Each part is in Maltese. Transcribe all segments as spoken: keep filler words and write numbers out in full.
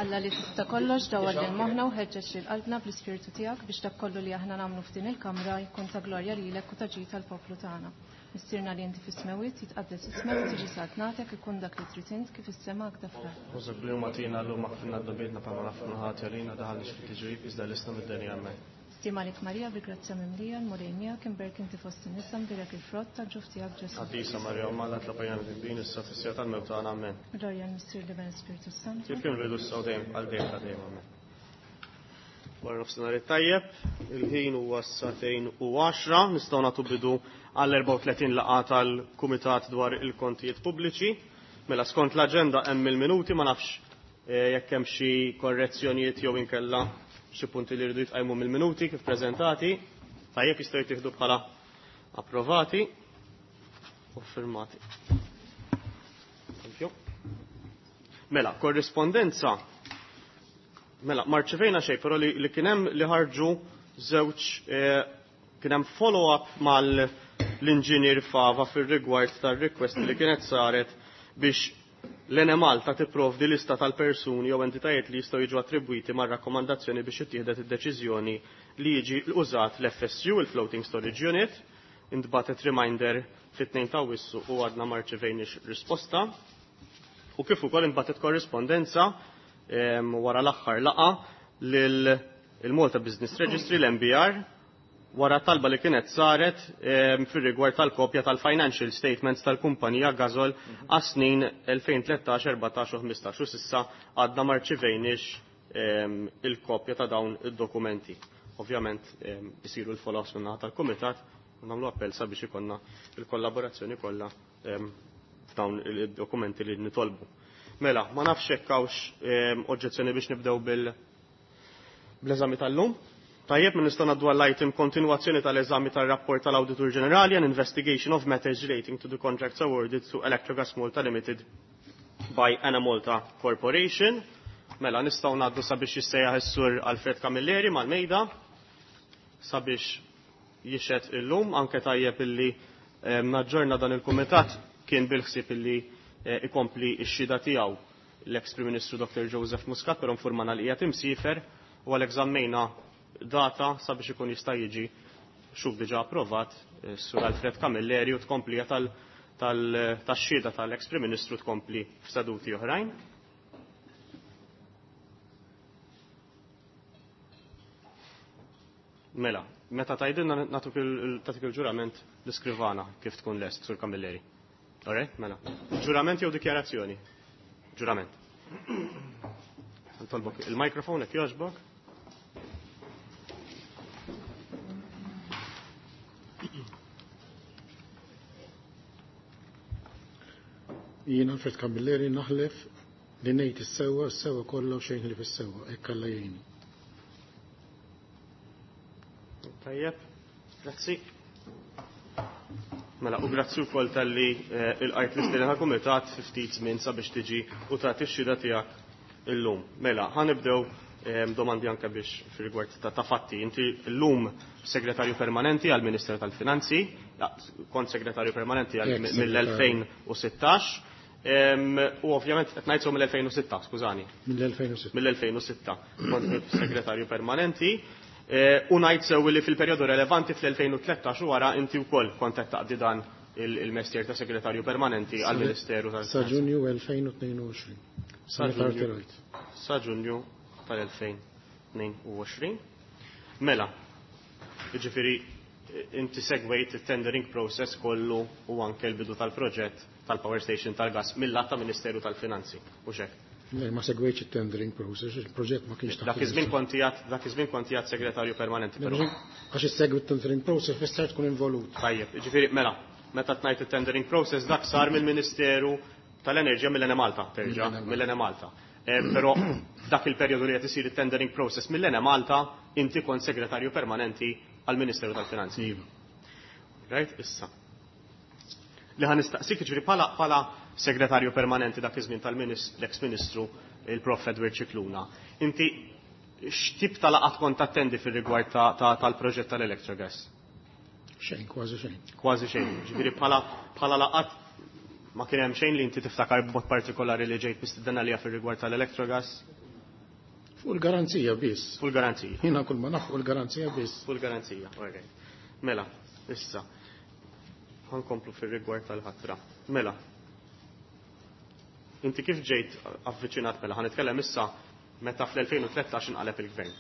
Alla li tista' kollox dawwar lil moħħna u ħeġġeġ lil qalbna bl-ispirtu tiegħek biex dak kollu li aħna nagħmlu f'din il-kamra jkun ta' glorja lilek u ta' ġid tal-poplu tagħna. Missierna li inti fis-smewwiet jitqaddes ismek tiġi saltnatek ikun dak li trid int kif is-sema hekk fl-art. Ħużek li huma tina llum aħfirna dnubietna bħalma naħfru ħati għalina daħalniex fit-tiġrib iżda ħlisna mid-deni amen. Stima lik Marija bil-grazzja mimlija l-Mulej miegħek imbierka inti fost in-nisa mbierek il-frott tal-ġuf tiegħek Ġesù. Qaddisa Marija Omm Alla itlob għalina midinbin issa fis-siegħa tal-mewt tagħna amen. Glorja l-Missier l-Iben Spiritu Santu. Kif kien bidu issa u dejjem għal dejjem ta' dejjem amen. Wara nofsinhar it-tajjeb, il-ħin huwa s-sagħtejn u għaxra, nistgħu nagħtu bidu għall erbgħa u tletin laqgħa tal-Kumitat dwar il-Kontijiet Pubbliċi. Mela skont l-aġenda hemm il-minuti, ma nafx eh, jekk hemm xi korrezzjonijiet jew inkella xi punti li rridu jitqajmu mill-minuti kif preżentati. Tajjeb jistgħu jittieħdu bħala approvati u firmati. Thank you. Mela, korrispondenza. Mela, marċevejna xejn, però li, li kien hemm li ħarġu żewġ eh, kien hemm follow-up mal-inġinier Fava fir-rigward tar-request li kienet saret biex l-Enemalta tipprovdi lista tal-persuni jew entitajiet li jistgħu jiġu attribwiti mar-rakkomandazzjoni biex ittieħdet id-deċiżjoni li jiġi użat l-F S U, il-Floating Storage Unit. Intbatet reminder fit-tnejn ta' Awwissu u għadna ma rċevejniex risposta. U kif ukoll intbatet korrispondenza, em, wara l-aħħar laqgħa lil il-Malta Business Registry, l-M B R, wara talba li kienet saret, em, fir-rigward tal-kopja tal-financial statements tal-kumpanija Gasol għas-snin elfejn tlettax, erbatax u ħmistax u s'issa għadna ma rċivejniex, em, il-kopja ta' dawn id-dokumenti. Ovvjament, em, isiru l-follow-ups min-naħa tal-Kumitat u nagħmlu appell sabiex ikollna il-kollaborazzjoni kollha, em, f'dawn id-dokumenti li nitolbu. Mela, ma nafx hekk hawnx, em, oġġezzjoni biex nibdew bil-, bl-eżami tal-lum. Tajjeb, minn nistgħu ngħaddu għall-item kontinwazzjoni tal-eżami tar-rapport tal-Awditur Ġenerali and investigation of matters relating to the contracts awarded to Electrogas Malta Limited by Enemalta Corporation. Mela, nistgħu ngħaddu sabiex jissejjaħ is-Sur Alfred Camilleri mal-mejda sabiex jixhed illum, anke tajjeb illi, eh, naġġorna dan il-kumitat kien bil-ħsieb illi, eh, ikompli x-xhieda tiegħu l-ex Prim Ministru Doktor Joseph Muscat, però nfurmana li qiegħed imsiefer u għalhekk żammejna data sabiex ikun jista' jiġi xuf diġà approvat, eh, Sur Alfred Camilleri u tkomplija tal-, tal-, tax-xhieda tal-ex Prim Ministru tkompli f'seduti oħrajn. Mela, meta tgħidilna nagħtuk il-, tagħtik il-ġurament l-iskrivana kif tkun lest, Sur Camilleri. All right, mela. Ġurament jew dikjarazzjoni? Ġurament. Ntolbok il-mikrofon jekk jogħġbok. Jien Alfred Camilleri naħlef li ngħid is-sewwa, is-sewwa kollha u xejn li fis-sewwa, hekk Alla jgħinni. Tajjeb, grazzi. Mela, u grazzi wkoll talli, eh, il-qajt l-istedina tal-kumitat fi ftit żmien sabiex tiġi u tagħti x-xhieda tiegħek illum. Mela, ħanibdew, eh, domandi anke biex fir-rigward ta', ta' fatti. Inti llum segretarju permanenti għall Ministeru tal-Finanzi, ja, kont segretarju permanenti għal Ex-segretarju. mill-elfejn u sittax. Em, u ovvjament qed ngħid mill-elfejn u sitta, skużani. Mill-elfejn u sitta. Mill-elfejn u sitta kont segretarju permanenti. Eh, u ngħid sew li fil-perjodu relevanti fl-elfejn u tlettax u wara inti wkoll kont qed taqdi dan il-, il-mestier ta' segretarju permanenti Sa- għall-Ministeru Sa tal-Finanzi. Ġunju elfejn u tnejn u għoxrin. Sa Sa Ġunju. Ġunju. Sa Ġunju tal-elfejn tnejn u għoxrin. Mela, jiġifieri inti segwejt il-tendering process kollu u anke l-bidu tal-proġett tal-power station tal-gas mill-lat ta' Ministeru tal-Finanzi, u xek? Le, ma segwejtx il-tendering process, il-proġett ma kienx taħt Dak iż-żmien il-Ministru. kont qiegħed, dak iż-żmien kont qiegħed segretarju permanenti, Le, però. mhux għax issegwi il-tendering process fisser tkun involut. Tajjeb, jiġifieri, mela, meta tnajt il-tendering process dak sar mill-Ministeru tal-Enerġija mill-Enemalta, terġa', Mill-Enemalta. mill-Enemalta. Eh, però f'dak il-perjodu li qed isir il-tendering process mill-Enemalta, inti kont segretarju permanenti għall-Ministeru tal-Finanzi. Iva. Right, issa. Li ħa nistaqsik, jiġifieri bħala, bħala segretarju permanenti dak iż-żmien tal-ex-ministru il-Prof Edward Scicluna. Inti x'tip ta' laqgħat kont attendi fir-rigward ta', ta', tal-proġett tal-Electrogas? Xejn, kważi xejn. Kważi xejn. Ġifieri bħala, bħala laqgħat ma kien hemm xejn li inti tiftakar b'mod partikolari li ġejt mistieden għaliha fir-rigward tal-Electrogas? Fuq il-garanzija biss. Fuq il-garanzija. Jiena kull ma naf fuq il-garanzija biss. Fuq il-garanzija, all right. Mela, issa. Ħankomplu fir-rigward tal-ħatra. Mela. Inti kif ġejt avviċinat mela? Ħa nitkellem issa meta fl-elfejn u tlettax inqaleb il-gvern.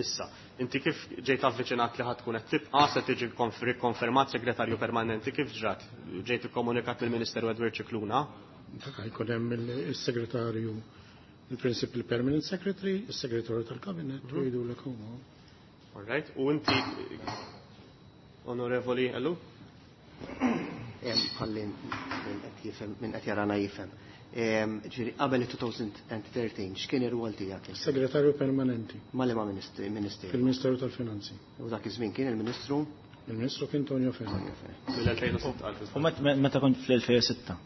Issa, inti kif ġejt avviċinat li ħad tkun qed tibqa' se tiġi rikonfermat segretarju permanenti, kif ġrat? Ġejt ikkomunikat mill-Ministeru Edward Scicluna? Dak jkun hemm il-segretarju, il-Principal Permanent Secretary, il-segretarju tal-Kabinet, u jgħidulek huma. All right, u inti, Onorevoli Ellu? Ħalli min qed jifhem, min qed jarana jifhem. Ġifieri qabel two thousand thirteen x'kien ir-rwol tiegħek? Segretarju permanenti. Ma' liema ministeru? Fil-Ministeru tal-Finanzi. U dak iż-żmien kien il-Ministru? Il-Ministru kien Tonio Fenech. Mill-elfejn u sitta. U meta kont fl-elfejn u sitta?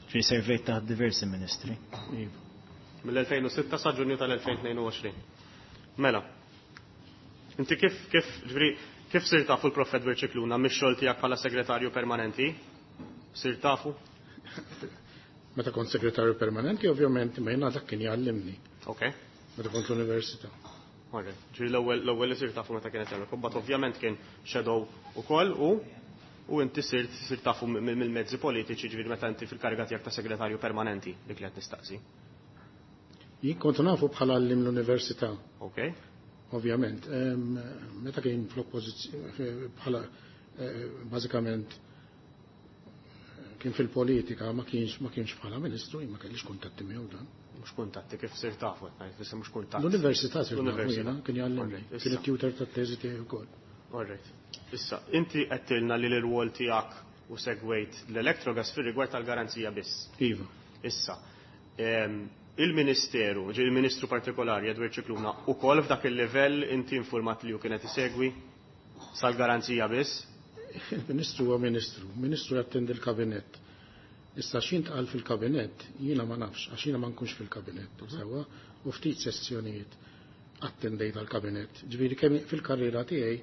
Ġifieri servejt taħt diversi ministri. Iva. Mill-elfejn u sitta sa Ġunju tal-elfejn u tnejn u għoxrin. Mela, inti kif, kif, ġifieri, kif sirt tafu l-Prof Edward Scicluna mix-xogħol tiegħek bħala segretarju permanenti? Sirt tafu? Meta kont segretarju permanenti, ovvjament, ma jiena dak kien jgħallimni. Ok. Meta kont l-università. Alright. Ġifieri l-ewwel l-ewwel li sirt tafu meta kienet hemmhekk. Imbagħad ovvjament kien shadow ukoll u u inti sirt sirt tafu mill-mezzi politiċi, ġifieri meta inti fil-kariga tiegħek ta' segretarju permanenti, dik li qed nistaqsi. Jien kont nafu bħala għallim l-università. Ok. Ovvjament. Meta kien fl-oppożizzjoni bħala eh, bażikament kien fil-politika, ma kienx ma kienx bħala ministru, ma kellix kuntatti miegħu dan. Mhux kuntatti, kif sirt tafu, qed ngħid, issa mhux kuntatt. L-università sirt nafu L-università. jiena, kien jgħallimni. Alright, Kien issa. it-tutor tat-teżi tiegħi wkoll. All right. Issa, inti għedtilna li l-rwol tiegħek u segwejt l-Electrogas fir-rigward tal-garanzija biss. Iva. Issa, em, il-Ministeru, ġi il-Ministru partikolari Edward Scicluna, ukoll f'dak il-livell inti informat li hu kienet isegwi sal-garanzija biss? Il-Ministru huwa Ministru, Ministru jattendi l-kabinett. Issa x'intqal fil-kabinett, jiena ma nafx, għax jiena ma nkunx fil-kabinett, sewwa, u ftit sessjonijiet attendejt għal-kabinett. Ġifieri kemm fil-karriera tiegħi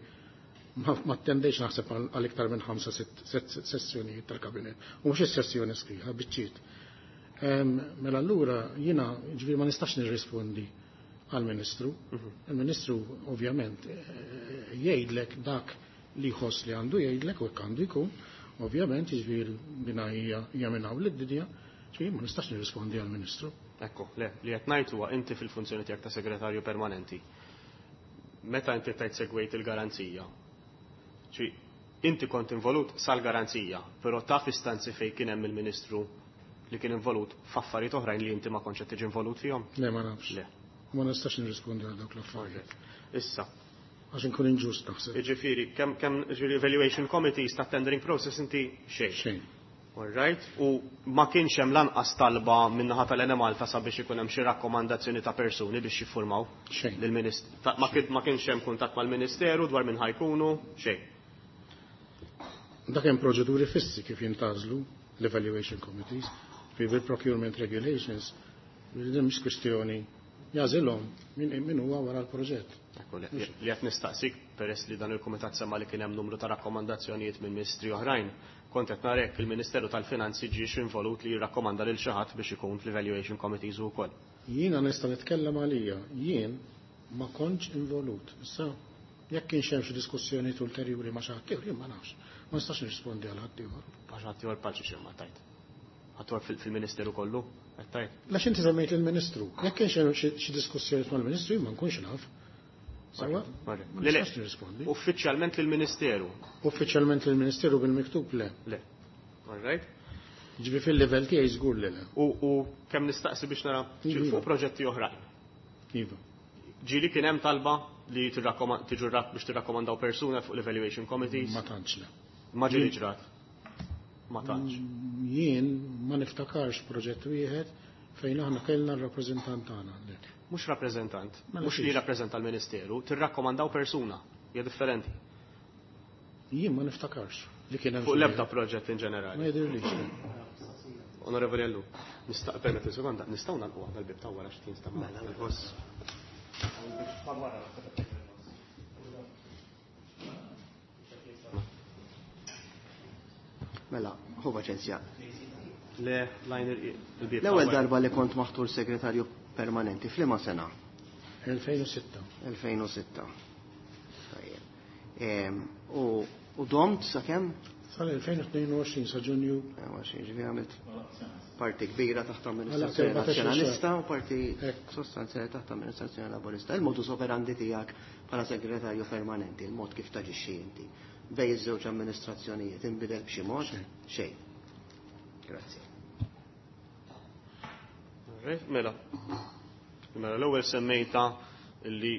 ma ma attendejx naħseb għal għal iktar minn ħamsa sitt sitt sessjonijiet tal-kabinett. U mhux is-sessjoni sħiħa, biċċiet. Em, Mela allura jiena ġifieri ma nistax nirrispondi għal-Ministru. Il-Ministru ovvjament eh, jgħidlek dak li jħoss li għandu jgħidlek u hekk għandu jkun. Ovvjament, jiġifieri bina hija hija minn hawn lid-dinja, ġifieri ma nistax nirrispondi għal-Ministru. Ekku, le, li qed ngħid huwa inti fil-funzjoni tiegħek ta' segretarju permanenti. Meta inti tajt segwejt il-garanzija, ċi inti kont involut sal-garanzija, però taf istanzi fejn kien hemm il-Ministru li kien involut f'affarijiet oħrajn li inti ma kontx qed tiġi involut fihom? Le, ma nafx. Le. Ma nistax nirrispondi għal dawk l-affarijiet. Issa, Għax inkun inġust naħseb. Jiġifieri, kemm kemm ġifieri evaluation committees ta' tendering process inti xejn. Xejn. All right. U ma kienx hemm lanqas talba min-naħa tal-Enemalta sabiex ikun hemm xi rakkomandazzjoni ta' persuni biex jiffurmaw Xejn. lill-Ministru. Ma kien- ma kienx hemm kuntatt mal-Ministeru dwar min ħajkunu, xejn. Dak hemm proċeduri fissi kif jintgħażlu l-evaluation committees, fi bil-procurement regulations, din mhix kwistjoni jagħżilhom min min huwa wara l-proġett. Ekku, li li qed nistaqsik peress li dan il-kumitat semma li kien hemm numru ta' rakkomandazzjonijiet minn ministri oħrajn, kont qed narek il-Ministeru tal-Finanzi ġiex involut li jirrakkomanda lil xi ħadd biex ikun fl-evaluation committees ukoll. Jiena nista' nitkellem għalija, jien ma kontx involut. Issa jekk kienx hemm xi diskussjonijiet ulterjuri ma' xi ħadd ieħor, jien ma nafx. Ma nistax nirrispondi għal ħadd ieħor. Għax ħadd ieħor bħal xi ma tajt. Ħadd ieħor fil- fil-Ministeru kollu, qed tajt. Lax inti semmejt il-Ministru. Jekk kienx hemm xi xi diskussjonijiet mal-Ministru, jien ma nkunx naf. Sewwa? Ma Le, le, nistax nirrispondi. Uffiċjalment lill-Ministeru. Uffiċjalment lill-Ministeru bil-miktub le. Le. All right. Ġifi fil-livell tiegħi żgur li le. U, u kemm nistaqsi biex nara Iva. fuq proġetti oħrajn. Iva. Ġieli kien hemm talba li tirrakkoma- tiġu rak- biex tirrakkomandaw persuna fuq l-evaluation committees? Ma tantx le. Ma ġieli ġrat. Ma tantx. Jien ma niftakarx proġett wieħed fejn aħna kellna r-rappreżentant tagħna. Le. Mhux rappreżentant, Mela mhux li fiex. jirrappreżenta l-Ministeru, tirrakkomandaw persuna, hija differenti. Jien ma niftakarx li kien hemm Fuq xi l-ebda wieħed. proġett in Ma ġenerali. jidhirlix. Le. Onorevoli Ellu, nista' permetti sekonda, nistgħu nagħlqu waħda l-bib ta' wara x'tin sta' Mela, il-ħoss. Mela, ħu paċenzja. Le, lajn il-bieb. L-ewwel darba li kont maħtur segretarju permanenti f'liema sena? elfejn u sitta. elfejn u sitta. Tajjeb. U, u domt sakemm? Sal-elfejn u tnejn u għoxrin sa Ġunju. Ġifieri għamilt parti kbira taħt amministrazzjoni nazzjonalista u parti sostanzjali taħt amministrazzjoni laburista. Il-modus operandi tiegħek bħala segretarju permanenti, il-mod kif taġixxi inti bej iż-żewġ amministrazzjonijiet inbidel b'xi mod? Xejn. Grazzi. Mela. Mela l-ewwel semmejta li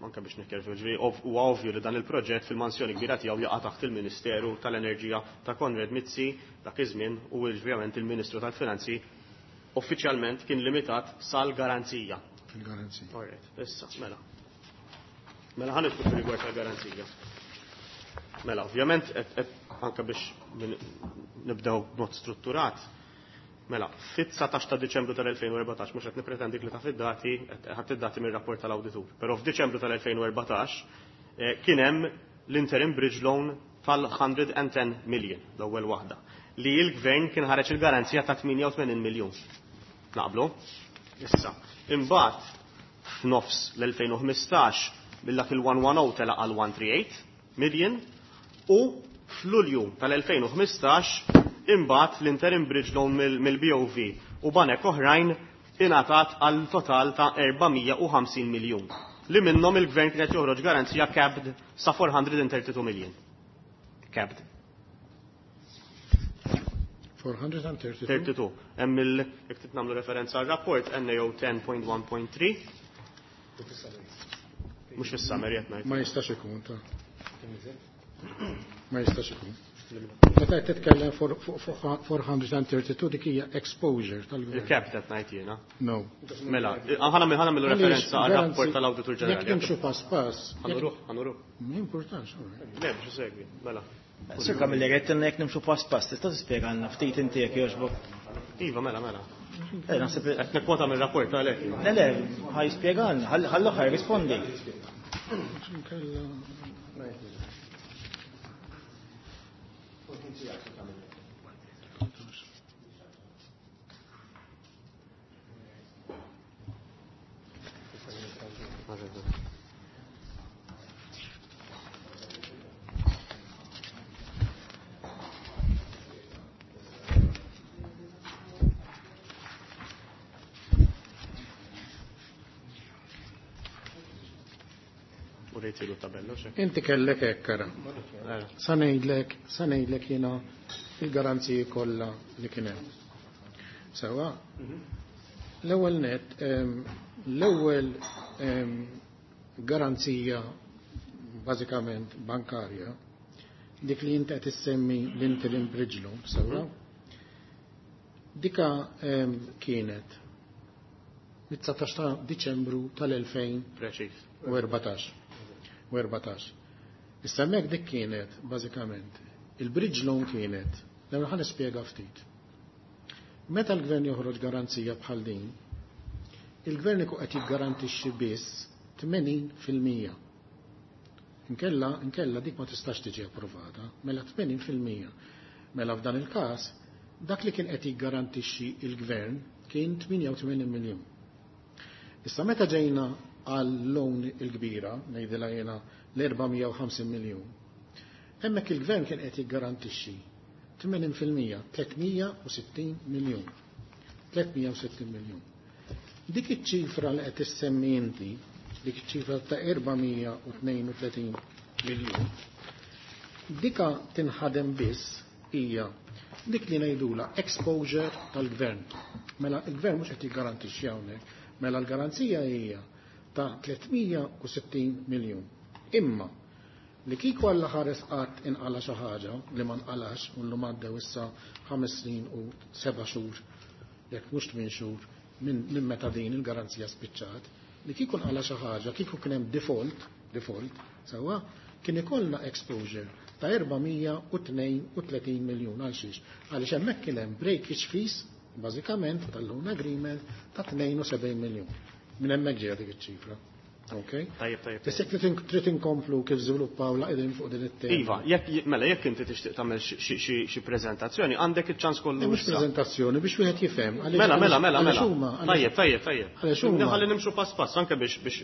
anke biex nikkerfu, ġifieri huwa ovvju li dan il-proġett fil-mansjoni kbira tiegħu jaqa' taħt il-Ministeru tal-Enerġija ta' Konrad Mizzi dak iż-żmien u ovvjament il-Ministru tal-Finanzi uffiċjalment kien limitat sal-garanzija. Fil-garanzija. Alright, issa, mela. Mela ħa nidħlu fir-rigward tal-garanzija. Mela, ovvjament, anke biex nibdew b'mod strutturat, mela, fit-dsatax ta' Diċembru tal-elfejn u erbatax, mhux qed nippretendik li taf id-dati, ħadd id-dati mir-rapport tal-awditur, però f'Diċembru tal-elfejn u erbatax kien hemm l-interim bridge loan tal-hundred and ten million, l-ewwel waħda, li l-gvern kien ħareġ il-garanzija ta' tmienja u tmenin miljun. Naqblu? Issa, imbagħad f'nofs l-elfejn u ħmistax bil-dak il-one one oh tela għal one three eight million u f'Lulju tal-elfejn u ħmistax imbagħad l-interim bridge loan mill-B O V u banek oħrajn ingħatat għal total ta' erbamija u ħamsin miljun li minnhom il-gvern kien qed joħroġ garanzija capped sa four hundred and thirty-two million. Capped. four hundred and thirty-two. Thirty-two. Hemm il, jekk trid nagħmlu referenza għar-rapport N A O ten point one point three. Mhux fis-summary qed ngħid. Ma jistax ikun ta' Ma jistax ikun. Meta qed titkellem four hundred and thirty-two dik hija exposure tal-gvern. Il-cap qed ngħid jiena. No. Mela, ħana ħana mill referenza għar-rapport tal-Awditur Ġenerali. Jekk nimxu pass pass. Ħanuruh, ħanuruh. Ma importax, all right. Le, biex isegwi, mela. Sir Camilleri, qed tenna jekk nimxu pass pass, tista' tispjegalna ftit inti jekk jogħġbok? Iva, mela, mela. Eh, naħseb li Qed nikkwota mir-rapport għalhekk. Le, le, ħaj jispjegalna, ħallu ħaj rispondi. Inti kellek hekk, ara. Sa ngħidlek, sa ngħidlek jiena il-garanziji kollha li kien hemm. Sewa? L-ewwel net, ehm, l-ewwel, ehm, garanzija bażikament bankarja, dik li inti qed issemmi l-interim bridge loan, sewa? Dika, ehm, kienet mit-dsatax ta' Diċembru tal-elfejn Preċiż. u erbatax. U erbatax. Issa hemmhekk dik kienet bażikament il-bridge loan kienet, l-ewwel ħa nispjega ftit. Meta l-gvern joħroġ garanzija bħal din, il-gvern ikun qed jiggarantixxi biss tmenin fil-mija. Inkella, inkella dik ma tistax tiġi approvata, mela tmenin fil-mija. Mela f'dan il-każ, dak li kien qed jiggarantixxi il-gvern kien tmienja u tmenin miljun. Issa meta ġejna għal loan il-kbira, ngħidilha jiena l-erba' mija u ħamsin miljun, hemmhekk il-gvern kien qed jiggarantixxi tmenin fil-mija, tliet mija u sittin miljun. tliet mija u sittin miljun. Dik iċ-ċifra li qed issemmi inti, dik iċ-ċifra ta' erba' mija u tnejn u tletin miljun, dika tinħadem biss hija dik li ngħidula exposure tal-gvern. Mela il-gvern mhux qed jiggarantixxi hawnhekk, mela l-garanzija hija ta' tliet mija u sittin miljun. Imma li kieku Alla ħares qatt inqala xi ħaġa li ma nqalax u llum għaddew issa ħames snin u seba' xhur, jekk mhux tmien xhur minn, minn meta din il-garanzija spiċċat, li kieku nqala xi ħaġa, kieku kien hemm default, default, sewwa, kien ikollna exposure ta' erba' mija u tnejn u tletin miljun. Għal xiex? Għaliex hemmhekk kien hemm breakage fees bażikament tal-loan agreement ta' tnejn u sebgħin miljun. Minn hemmhekk ġejja dik iċ-ċifra. Okay? Tajjeb, tajjeb. Issa jekk trid inkomplu kif żviluppaw la qegħdin fuq din it-tema. Iva, jekk mela jekk inti tixtieq tagħmel xi preżentazzjoni, għandek iċ-ċans kollu. Mhux preżentazzjoni biex wieħed jifhem. Mela, mela, mela, mela. Tajjeb, tajjeb, tajjeb. Ħalli nimxu pass pass anke biex biex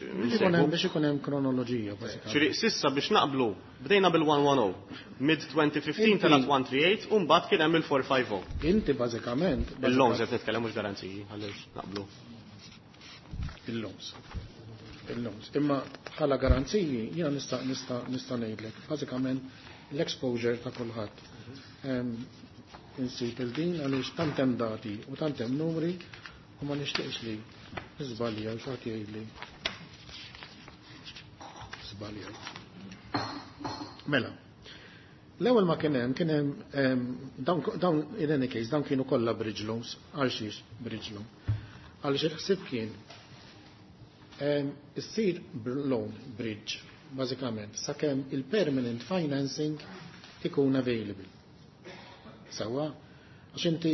biex ikun hemm kronoloġija bażikament. Ġifieri s'issa biex naqblu bdejna bil-one one oh, mid twenty fifteen telgħet one three eight u mbagħad kien hemm il-four five oh. Inti bażikament Il-loans qed nitkellem, mhux garanziji, ħalli naqblu. Il-loans. Il-loans. Imma bħala garanziji jiena nista' nista' nista' ngħidlek bażikament l-exposure ta' kulħadd. Insib il-din għaliex tant hemm dati u tant hemm numri u ma nixtieqx li żbalja u xi ħadd jgħidli żbalja. Mela, l-ewwel ma kien hemm kien hemm dawn dawn in any case dawn kienu kollha bridge loans. Għal xiex bridge loan? Għaliex il-ħsieb kien issir loan bridge bażikament sakemm il-permanent financing ikun available. Sawa, għax inti,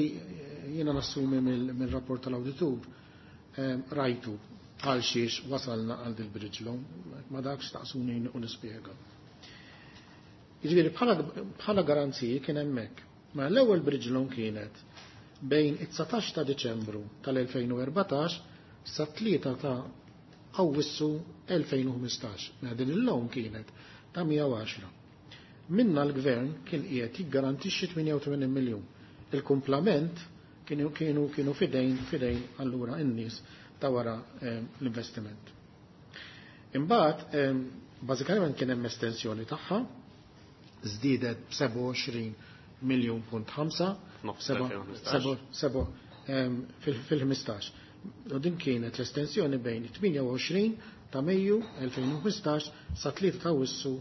jiena nassumi mill-rapport tal-awditur rajtu għal xiex wasalna għal dil-bridge loan, ma dakx staqsuni u nispjega. Jiġifieri bħala garanziji kien hemmhekk. Ma l-ewwel bridge loan kienet bejn it-dsatax ta' Diċembru tal-elfejn u erbatax sa tlieta ta' Awwissu elfejn u ħmistax. Mela din il-loan kienet ta' mija u għaxra. Minna l-gvern kien qiegħed jiggarantixxi tmienja u tmenin miljun. Il-kumplament kienu kienu kienu fidejn fidejn allura in-nies ta' wara l-investiment. Imbagħad bażikament kien hemm estensjoni tagħha, żdiedet b'sebgħa u għoxrin miljun punt ħamsa fil-ħmistax. U din kienet l-estensjoni bejn tmienja u għoxrin ta' Mejju elfejn u ħmistax sa tlieta ta' Awwissu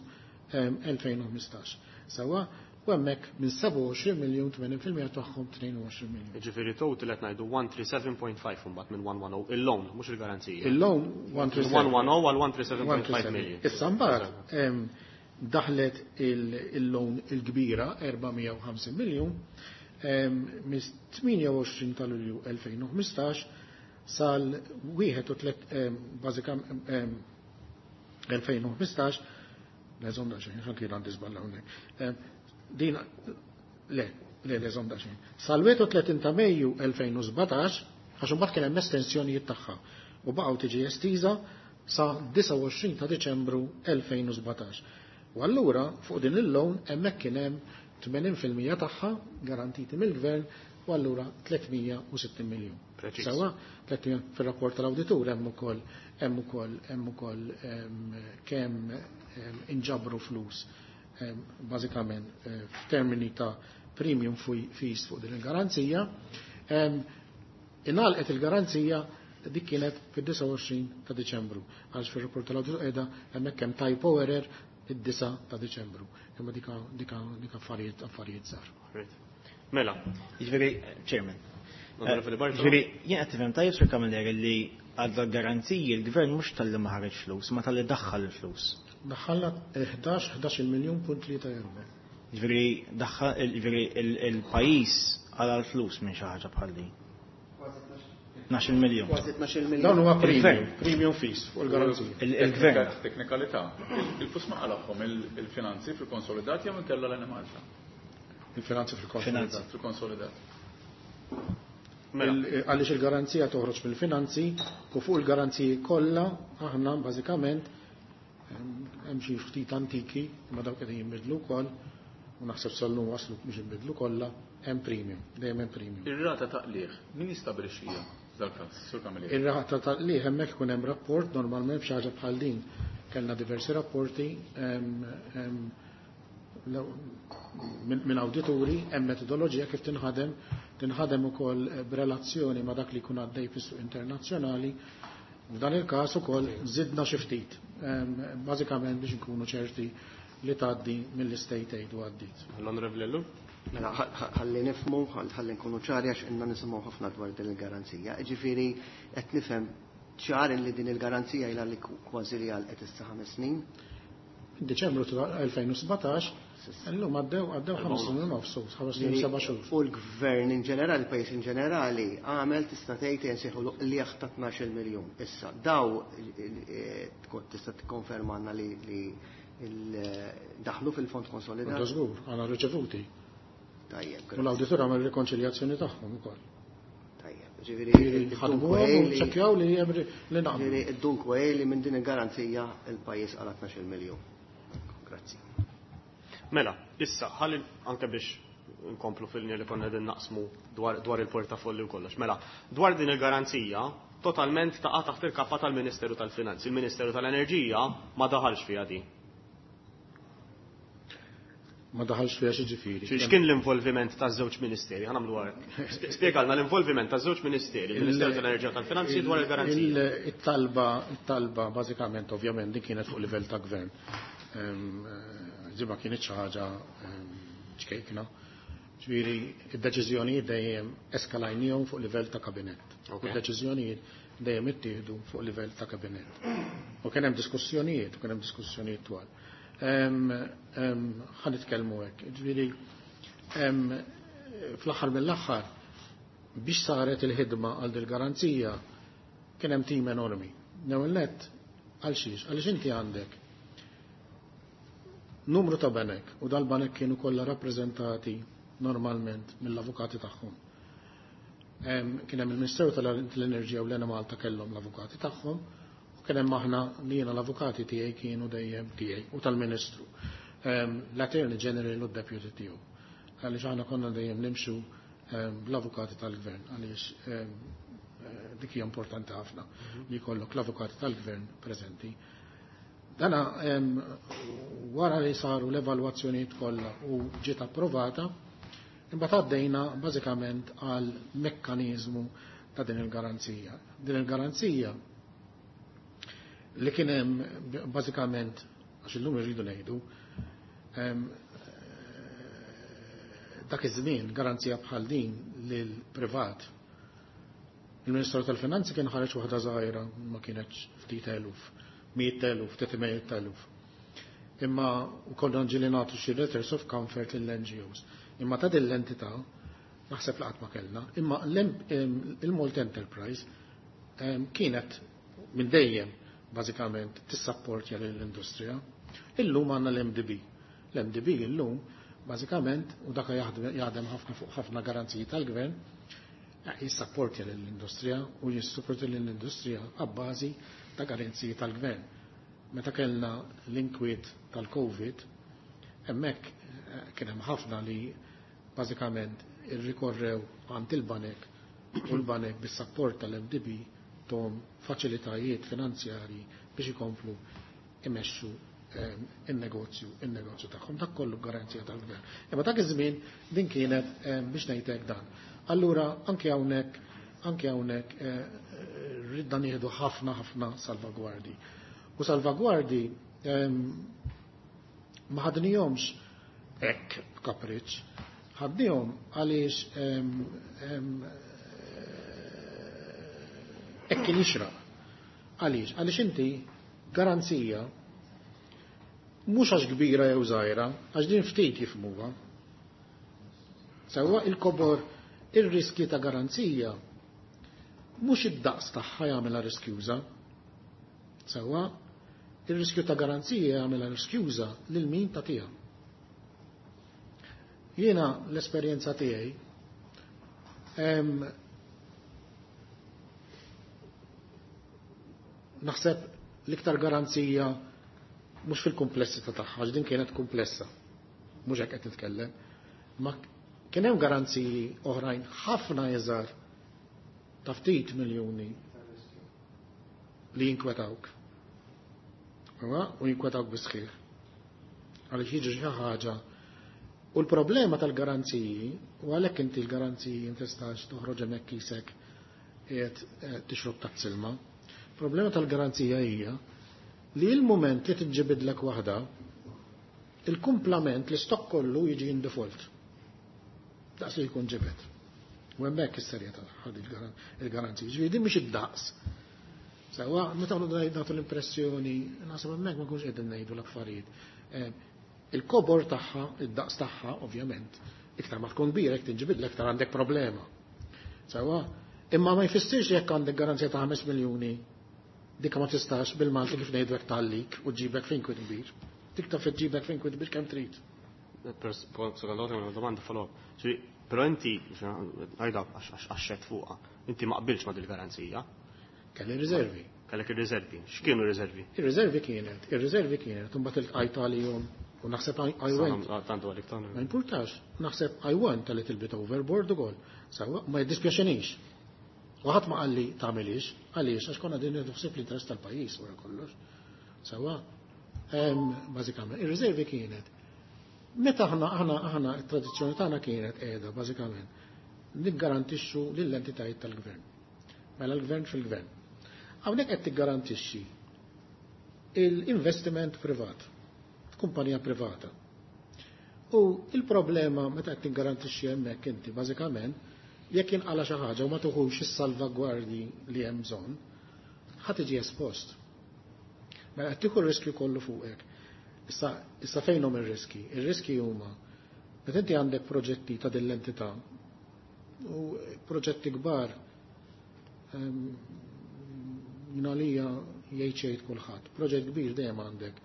elfejn u ħmistax. Sawa, u hemmhekk minn sebgħa u għoxrin miljun tmenin fil-mija tagħhom tnejn u għoxrin miljun. Jiġifieri total qed ngħidu one three seven point five mbagħad minn one one oh, il-loan mhux il-garanzija. Il-loan one three seven. one one oh għal one three seven point five million. Issa mbagħad daħlet il-loan il-kbira erba' mija u ħamsin miljun mis tmienja u għoxrin ta' Lulju elfejn u ħmistax sal wieħed u elfejn u ħmistax, le, żomm daqsxejn, xan kien għandi żball hawnhekk. Din le, le, le, żomm daqsxejn. Sal wieħed u tletin ta' Mejju elfejn u sbatax, għax imbagħad kien hemm estensjonijiet tagħha u baqgħu tiġi estiża sa disgħa u għoxrin ta' Diċembru elfejn u sbatax. U allura fuq din il-loan hemmhekk kien hemm tmenin fil-mija tagħha garantiti mill-gvern u allura tliet mija u sittin miljun. Sawa, tliet mija fir-rapport tal-awditur hemm ukoll hemm ukoll hemm ukoll kemm inġabru flus bażikament f'termini ta' premium fees fuq din il-garanzija. Ingħalqet il-garanzija, dik kienet fid-disgħa u għoxrin ta' Diċembru. Għax fir-rapport tal-awditur qiegħda hemmhekk hemm typo error id-disgħa ta' Diċembru. Imma dika dika dika affarijiet affarijiet żgħar. Mela. Jiġifieri, Chairman. Onorevoli Bartolo. Jiġifieri, jien qed tifhem tajjeb, Sur Camilleri, li għal garanziji l-gvern mhux talli ma ħareġ flus, ma talli daħħal il-flus. Daħħalna ħdax ħdax miljun punt tlieta erba'. Jiġifieri daħħal, jiġifieri il-pajjiż għala l-flus minn xi ħaġa bħal din. tnax-il miljun. Kważi tnax-il miljun. Dawn huwa premium, premium fees fuq il-garanzija. Il-gvern. Teknikalità. Il-flus ma qalagħhom il-finanzi fil-konsolidat jew inkella l-Enemalta? Il-finanzi fil-konsolidat. Fil-konsolidat. Mela. Għaliex il-garanzija toħroġ mill-finanzi u fuq il-garanziji kollha aħna bażikament hemm xi ftit antiki, imma dawk qegħdin jinbidlu wkoll u naħseb sal-lum waslu biex jinbidlu kollha, hemm premium, dejjem hemm premium. Ir-rata ta' qligħ, min jistabilixxija dal-każ, Sur Camilleri? Ir-rata ta' qligħ hemmhekk ikun hemm rapport normalment f'xi ħaġa bħal din. Kellna diversi rapporti minn awdituri, hemm metodoloġija kif tinħadem, tinħadem ukoll b'relazzjoni ma' dak li jkun għaddej fis-suq internazzjonali. F'dan il-każ ukoll żidna xi ftit, bażikament biex nkunu ċerti li tgħaddi mill-state aid u għaddit. L-Onorevoli Ellul? Mela, ħalli nifhmu, ħalli nkunu ċari għax inna nisimgħu ħafna dwar din il-garanzija. Ġifieri qed nifhem ċar li din il-garanzija ilha li kważi li għalqet issa ħames snin. Deċembru elfejn u sbatax. Illum għaddew għaddew ħames snin u nofs, ħames snin seba' xhur. U l-gvern in ġenerali, il-pajjiż in ġenerali, għamel tista' tgħid insejħu qligħ ta' tnax-il miljun. Issa, daw tista' tikkonfermanna li daħlu fil-fond konsolidat? Da żgur, għandna riċevuti. Tajjeb. U l-awditur għamel rikonċiljazzjoni tagħhom ukoll. Tajjeb, ġifieri ħadmu ċekkjaw li hemm li naqblu. Ġifieri id-dunkwe li minn din il-garanzija il-pajjiż qala tnax-il miljun. Grazzi. Mela, issa, ħalli anke biex nkomplu fil-linja li konna qegħdin naqsmu dwar, dwar il-portafolli u kollox. Mela, dwar din il-garanzija, totalment taqa' taħt il-kappa tal-Ministeru tal-Finanzi. Il-Ministeru tal-Enerġija ma daħalx fiha din. Ma daħalx fiha xi ġifieri. X'kien l-involviment taż-żewġ ministeri? Ħa nagħmlu hekk. Spjegalna l-involviment taż-żewġ ministeri, il-Ministeru tal-Enerġija u tal-Finanzi dwar il-garanzija. It-talba, it-talba bażikament ovvjament din kienet fuq livell ta' gvern. Ġiba kienet xi ħaġa ċkejkna. Ġifieri id-deċiżjonijiet dejjem eskalajnihom fuq livell ta' kabinett. U d-deċiżjonijiet dejjem ittieħdu fuq livell ta' kabinett. U kien hemm diskussjonijiet, u kien hemm diskussjonijiet twal. Ħa nitkellmu hekk. Ġifieri fl-aħħar mill-aħħar biex saret il-ħidma għal dil-garanzija kien hemm tim enormi. L-ewwel nett għal xiex? Għaliex inti għandek numru ta' banek u dal-banek kienu kollha rappreżentati normalment mill-avukati tagħhom. Kien hemm il-Ministeru tal-Enerġija u l-Enemalta kellhom l-avukati tagħhom u kien hemm aħna li jiena l-avukati tiegħi kienu dejjem tiegħi u tal-Ministru. L-Attorney General u d-Deputy tiegħu. Għaliex aħna konna dejjem nimxu bl-avukati tal-Gvern għaliex dik hija importanti ħafna li jkollok l-avukati tal-Gvern preżenti. Dana wara li saru l-evalwazzjonijiet kollha u ġiet approvata, imbagħad għaddejna bażikament għal mekkaniżmu ta' din il-garanzija. Din il-garanzija li kien hemm bażikament, għax illum irridu ngħidu, dak iż-żmien garanzija bħal din lil privat. Il-Ministru tal-Finanzi kien ħareġ waħda żgħira ma kienx ftit eluf, miet eluf, tliet eluf. Imma konna ġieli nagħtu xi letters of comfort lill-N G Os. Imma ta' din l-entità naħseb laqat ma kellna, imma il-Malta Enterprise kienet minn dejjem bażikament tissapportja lill-industrija. Illum għandna l-M D B. L-M D B illum bażikament u dak jaħdem ħafna fuq ħafna garanziji tal-gvern, jissapportja lill-industrija u jissupportja lill-industrija għabbażi ta' garanziji tal-gvern. Meta kellna l-inkwiet tal-Covid, hemmhekk kien hemm ħafna li bażikament irrikorrew għand il-banek u l-banek bis-sapport tal-M D B tom faċilitajiet finanzjarji biex ikomplu imexxu in-negozju, in-negozju tagħhom, dak kollu garanzija tal-gvern. Imma dak iż-żmien din kienet biex ngħidlek dan. Allura anke hawnhekk, anke hawnhekk ridna nieħdu ħafna ħafna salvagwardi. U salvagwardi ma ħadnihomx hekk b'kapriċċ, ħadnihom għaliex hekk kien jixraq. Għaliex? Għaliex inti garanzija mhux għax kbira jew żgħira, għax din ftit jifhmuha. Sewwa il-kobor ir-riski ta' garanzija mhux id-daqs tagħha jagħmilha riskjuża. Sewwa ir-riskju ta' garanzija jagħmilha riskjuża lil min tagħtiha. Jiena l-esperjenza tiegħi naħseb l-iktar garanzija mhux fil-komplessità tagħha, għax din kienet komplessa, mhux hekk qed nitkellem, ma kien hemm garanziji oħrajn ħafna iżgħar ta' ftit miljuni li jinkwetawk. Huwa u jinkwetawk bi sħiħ. Għaliex jiġi xi ħaġa. U l-problema tal-garanziji, u għalhekk inti l-garanziji ma tistax toħroġ hemmhekk kisek qiegħed tixrob taħt silma. Problema tal-garanzija hija li l-moment li tiġġibidlek waħda, il-kumplament li stok kollu jiġi in default. Daqs li jkun ġibed. U hemmhekk is-serjetà tagħha il-garanzija. Ġifieri din mhix id-daqs. Sewwa, meta nagħtu nagħtu l-impressjoni, naħseb hemmhekk ma nkunx qegħdin ngħidu l-affarijiet. Il-kobor tagħha, id-daqs tagħha, ovvjament, iktar ma tkun kbira, jekk tinġibidlek iktar għandek problema. Sewwa, imma ma jfissirx jekk għandek garanzija ta' ħames miljuni, dikka ma tistax bil-Malti kif ngħidu hekk tgħallik u ġibek fejn kwit kbir. Dik taf ġibek fejn kwit kbir kemm trid. Secondo te una domanda follow up. Però inti, għajda għaxxet fuqha, inti ma qbilx ma dil-garanzija. Kelli riservi. Kellek ir-riservi. X'kienu r-riservi? Ir-riservi kienet, ir-riservi kienet, imbagħad iltqajt għalihom u naħseb I went. Tantu għalik tan. Ma importax, naħseb I went a little bit overboard ukoll. Sewwa, ma jiddispjaċinix. U ħadd ma qalli tagħmilix, għaliex għax konna din ħsieb l-interess tal-pajjiż wara kollox. Sewwa, bażikament, ir-riservi kienet. Meta aħna aħna aħna t-tradizzjoni tagħna kienet qiegħda bażikament niggarantixxu lill-entitajiet tal-gvern. Mela l-gvern fil-gvern. Hawnhekk qed tiggarantixxi l-investiment privat, kumpanija privata. U il-problema meta qed tiggarantixxi hemmhekk inti bażikament jekk jinqala xi ħaġa u ma tuħux is-salvagwardji li hemm bżonn, ħa tiġi espost. Mela qed tieħu r-riskju kollu fuqek. Issa, issa fejn hum ir-riski? Ir-riski huma meta inti għandek proġetti ta' din l-entità u proġetti kbar jien għalija jgħid xejn kulħadd. Proġett kbir dejjem għandek.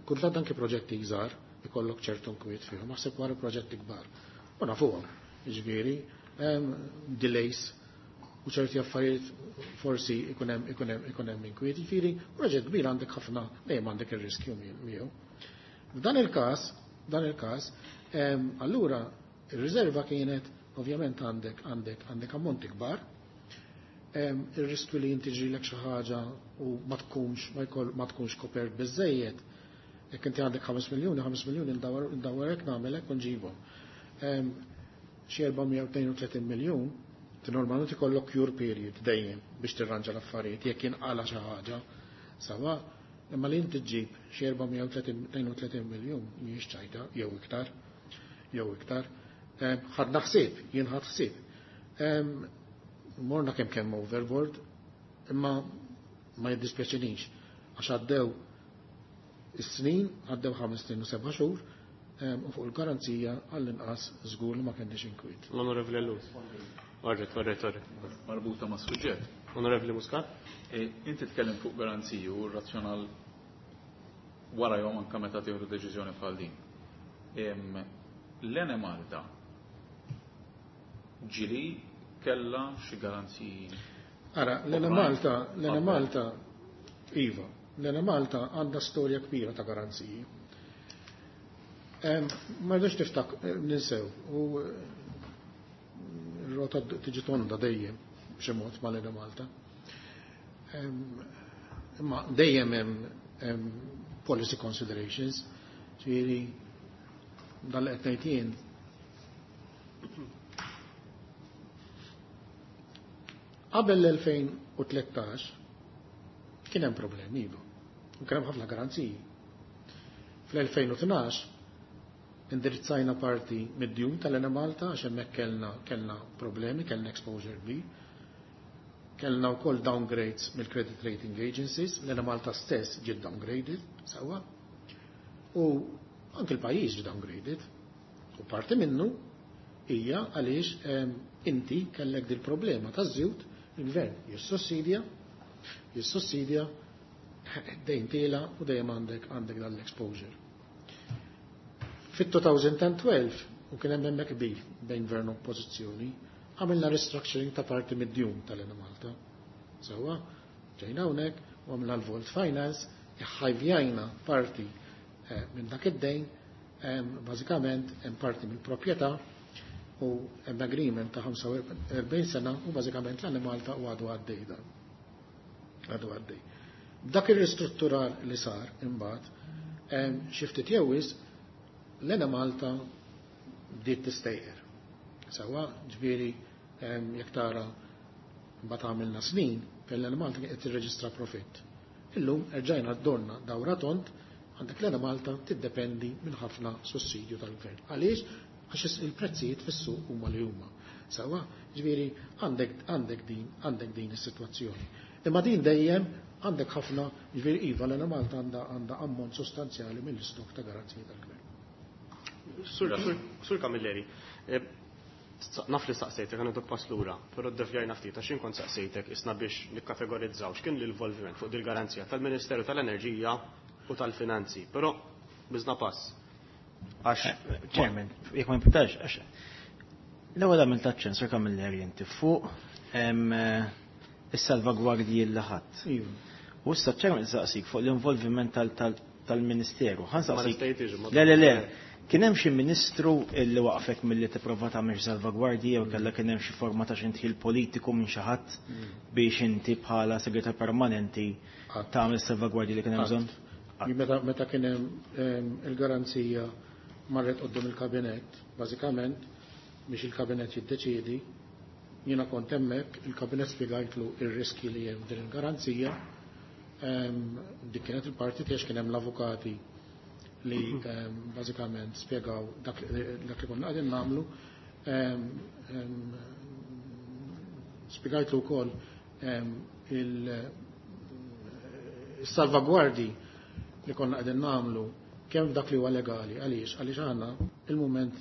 Kultant anke proġetti żgħar ikollok ċertu nkwiet fihom, naħseb wara proġetti kbar. U nafuhom, jiġifieri, delays u ċerti affarijiet forsi ikun hemm ikun hemm ikun hemm inkwiet. Jiġifieri, proġett kbir għandek ħafna dejjem għandek ir-riskju miegħu. F'dan il-każ, dan il-każ, allura ir-riserva kienet ovvjament għandek għandek għandek ammonti kbar. Ir-riskju li inti ġrilek xi ħaġa u ma tkunx ma jkoll ma tkunx kopert biżejjed. Jekk inti għandek ħames miljuni, ħames miljuni ndawwar hekk nagħmel hekk u nġibhom. Xi erba' mija u tnejn u tletin miljun, ti normalment ikollok cure period dejjem biex tirranġa l-affarijiet jekk jinqala xi ħaġa. Sawa, imma li inti ġġib xi erba' mija u tnejn u tletin miljun mhijiex ċajta jew iktar, jew iktar. Ħadna ħsieb, jien ħadd ħsieb. Morna kemm kemm overboard, imma ma jiddispjaċinix għax għaddew is-snin, għaddew ħames snin u seba' xhur, u fuq il-garanzija għall-inqas żgur li ma kenniex inkwiet. L-Onorevoli Ellul. Orret, orret, orret. Marbuta ma' suġġett. Onorevoli Muscat? E, inti tkellem fuq garanziji u r-razzjonal wara jom anka meta tieħdu deċiżjoni bħal din. L-Enemalta ġili kella xi garanziji? Ara, l-Enemalta, l-Enemalta, iva, l-Enemalta għandha storja kbira ta' garanziji. Ma rridux niftak, ninsew, u r-rota tiġi tonda dejjem b'xi mod mal-Enemalta. Imma dejjem hemm policy considerations, ġifieri dan li qed ngħid jien. Qabel l-elfejn u tlettax kien hemm problemi iva, u kien hemm ħafna garanziji. Fl-elfejn u tnax indirizzajna parti mid-djun tal-Enemalta għax hemmhekk kellna, kellna problemi, kellna exposure kbir. Kellna wkoll downgrades mill-credit rating agencies, l-Enemalta stess ġiet downgraded, sewwa. U anke l-pajjiż ġie downgraded. U parti minnu hija għaliex, ehm, inti kellek dil problema taż-żjut, il-gvern jissussidja, jissussidja dejn tiela u dejjem għandek, għandek dan l-exposure. Fit-two thousand twelve, u kien hemm hemmhekk qbil bejn gvern u oppożizzjoni, għamilna restructuring ta' parti mid-djun tal-Enemalta. Sewwa, ġejna hawnhekk u għamilna l-Vault Finance, iħajvjajna parti, eh, minn dak id-dejn, ehm, bażikament hemm parti mill-proprjetà u hemm agreement ta' ħamsa u erbgħin sena u bażikament l-Enemalta u għadu għaddej dan. Għadu għaddej. Dak ir-ristrutturar li sar imbagħad, ehm, xi ftit jew wisq, l-Enemalta bdiet tistejqer. Sewwa, ġifieri, ehm, jekk tara mbagħad għamilna snin fejn l-Enemalta qed tirreġistra profitt. Illum erġajna dorna dawra tont, għandek l-Enemalta tiddependi minn ħafna sussidju tal-gvern. Għaliex? Għax il-prezzijiet fis-suq huma li huma. Sewwa, ġifieri għandek, għandek din, għandek din is-sitwazzjoni. Imma din dejjem għandek ħafna, ġifieri iva l-Enemalta għandha għandha ammont sostanzjali mill-istok ta' garanziji tal-gvern. Sur, sur, Sur Camilleri, eh, naf li saqsejtek għan pass lura, però ddevjajna ftit għax kont saqsejtek isna biex nikkategorizzaw x'kien l-involviment fuq dil-garanzija tal-Ministeru tal-Enerġija u tal-Finanzi, però biżna pass. Għax Chairman, jekk ma jimpurtax, għax l-ewwel għamilt aċċenn Sur Camilleri inti fuq em, eh, is-salvagwardji li ħadd. Iva. U issa Chairman saqsik fuq l-involviment tal- tal- tal-Ministeru. Ħa Ma nsaqsik. nistejtix, ma- Le, le, le. Kien hemm xi ministru illi waqfek milli tipprova tagħmel xi salvagwardji jew kellha kien hemm xi forma ta' xi indħil politiku minn xi ħadd biex inti bħala segretar permanenti Qatt. tagħmel salvagwardji li kien hemm bżonn? Meta, meta kien hemm em, il-garanzija marret quddiem il-kabinett, bażikament biex il-kabinett jiddeċiedi, jiena kont hemmhekk, il-kabinett spjegajtlu ir-riski li hemm din il-garanzija, em, dik kienet il-parti tiegħek kien hemm l-avukati li em, bażikament spjegaw dak dak li konna qegħdin nagħmlu. Em, em, Spjegajtlu wkoll em, il- il-salvagwardi li konna qegħdin nagħmlu kemm dak li huwa legali, għaliex għaliex għandna il-mument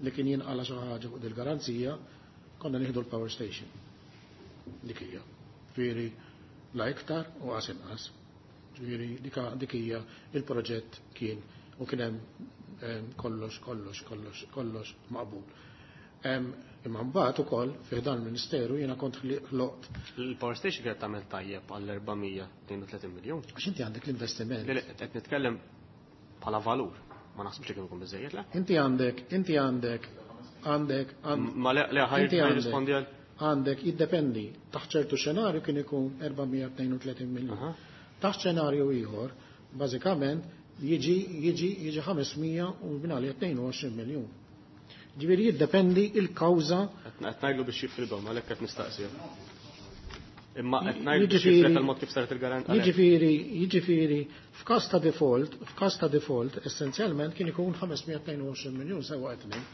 li kien jinqala xi ħaġa fuq il-garanzija konna nieħdu l-power station. Dik hija. Ġifieri la iktar u qas inqas. Ġifieri dik- dik hija il-proġett kien u kien hemm em, kollox, kollox, kollox, kollox maqbul. Em, Imma mbagħad ukoll fih dan il-Ministeru jiena kont ħloqt il-power station kienet tagħmel tajjeb għal erba' mija u tnejn u tletin miljun. Għax inti għandek l-investiment. Le, le, qed nitkellem bħala valur. Ma naħsibx li kien ikun biżejjed, le? Inti għandek, inti għandek, għandek, għand- Ma le, le ħaj inti għandek, rispondi għal. għandek, jiddependi, taħt ċertu xenarju kien ikun erba' mija u tnejn u tletin miljun. Aha. Taħt xenarju ieħor, bażikament, jiġi jiġi jiġi ħames mija u binali tnejn u għoxrin miljun. Ġifieri jiddependi il-kawża. Qed ngħidlu biex jifridhom, għalhekk qed nistaqsi. Imma qed ngħidlu biex Jiġifieri- jifred tal-mod kif saret il-garanzija. Jiġifieri, jiġifieri, f'każ ta' default, f'każ ta' default, essenzjalment kien ikun ħames mija u tnejn u għoxrin miljun sewa qed ngħid,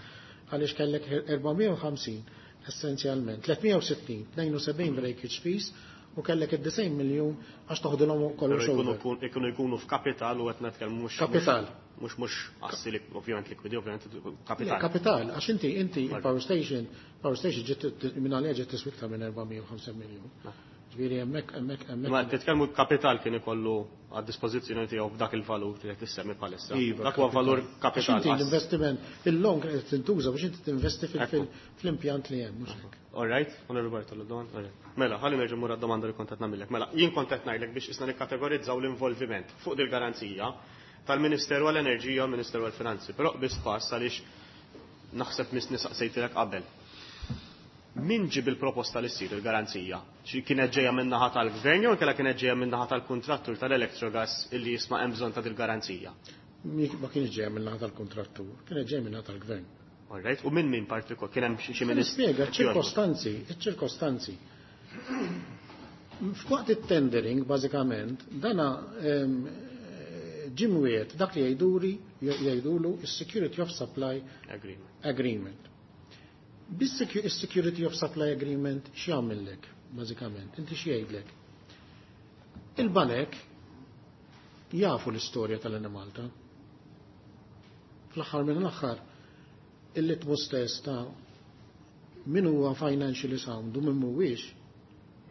għaliex kellek erba' mija u ħamsin essenzjalment, tliet mija u sittin, tnejn u sebgħin breakage fees u kellek id-disgħin miljun għax toħdilhom kollox Però jkunu over. jkunu jkunu f'kapital u qed nitkellmu mhux Kapital. Mhux mhux assi li ovvjament likwidi, ovvjament Le, kapital. Kapital, għax inti inti il-power station, power station ġiet minn għalija ġiet tiswa iktar minn erba' mija u ħamsin miljun. Ġifieri hemmhekk hemmhekk Ma hemmhekk. titkellmu kapital kien ikollu għad dispożizzjoni tiegħu f'dak il-valur li qed tissemmi bħalissa. Iva, Dak huwa valur Għax kapital. inti l-investiment, il-loan qed tintuża biex inti tinvesti fil- Ekku. fil- fl-impjant li hemm, mhux hekk. All right, Onorevole Bartolo, domanda. All right. Mela, ħalli nerġa' mur għad-domanda li kont qed nagħmilek. Mela, jien kont qed ngħidlek biex isna nikkategorizzaw l-involviment fuq dil-garanzija tal-Ministeru għall-Enerġija u l-Ministeru għall-Finanzi. Però biss pass għaliex naħseb misni saqsejtilek qabel. Min ġib il-proposta li ssir il-garanzija? Xi kienet ġejja minn naħa tal-gvern jew inkella kienet ġejja minn naħa tal-kuntrattur tal-Electrogas illi jisma' hemm bżonn ta' dil-garanzija? Mi- Ma kienx ġejja minn naħa tal-kontrattur, kienet ġejja minn naħa tal-gvern. All right, u minn min partikol kien hemm xi xi ministru? Nispjega ċ-ċirkostanzi, iċ-ċirkostanzi. F'waqt it-tendering, bażikament, dana em, ġie mwiegħed dak li jgħiduri jgħidulu is-Security of Supply Agreement. Agreement. Bis-Security of Supply Agreement x'jagħmellek, bażikament? Inti x'jgħidlek? Il-banek jafu l-istorja tal-Enemalta. Fl-aħħar minn l-aħħar, il-litmus test ta' min huwa financially sound u min mhuwiex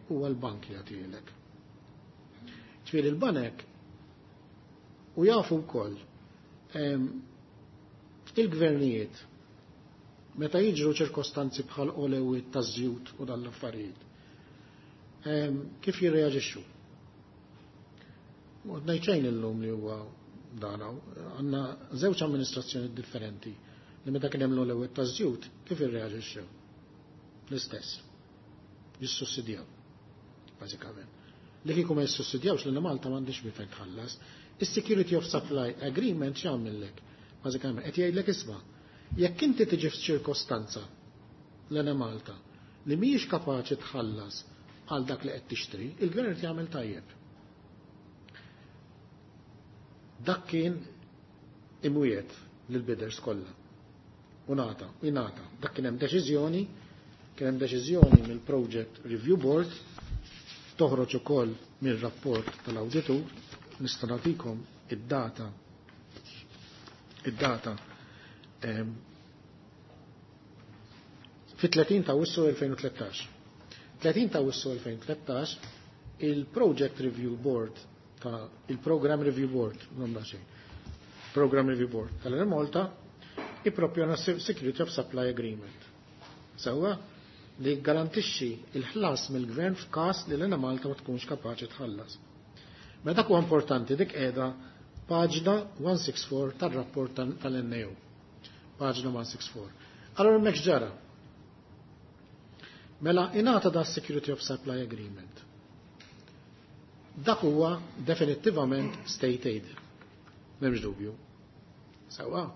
huwa l-bank li jagħtilek. Ġifieri il-banek u jafu wkoll em, il-gvernijiet meta jiġru ċirkostanzi bħal olewiet ta' żjut u dan l-affarijiet, em, kif jirreaġixxu? U ngħid illum li huwa dan għandna żewġ amministrazzjoni differenti li meta kien hemm l-olewiet ta' żjut kif irreaġixxew? L-istess. Jissussidjaw, bażikament. Li kieku ma jissussidjawx li Malta m'għandix minn fejn tħallas. Is-Security of Supply Agreement x'jagħmellek? Bażikament qed jgħidlek isma' jekk inti tiġi f'ċirkostanza l Malta li mhijiex kapaċi tħallas għal dak li qed tixtri, il-gvern qed jagħmel tajjeb. Dak kien imwiegħed lill-bidders kollha. U ngħata, u jingħata. Dak kien hemm deċiżjoni, kien hemm deċiżjoni mill-Project Review Board Toħroġ ukoll mir-rapport tal-awditur, nista' nagħtikom id-data id-data fit-tletin ta' Awwissu elfejn u tlettax. tletin ta' Awwissu elfejn u tlettax il-Project Review Board ta' il-Program Review Board, non da xejn, Program Review Board tal-Enemalta ippropjona Security of Supply Agreement. Sewwa li garantixxi il-ħlas mill-gvern f'każ li l-Enemalta ma tkunx kapaċi tħallas. Mela dak huwa importanti, dik qiegħda paġna one six four tar-rapport tal-N A O. Paġna one six four. Allora hemmhekk x'ġara? Mela ingħata da Security of Supply Agreement. Dak huwa definittivament state aid. M'hemmx dubju. Sewwa.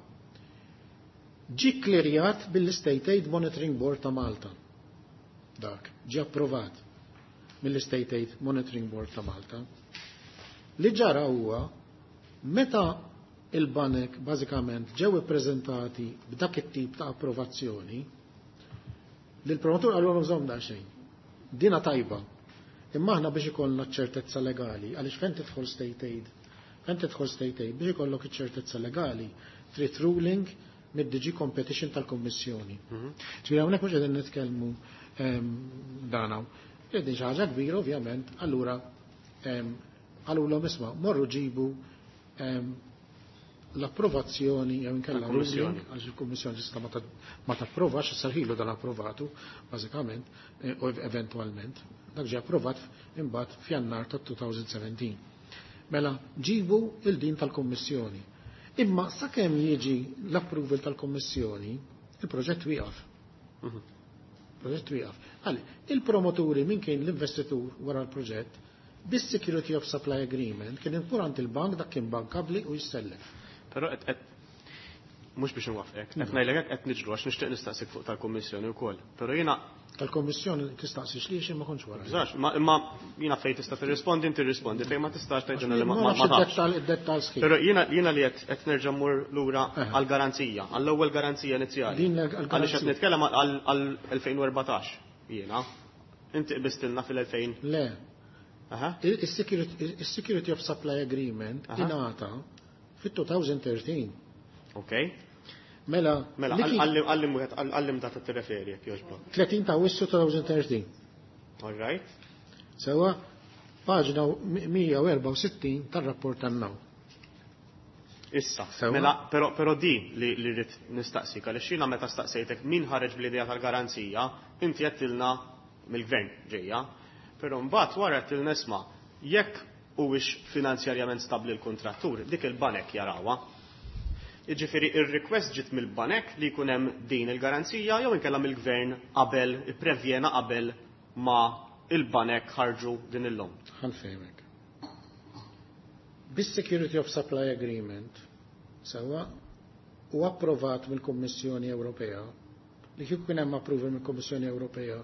Ġie klirjat mill-State Aid Monitoring Board ta' Malta. Dak ġie approvat mill-State Aid Monitoring Board ta' Malta. Li ġara huwa meta il-banek bażikament ġew ippreżentati b'dak it-tip ta' approvazzjoni, li l-promotur qalulhom żomm daqsxejn. Dina tajba. Imma aħna biex ikollna ċertezza legali, għaliex fejn tidħol state aid, fejn tidħol state aid biex ikollok iċ-ċertezza legali, trid ruling mid-D G Competition tal-Kummissjoni. Mhm. Ġifieri hawnhekk mhux qegħdin nitkellmu, ehm, dan hawn. Qegħdin xi ħaġa kbira ovvjament, allura, ehm, qalulhom isma' morru ġibu, ehm, l-approvazzjoni jew inkella Tal-Kummissjoni. ruling, għax il-Kummissjoni tista' ma ta-, ma tapprovax, sarħilu dan approvatu, bażikament, eh, u eventwalment. Dak ġie approvat imbagħad f'Jannar ta' two thousand seventeen. Mela ġibu il-din tal-Kummissjoni. Imma sakemm jiġi l-approval tal-Kummissjoni, il-proġett wieqaf. Mhm. Proġett wieqaf. Għalli, il-promoturi min kien l-investitur wara l-proġett, bis-Security of Supply Agreement kien impurant il-bank dak kien bankabli u jissellef. Però qed, qed mhux biex nwaffqek, qed ngħidlek hekk qed niġru għax nixtieq nistaqsik fuq tal-Kummissjoni wkoll. Però jiena tal-Kummissjoni tistaqsix li xi ma kontx wara. Bżax, ma, imma jiena fejn tista' tirrispondi, inti tirrispondi, fejn ma tistax tgħidilna li ma, Ma ma nafx tafx. id-dettal, id-dettal sħiħ. Però jiena, jiena li qed, qed nerġa' mmur lura Aha. għall-garanzija, għall-ewwel garanzija inizjali. Din l-, għall-garanzija. Għaliex qed nitkellem għal, għal elfejn u erbatax jiena. Inti qbistilna fil-elfejn. Le. Aha. Il-Security, il-Security of Supply Agreement Aha. ingħata fit-two thousand thirteen. Ok. Mela, Mela, li kien għallim, għallim wieħed, għallim data tirreferi jekk jogħġbok. tletin ta' Awwissu two thousand thirteen. All right. Sewa, paġna mija u erba' u sittin tar-rapport tan-naw. Issa, Sewa. mela, però, però di li, li rrid nistaqsik, għaliex jiena meta staqsejtek min ħareġ bl-idea tal-garanzija, inti għedtilna mill-gvern ġejja, però mbagħad wara għedtilna isma' jekk huwiex finanzjarjament stabbli l-kontrattur, dik il-banek jarawha. Jiġifieri ir-request ġiet mill-banek li jkun hemm din il-garanzija jew inkella mill-gvern qabel ipprevjena qabel ma il-banek ħarġu din il-lom. Ħanfehmek. Bis-Security of Supply Agreement sewa u approvat mill-Kummissjoni Ewropea, li kieku kien hemm approval mill-Kummissjoni Ewropea,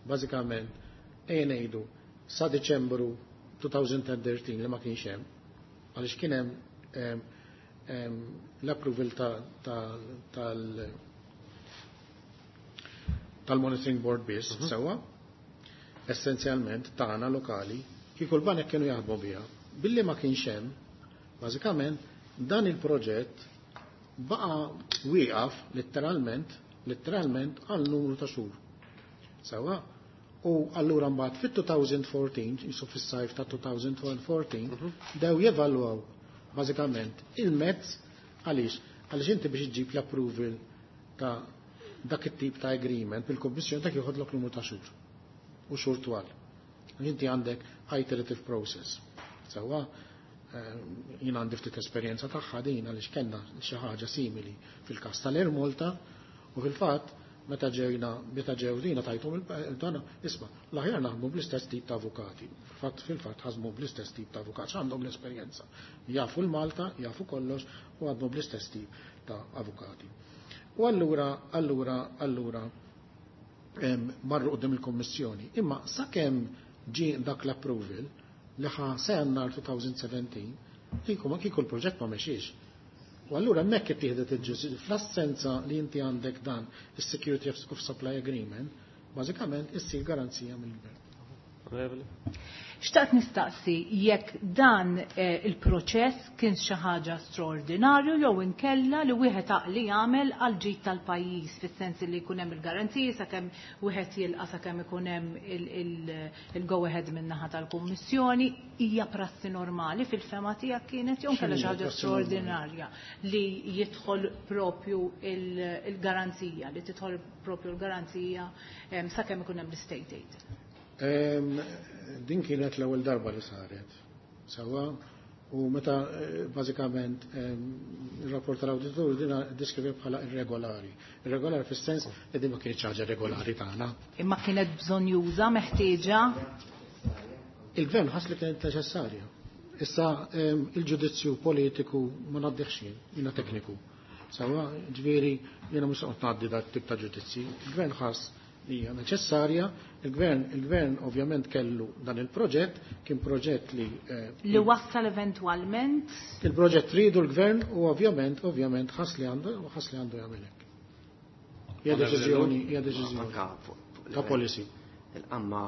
bażikament ejja ngħidu sa Diċembru two thousand thirteen li ma kienx hemm, għaliex kien hemm, em, em, l-approval ta-, ta-, tal-, tal-Monitoring Board biss, Mhm. sewwa, essenzjalment tagħna lokali, kieku l-banek kienu jaħdmu biha. Billi ma kienx hemm, bażikament dan il-proġett baqa' wieqaf letteralment, letteralment għal numru ta' xhur. Sewwa, u allura mbagħad fit-two thousand fourteen, jisu fis-sajf ta' two thousand fourteen, Mhm. dew jevalwaw bażikament il-mezz għaliex, għaliex inti biex iġġib l-approval ta' dak it-tip ta' agreement bil-Kummissjoni dak joħodlok numru ta' xhur u xhur twal. Inti għandek iterative process. Sewwa, eh, jien għandi ftit esperjenza tagħha din għaliex kellna xi ħaġa simili fil-każ tal-Air Malta u fil-fatt meta ġejna, meta ġew dina tajthom il-dana, isma', l-aħjar naħdmu bl-istess tip ta' avukati. Fil-fatt, fil-fatt ħasmu bl-istess tip ta' avukati, għandhom l-esperjenza. Jafu l-Malta, jafu kollox u għadmu bl-istess tip ta' avukati. U allura, allura, allura, em, marru qudiem il-Kommissjoni. Imma sakemm ġie dak l-approval li ħa sa Jannar two thousand seventeen, kieku ma kieku l-proġett ma mexiex. U allura hemmhekk ittieħdet il-ġustizzja fl-assenza li inti għandek dan is-Security of, of Supply Agreement, bażikament issir garanzija mill-gvern. Onorevoli. Xtaqt nistaqsi jekk dan eh, il-proċess kien xi ħaġa straordinarju jew inkella li wieħed għaqli jagħmel għal ġid tal-pajjiż fis-sens li jkun hemm il-garanziji sakemm wieħed jilqa' sakemm ikun hemm il-go ahead min-naħa tal-Kummissjoni, hija prassi normali fil-fema tiegħek kienet jew inkella xi ħaġa straordinarja li jidħol propju il-garanzija, li tidħol propju l-garanzija eh, sakemm ikun hemm l-state aid. Din kienet l-ewwel darba li saret. Sawa, u meta bażikament ir-rapport tal-awditur din deskrivi bħala irregolari. Irregolari fis-sens li din ma kienx ħaġa regolari tagħna. Imma kienet bżonn juża meħtieġa? Il-gvern ħass li kienet neċessarja. Issa il-ġudizzju politiku ma ngħaddihx jien, jiena tekniku. Sawa, ġifieri jiena mhux qed ngħaddi dat tip ta' ġudizzji. Il-gvern ħass li hija neċessarja, il-gvern il-gvern ovvjament kellu dan il-proġett, kien proġett li eh, li wassal eventwalment il-proġett ridu l-gvern u ovvjament ovvjament ħass li għandu ħass li għandu jagħmel hekk. Hija deċiżjoni, hija deċiżjoni ta' policy. Il-qamma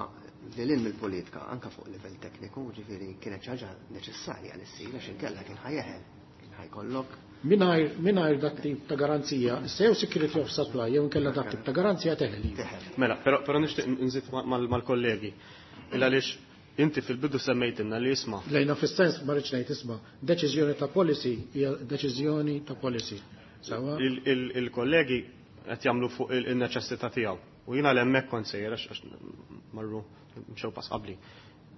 li lil mill-politika anka fuq livell tekniku, ġifieri kienet xi ħaġa neċessarja li ssir għax inkella kien ħajeħel, kien ħajkollok Mingħajr mingħajr dak tip ta' garanzija, issa jew security of supply jew inkella dak tip ta' garanzija teħel. Mela, però però nixtieq nżid mal-kollegi. Il għaliex inti fil-bidu semmejtilna li isma' Lejna fis-sens ma rridx ngħid isma' deċiżjoni ta' policy hija deċiżjoni ta' policy. Sawa? Il-kollegi qed jagħmlu fuq il-neċessità tiegħu. U jiena l-hemmhekk kont sejjer għax marru mxew pass qabli.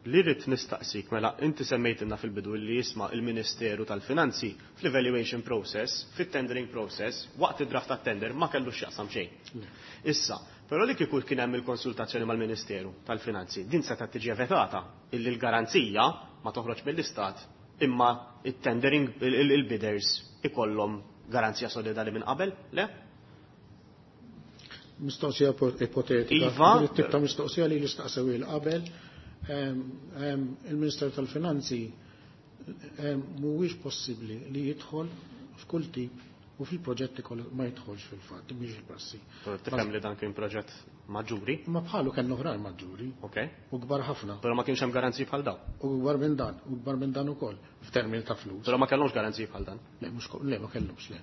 Li rrid nistaqsik, mela inti semmejtilna fil-bidu li jisma' il-Ministeru tal-Finanzi fl-evaluation process, fit-tendering process, waqt id-draft tat-tender ma kellux x'jaqsam xejn. Issa, però li kieku kien hemm il-konsultazzjoni mal-Ministeru tal-Finanzi, din setgħet tiġi evitata illi l-garanzija ma toħroġ mill-Istat imma it-tendering il-bidders ikollhom garanzija solidali minn qabel, le? Mistoqsija ipotetika. Iva. Din it-tip ta' mistoqsija li l-istaqsew il qabel il-Ministeru tal-Finanzi mhuwiex possibbli li jidħol f'kull tip u fil-proġetti kollha ma jidħolx fil-fatt, mhix il-prassi. Tifhem li dan kien proġett maġġuri? Ma bħalu kellna oħrajn maġġuri. Ok. U kbar ħafna. Però ma kienx hemm garanziji bħal dawn. U kbar minn dan, u kbar minn dan ukoll f'termini ta' flus. Però ma kellhomx garanziji bħal dan. Le, mhux le, ma kellhomx, le.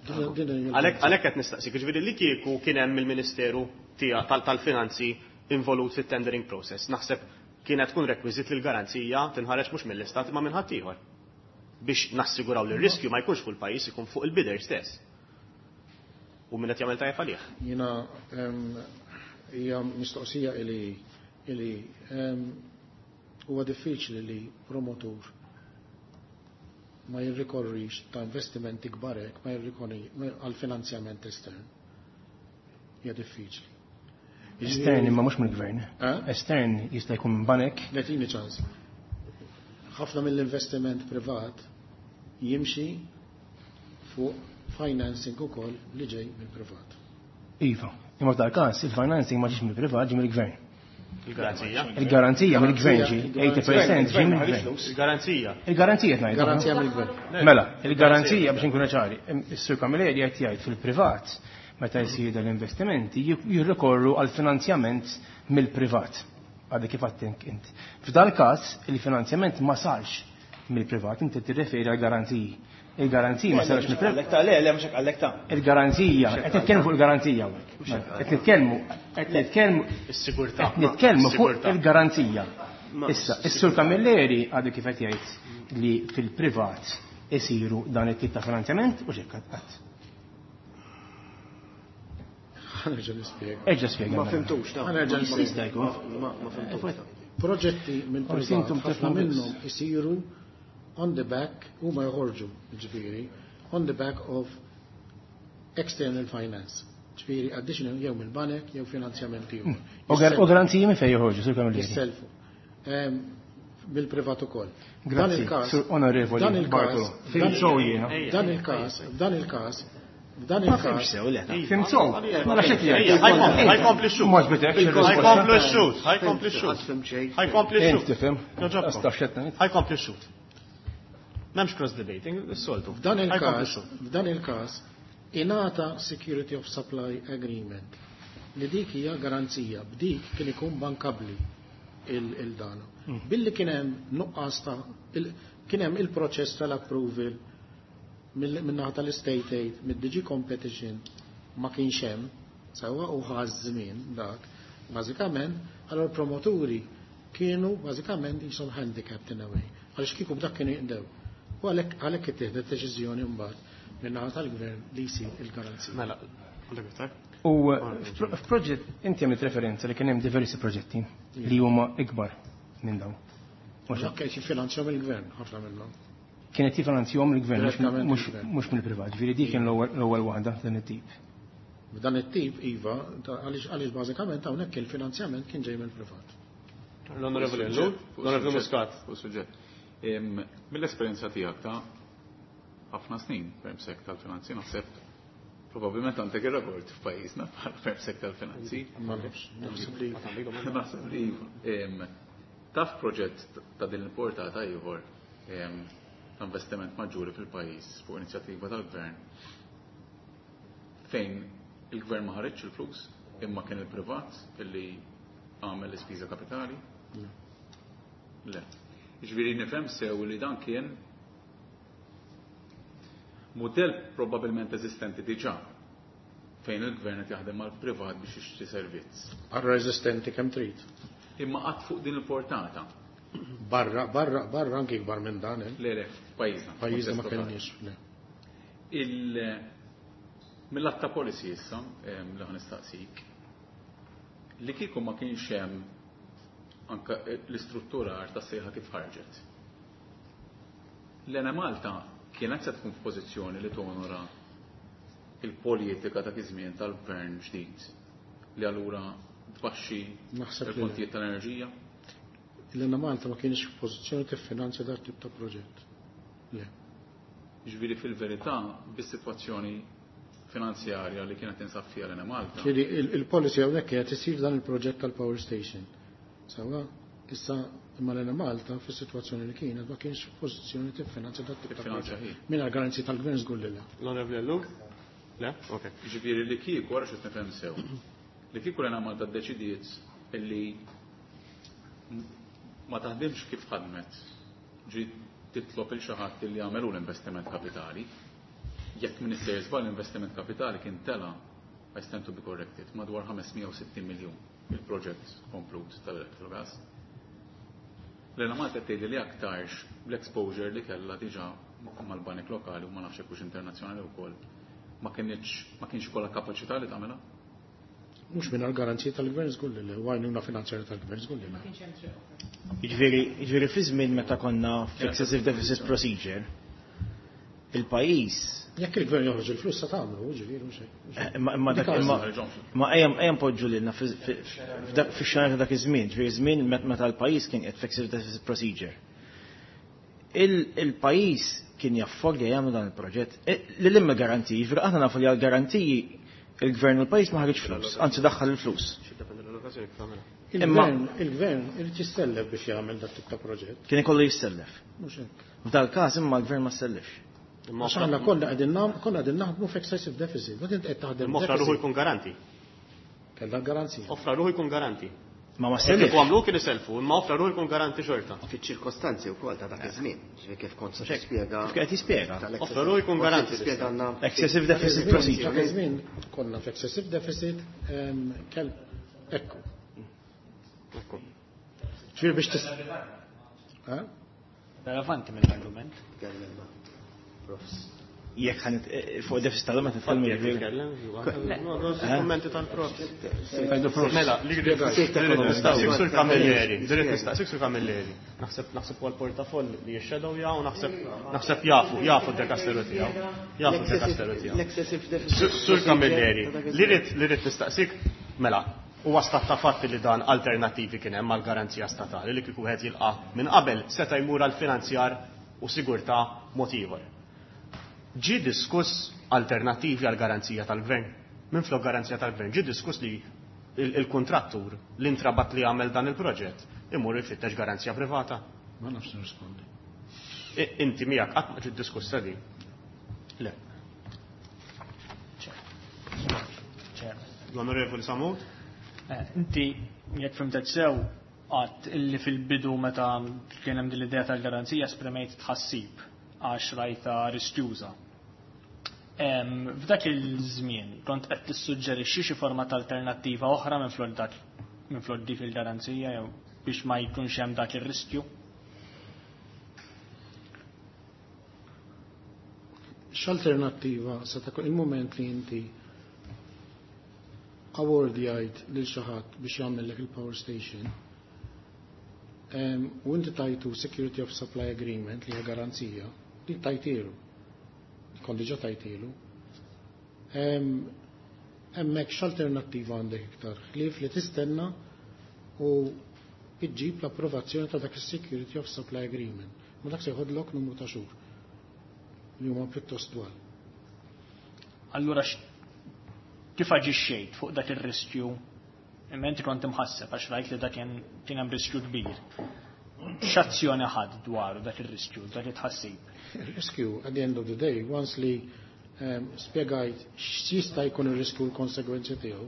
Għalhekk għalhekk qed nistaqsik, jiġifieri li kieku kien hemm il-Ministeru tal-Finanzi involut fit-tendering process. Naħseb kienet tkun rekwiżit li l-garanzija tinħareġ mhux mill-istat imma minn ħaddieħor. Biex nassiguraw li r-riskju ma jkunx fuq il-pajjiż ikun fuq il-bidder stess. U min qed jagħmel tajjeb għalih. Jiena hija mistoqsija li li huwa diffiċli li promotur ma jirrikorrix ta' investimenti kbar hekk, ma jirrikorri għal finanzjament estern. Hija diffiċli. Estern imma mhux mill-gvern. Estern jista' jkun minn banek. Letini ċans. Ħafna mill-investiment privat jimxi fuq financing ukoll li ġej mill-privat. Iva, imma f'dal każ il-financing ma ġiex mill-privat, ġie mill-gvern. Il-garanzija. Il-garanzija mill-gvern ġi, tmenin fil-mija ġie mill-gvern. Il-garanzija. Il-garanzija qed ngħidu. Garanzija mill-gvern. Mela, il-garanzija biex inkunu ċari, is-Sur Camilleri qed jgħid fil-privat meta jsir l-investimenti jirrikorru għal finanzjament mill-privat. Għadha kif għedt int. F'dal każ il-finanzjament ma sarx mill-privat, inti tirreferi għal garanziji. Il-garanzija ma sarx mill-privat. Le, le, mhux għallek ta' Il-garanzija, qed nitkellmu fuq il-garanzija hawnhekk. Qed nitkellmu, qed nitkellmu Is-sigurtà. Qed nitkellmu fuq il-garanzija. Issa, is-Sur Camilleri għadu kif qed jgħid li fil-privat isiru dan it-tip ta' finanzjament u x'hekk qatt. Ħa nerġa' nispjega. Erġa' spjega. Ma fhimtux ta' Ħa nerġa' Jista' jkun. Ma fhimtux. Proġetti minn Forsi intom privat ħafna tifhmu biss. minnhom isiru on the back huma joħorġu ġifieri on the back of external finance. Ġifieri additional jew mill-banek jew finanzjament ieħor. U gar- U garanziji minn fejn joħorġu, Sur Camilleri? Jisselfu. Ehm, Bil-privat ukoll. Dan Grazzi, il-każ- Sur Onorevoli dan il-każ- Bartolo. Fhimt sew jiena. Dan il-każ, f'dan il-każ, f'dan Ma il-każ. fhimx sew, le. Fhimt sew. Mela x'qed jgħid? Ħa jkompli x-xhud. Ma ġbitek Ħa jkompli x-xhud, ħa jkompli x-xhud. Ħa jkompli Int x-xhud. tifhem. Joġobkom. Astaf x'qed ngħid. Ħa jkompli x-xhud. M'hemmx cross debating, is-soltu. F'dan Ħa jkompli il-każ, x-xhud. f'dan il-każ ingħata Security of Supply Agreement li dik hija garanzija, b'dik kien ikun bankabli. il-dana. Billi kien hemm nuqqas ta' kien hemm il-proċess tal-approval min-naħa tal-State Aid, mid-D G Competition ma kienx hemm, sewwa, u ħa żmien dak. Bażikament, allora promoturi kienu bażikament jisom handicapped in a way. Għaliex kieku b'dak kienu jinqdew. U għalhekk għalhekk ittieħdet deċiżjoni mbagħad min-naħa tal-gvern li jsir il-garanzija. Mela, għandek iktar? U f'proġett, inti għamilt referenza li kien hemm diversi proġetti li huma ikbar minn dawn. Dak kien jiffinanzjahom il-gvern, ħafna minnhom. Kienet jiffinanzjahom il-gvern, Direttament mhux il-gvern. mhux mill-privat. Ġifieri dik kien l-ewwel l-ewwel waħda dan it-tip. B'dan it-tip, iva, ta' għaliex għaliex bażikament hawnhekk il-finanzjament kien ġej mill-privat. L-Onorevoli Ellul, l-Onorevoli Muscat. Fuq suġġett. Em, Mill-esperjenza tiegħek ta' ħafna snin permsek tal-finanzi, naħseb probabbilment għandek ir-rekord f'pajjiżna bħala permsek tal-finanzi. Ma nafx, naħseb li Naħseb li iva. Em, Taf proġett ta' din il-portata ieħor em, ta' investiment maġġuri fil-pajjiż fuq inizjattiva tal-gvern fejn il-gvern ma ħareġx il-flus imma kien il-privat illi għamel l-ispiża kapitali? Le. Ġifieri nifhem sew li dan kien modell probabbilment eżistenti diġà fejn il-gvern qed jaħdem mal-privat biex jixtri servizz. Barra eżistenti kemm trid. Imma qatt fuq din il-portata. Barra, barra, barra anki ikbar minn dan, eh? Le, le, f'pajjiżna. Pajjiżna ma Kontest totali. kellniex, le. Il mill-att ta' policy issa, em, li ħa nistaqsik, li kieku ma kienx hemm anka l-istrutturar ta' sejħa kif ħarġet. L-Enemalta kienet se tkun f'pożizzjoni li tonora il-politika ta' iż-żmien tal-gvern ġdid li allura tbaxxi Naħseb li il-kontijiet tal-enerġija? L-Enemalta ma kienx f'pożizzjoni tiffinanzja dat tip ta' proġett. Le. Ġifieri fil-verità, bis-sitwazzjoni finanzjarja li kienet tinsab fiha l-Enemalta. Ġifieri il-policy hawnhekk kienet isir dan il-proġett tal-power station. Sewwa, issa imma l-Enemalta fis-sitwazzjoni li kienet ma kienx f'pożizzjoni tiffinanzja dat tip ta' Tiffinanzja proġett. hi. Mingħajr garanzija tal-gvern żgur li le. L-Onorevoli Ellul? Le? Ok. Ġifieri li kieku, wara xi nifhem sew, li kieku l-Enemalta ddeċidiet illi ma taħdimx kif ħadmet, ġi titlob il xi ħadd li jagħmelu l-investiment kapitali, jekk min issejjer żball l-investiment kapitali kien tela, I stand to be corrected, madwar ħames mija u sittin miljun il-proġett komplut tal-Electrogas. L-Enemalta tgħidli li aktarx l-exposure li kellha diġà mal-banek lokali u ma nafx hekk hux internazzjonali wkoll ma kienx ma kienx ikollha kapaċità li tagħmilha? Mhux mingħajr garanzija tal-gvern żgur li le, u għajnuna finanzjarja tal-gvern żgur li le. Jiġifieri, jiġifieri fi żmien meta konna f'excessive deficit procedure, il-pajjiż Jekk il-gvern joħroġ il-flus sa tagħmlu, ġifieri mhux hekk. Eh, Imma imma dak Dik imma għażla. ma ejja ejja npoġġu lilna fi- fi- f'dak- fix-xena ta' dak iż-żmien, ġifieri żmien met- meta l-pajjiż kien qiegħed f'excessive deficit procedure. Il- Il-pajjiż kien jaffordja jagħmlu dan il-proġett. E, Lil imma garantiji, ġifieri aħna nafu li għall-garantiji il-gvern u l-pajjiż ma ħareġ flus, anzi daħħal il-flus. X'iddependi l-allokazzjoni kif tagħmilha. Il-gvern, il-gvern irid jissellef biex jagħmel dat tip ta' proġett. Kien ikollu jissellef. Mhux hekk. F'dal każ imma l-gvern ma sellefx. Imma Għax aħna kollha qegħdin nam- kollha qegħdin naħdmu f'excessive deficit. Ma int qed taħdem Imma offra ruħu deficit. jkun garanti. Kellha garanzija. Offra ruħu jkun garanti. Ma ma Kieku sellefx. għamlu kien iselfu, imma offra ruħu jkun garanti xorta. Fiċ-ċirkostanzi wkoll ta' dak iż-żmien, ġifieri kif kont se tispjega. Kif qed jispjega? tal-excessive- Offra ruħu jkun kont garanti. tispjega għandna Excessive deficit procedure. Dak iż-żmien konna f'excessive deficit em, kell ekku. Ekku. Ġifieri biex tis. Ha? Relevanti mill-argument. Tkellem ma' Profs. Jekk ħan fuq deficit tal-lum qed nitkellmu ġifieri. Kommenti tal-prof. Tajdu prof. Mela, li rrid nistaqsik sur Camilleri, li rrid nistaqsik sur Camilleri. Naħseb naħseb huwa l-portafoll li jixxedow jaw, naħseb naħseb jafu, jafu d-dekasteru tiegħu. Jafu d-dekasteru tiegħu. L-excessive deficit. Sur Sur Camilleri, li rrid li rrid nistaqsik, mela, huwa stat ta' fatti li dan alternattivi kien hemm għall-garanzija statali li kieku wieħed jilqa' minn qabel seta' jmur għal finanzjar u sigurtà mod ieħor. Ġie diskuss alternattivi għal garanzija tal-gvern. Minn flok garanzija tal-gvern, ġie diskuss li il- il-kontrattur li intrabat li għamel dan il-proġett imur jfittex garanzija privata. Ma nafx nirrispondi. I- Inti miegħek qatt ma ġiet diskussa din. Le. Chairman. L-Onorevoli Sammut? Eh, Inti, jekk fhimtek sew, Għedt illi fil-bidu meta kien hemm din l-idea tal-garanzija esprimejt tħassib għax rajta riskjuża. F'dak il-żmien kont qed tissuġġerixxi xi forma ta' alternattiva oħra minflok dak minflok dik il-garanzija jew biex ma jkunx hemm dak ir-riskju? X'alternattiva se ta' il-moment li inti awardjajt lil xi ħadd biex jagħmellek il-power station u inti tajtu Security of Supply Agreement li hija garanzija, li tajtilu. Kont diġà tajtilu. Hemmhekk x'alternattiva għandek iktar? Ħlief li tistenna u iġġib l-approvazzjoni ta' dak is-Security of Supply Agreement. Ma dak se jħodlok numru ta' xhur li huma pjuttost twal. Allura kif aġixxejt fuq dak ir-riskju? Imma inti kont imħasseb għax rajt li dak kien hemm riskju kbir. X'azzjoni ħadd dwaru dak ir-riskju, dak it-tħassib? Ir-riskju at the end of the day, once li um, spjegajt x'jista' jkun ir-riskju u l-konsegwenzi tiegħu,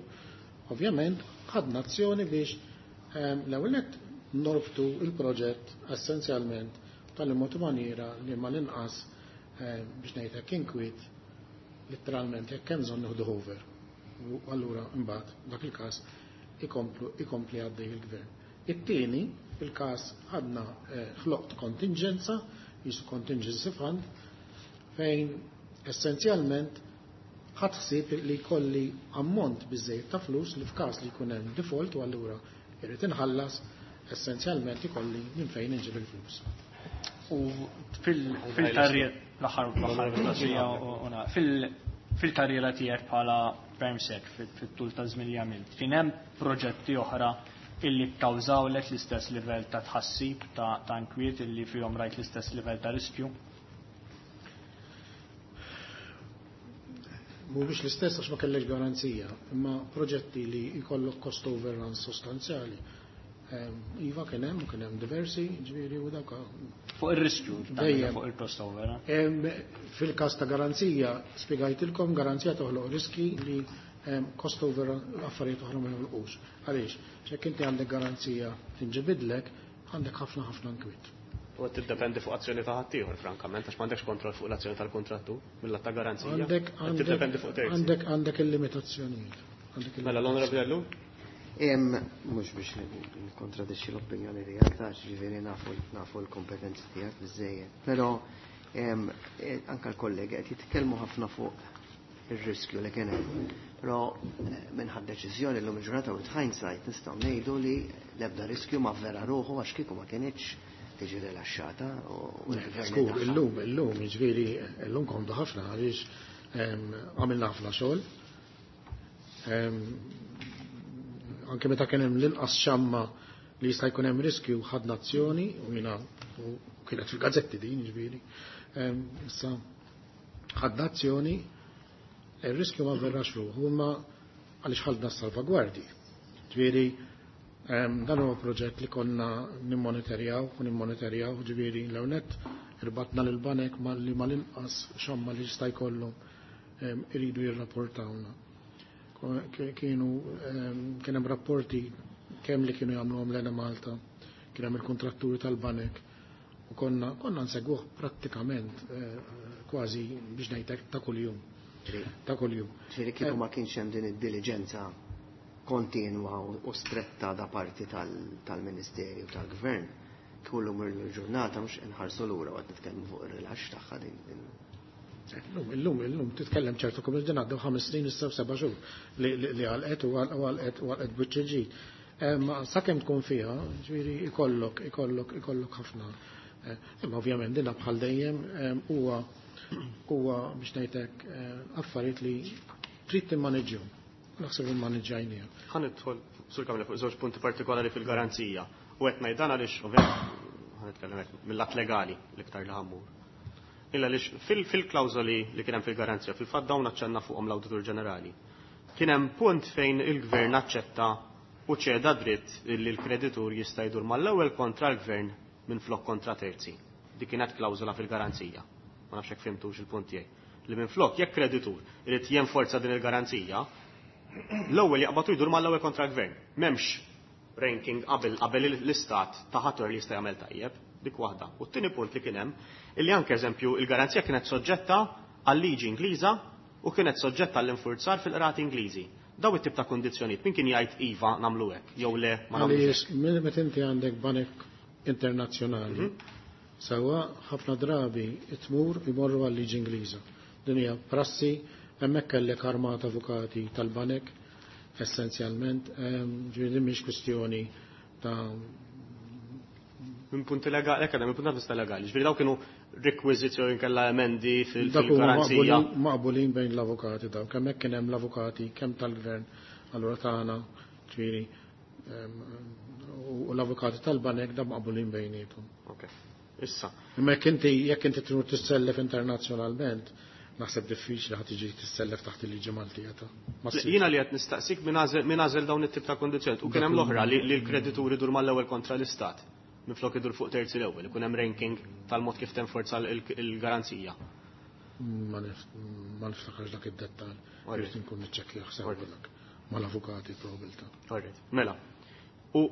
ovvjament ħadna azzjoni biex um, l-ewwel nett norbtu il-proġett essenzjalment tal-mod maniera li mal-inqas um, biex ngħidlek inkwiet letteralment jekk hemm bżonn nieħdu over. U allura imbagħad dak il-każ ikomplu ikompli għaddej il-gvern. It-tieni, il-każ ħadna ħloqt kontingenza, jisu contingency fund, fejn essenzjalment ħadd ħsieb li jkolli ammont biżejjed ta' flus li f'każ li jkun hemm default u allura jrid inħallas essenzjalment ikolli minn fejn inġib il-flus. U fil-karriera l-aħħar l-aħħar mistoqsija u fil-karriera tiegħek bħala PermSec fit-tul ta' żmien li għamilt, kien hemm proġetti oħra illi kkawżawlek l-istess livell ta' tħassib ta' inkwiet illi fihom rajt l-istess livell ta' riskju? Mhuwiex l-istess għax ma kellekx garanzija, imma proġetti li jkollok cost overruns sostanzjali. Iva kien hemm u kien hemm diversi, ġifieri u dawk fuq ir-riskju fuq il-cost over. Fil-każ ta' garanzija spjegajtilkom garanzija toħloq riski li cost over affarijiet oħra ma joħolqux. Għaliex, jekk inti għandek garanzija tinġibidlek, għandek ħafna ħafna nkwiet. U qed tiddependi fuq azzjoni ta' ħaddieħor, frankament, għax m'għandekx kontroll fuq l-azzjoni tal-kontrattur mill-att ta' garanzija. Għandek tiddependi fuq terzi. Għandek għandek il-limitazzjonijiet. Mela l-Onorevoli Ellul? Mhux biex nikkontradixxi l-opinjoni tiegħek, ta' ġifieri nafu l-kompetenzi tiegħek biżejjed. Però anke l-kollegi qed jitkellmu ħafna fuq ir-riskju li kien hemm. Però minħabba deċiżjoni llum il-ġurnata with hindsight nistgħu ngħidu li l-ebda riskju ma vera ruħu għax kieku ma kinitx tiġi rilaxxata u Skur, illum, illum, jiġifieri illum komdu ħafna għaliex għamilna ħafna xogħol. Anke meta kien hemm l-inqas xamma li jista' jkun hemm riskju ħadna azzjoni u jiena u kienet fil-gazzetti din jiġifieri. Issa ħadna azzjoni, ir-riskju ma verrax ruħu imma għaliex ħadna s-salvagwardji. Ġifieri dan huwa proġett li konna nimmonitorjaw u nimmonitorjaw, ġifieri l-hawnhekk irbatna lil banek li mal-inqas xamma li jista' jkollhom iridu jirrapportawna. Kienu kien hemm rapporti kemm li kienu jagħmluhom l Malta, kien hemm il-kontratturi tal-banek u konna konna nsegwuh prattikament kważi biex ngħidlek ta' kuljum. Ta' kuljum. Ġifieri kieku ma kienx hemm din id-diligenza kontinwa u stretta da parti tal-Ministerju tal-Gvern, kullum il-ġurnata mhux inħarsu lura waqt nitkellmu fuq ir-rilaxx tagħha din. Illum, illum, illum titkellem ċertu kum il-din għaddew ħames snin issa seba' xhur li għalqet u għalqet u għalqet biċċ ġdid. Ma sakemm tkun fiha, ġifieri ikollok, ikollok, ikollok ħafna. Imma ovvjament dinha bħal dejjem huwa huwa biex ngħidlek affarijiet li trid timmaneġġjhom. Naħseb immaniġġajniha. Ħa nidħol sur Kamila fuq żewġ punti partikolari fil-garanzija. U qed ngħid dan għaliex ovvjament ħa nitkellem hekk mill-att legali l-iktar li ħammur. Illa għaliex fil-klawżoli li kien hemm fil-garanzija, fil-fatt dawn aċċenna fuqhom l-Awditur Ġenerali. Kien hemm punt fejn il-gvern aċċetta u ċeda dritt li l-kreditur jista' jdur mal-ewwel kontra l-gvern minn flok kontra terzi. Dik kienet klawżola fil-garanzija. Ma nafx hekk fimtux il-punt tiegħi. Li minn flok jekk kreditur irid jenforza din il-garanzija, l-ewwel jaqbatu jdur mal-ewwel kontra l-gvern. M'hemmx ranking qabel qabel l-istat ta' ħadd li jista' jagħmel tajjeb, dik waħda. U t-tieni punt li kien hemm illi anke eżempju il-garanzija kienet soġġetta għal-liġi Ingliża u kienet soġġetta għall-infurzar fil-qrati Ingliżi. Daw it-tip ta' kondizzjonijiet, min kien jgħid iva nagħmlu hekk jew le ma nagħmlux hekk. Għaliex meta inti għandek banek internazzjonali, sewwa ħafna drabi tmur imorru għal-liġi Ingliża. Din hija prassi, hemmhekk kellek armata avukati tal-banek essenzjalment, ġifieri din mhix kwistjoni ta' Minn punti legali, hekk minn punti vista legali. Ġifieri daw kienu requisites jew inkella emendi Dak huma fil-garanzija. maqbulin, maqbulin bejn l-avukati daw, kemm hekk kien hemm l-avukati kemm tal-gvern, allura tagħna, ġifieri, u l-avukati tal-banek da maqbulin bejniethom. Ok. Issa, Imma jekk inti jekk inti tmur tissellef internazzjonalment, naħseb diffiċli ħadd tiġi tissellef taħt il-liġi Maltija ta' ma ssirx. Jiena li qed nistaqsik min għażel min għażel dawn it-tip ta' kondizzjonijiet. U kien hemm l-oħra li li l-kreditur idur mal-ewwel kontra l-istat. Minflok idur fuq terzi l-ewwel, ikun hemm ranking tal-mod kif tenforza l-garanzija. Ma nif- ma niftakarx dak id-dettall. Alright. Irrid inkun niċċekkjah sew dak mal-avukati probabilità. Alright, mela. U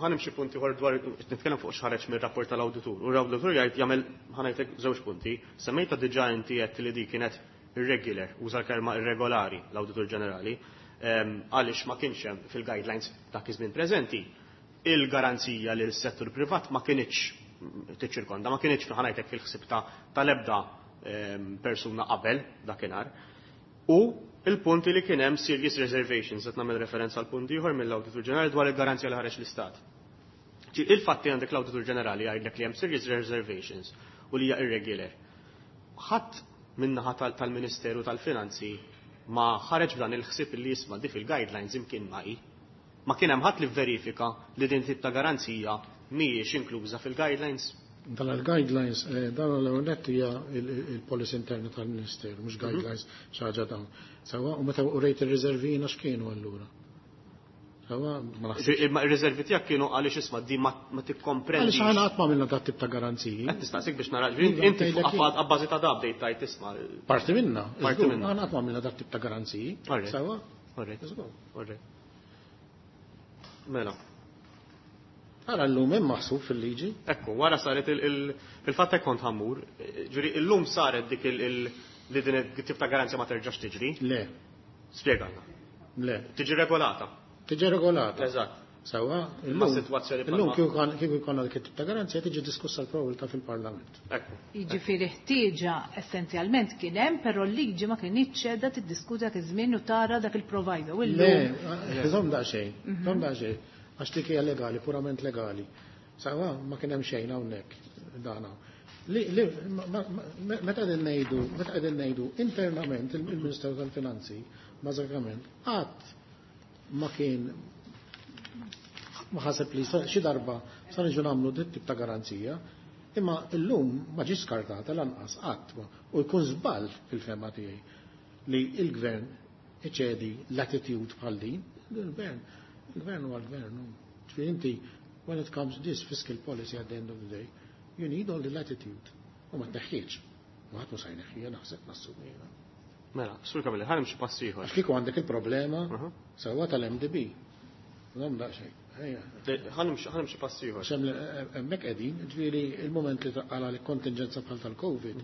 ħa nimxi punti ieħor dwar nitkellem fuq x'ħareġ mir-rapport tal-awditur. U l-awditur jgħid jagħmel ħa ngħidlek żewġ punti. Semmejta diġà inti qed li di kienet irregular, uża l-kelma irregolari l-Awditur Ġenerali, ehm, għaliex ma kienx hemm fil-guidelines dak iż-żmien preżenti il-garanzija li s-settur privat ma kinitx tiċċirkonda, ma kinitx ħa ngħidlek fil-ħsieb ta' tal-ebda ehm, persuna qabel dakinhar. U il-punti li kien hemm serious reservations, qed nagħmel referenza għal punt ieħor mill-Awditur Ġenerali dwar il-garanzija li ħareġ l-Istat. Ġi, il-fatti għandek l-Awditur Ġenerali jgħidlek li hemm serious reservations u li hija irregular. Ħadd min-naħa tal- tal-Ministeru tal-Finanzi ma ħareġ b'dan il-ħsieb li jisma' di fil-guidelines imkien ma hi. Ma kien hemm ħadd li verifika li din tip ta' garanzija mhijiex inkluża fil-guidelines. Dan il-guidelines, eh, dan l-ewwel hija il-policy interna tal-Ministeru, mhux guidelines xi ħaġa dawn. Sewwa, u meta urejt ir-riservina x'kienu allura? Sewwa, ma naħsibx. Imma ir-riservi tiegħek kienu għaliex isma' di ma ma tikkomprendix. Għaliex aħna qatt ma għamilna dat tip ta' garanziji. Qed nistaqsik biex nara, ġifieri inti fuq abba- abbażi ta' da bdejt tajt isma'. Parti minna. Parti żgur, minna. Aħna qatt ma għamilna dat tip ta' garanziji. Alright. Sewwa? Alright. Żgur. Alright. Mela. Ara llum hemm maħsub fil-liġi. Ekku, wara saret il- il- il-fatt hekk kont ħammur, ġifieri illum saret dik il- il- li din it-tip ta' garanzja ma terġax tiġri. Le, Spjegalna. le. Tiġi regolata. Tiġi regolata. Eżatt. Sewwa, Imma illum sitwazzjoni illum bħalma- kieku kan- kieku jkollna dik it-tip ta' garanzija tiġi diskussa l-probabilità fil-Parlament. Ekku. Jiġifieri ħtieġa essenzjalment kien hemm, però l-liġi ma kinitx qiegħda tiddiskuti dak iż-żmien u tara dak il-provider. U Le, llum żomm daqsxejn, żomm daqsxejn, għax dik hija legali, purament legali. Sewwa, ma kien hemm xejn hawnhekk dan hawn. Li, li, ma- ma- ma- meta qegħdin ngħidu, meta qegħdin ngħidu internament il- il-Ministeru tal-Finanzi, bażikament, qatt ma kien ma ħaseb li sa- xi darba sa niġu nagħmlu dit tip ta' garanzija, imma llum ma ġiex skartata lanqas qatt ma- u jkun żball fil-fehma tiegħi li il-gvern iċedi l-attitude bħal din, il-gvern, il-gvern huwa l-gvern. Ġifieri inti, when it comes to this fiscal policy at the end of the day, you need all the latitude. U ma tneħħiex. U ħadd mhu se jneħħiha naħseb nassumi jiena. Mela, Sur Camilleri, ħa nimxi pass ieħor. Għax kieku għandek il-problema Mhm. sewwa tal-M D B. Żomm daqsxejn. Ejja. Ħa nimxi ħa nimxi pass ieħor. Għax hemm hemmhekk qegħdin, ġifieri il-moment li taqala li kontingenza bħal tal-Covid,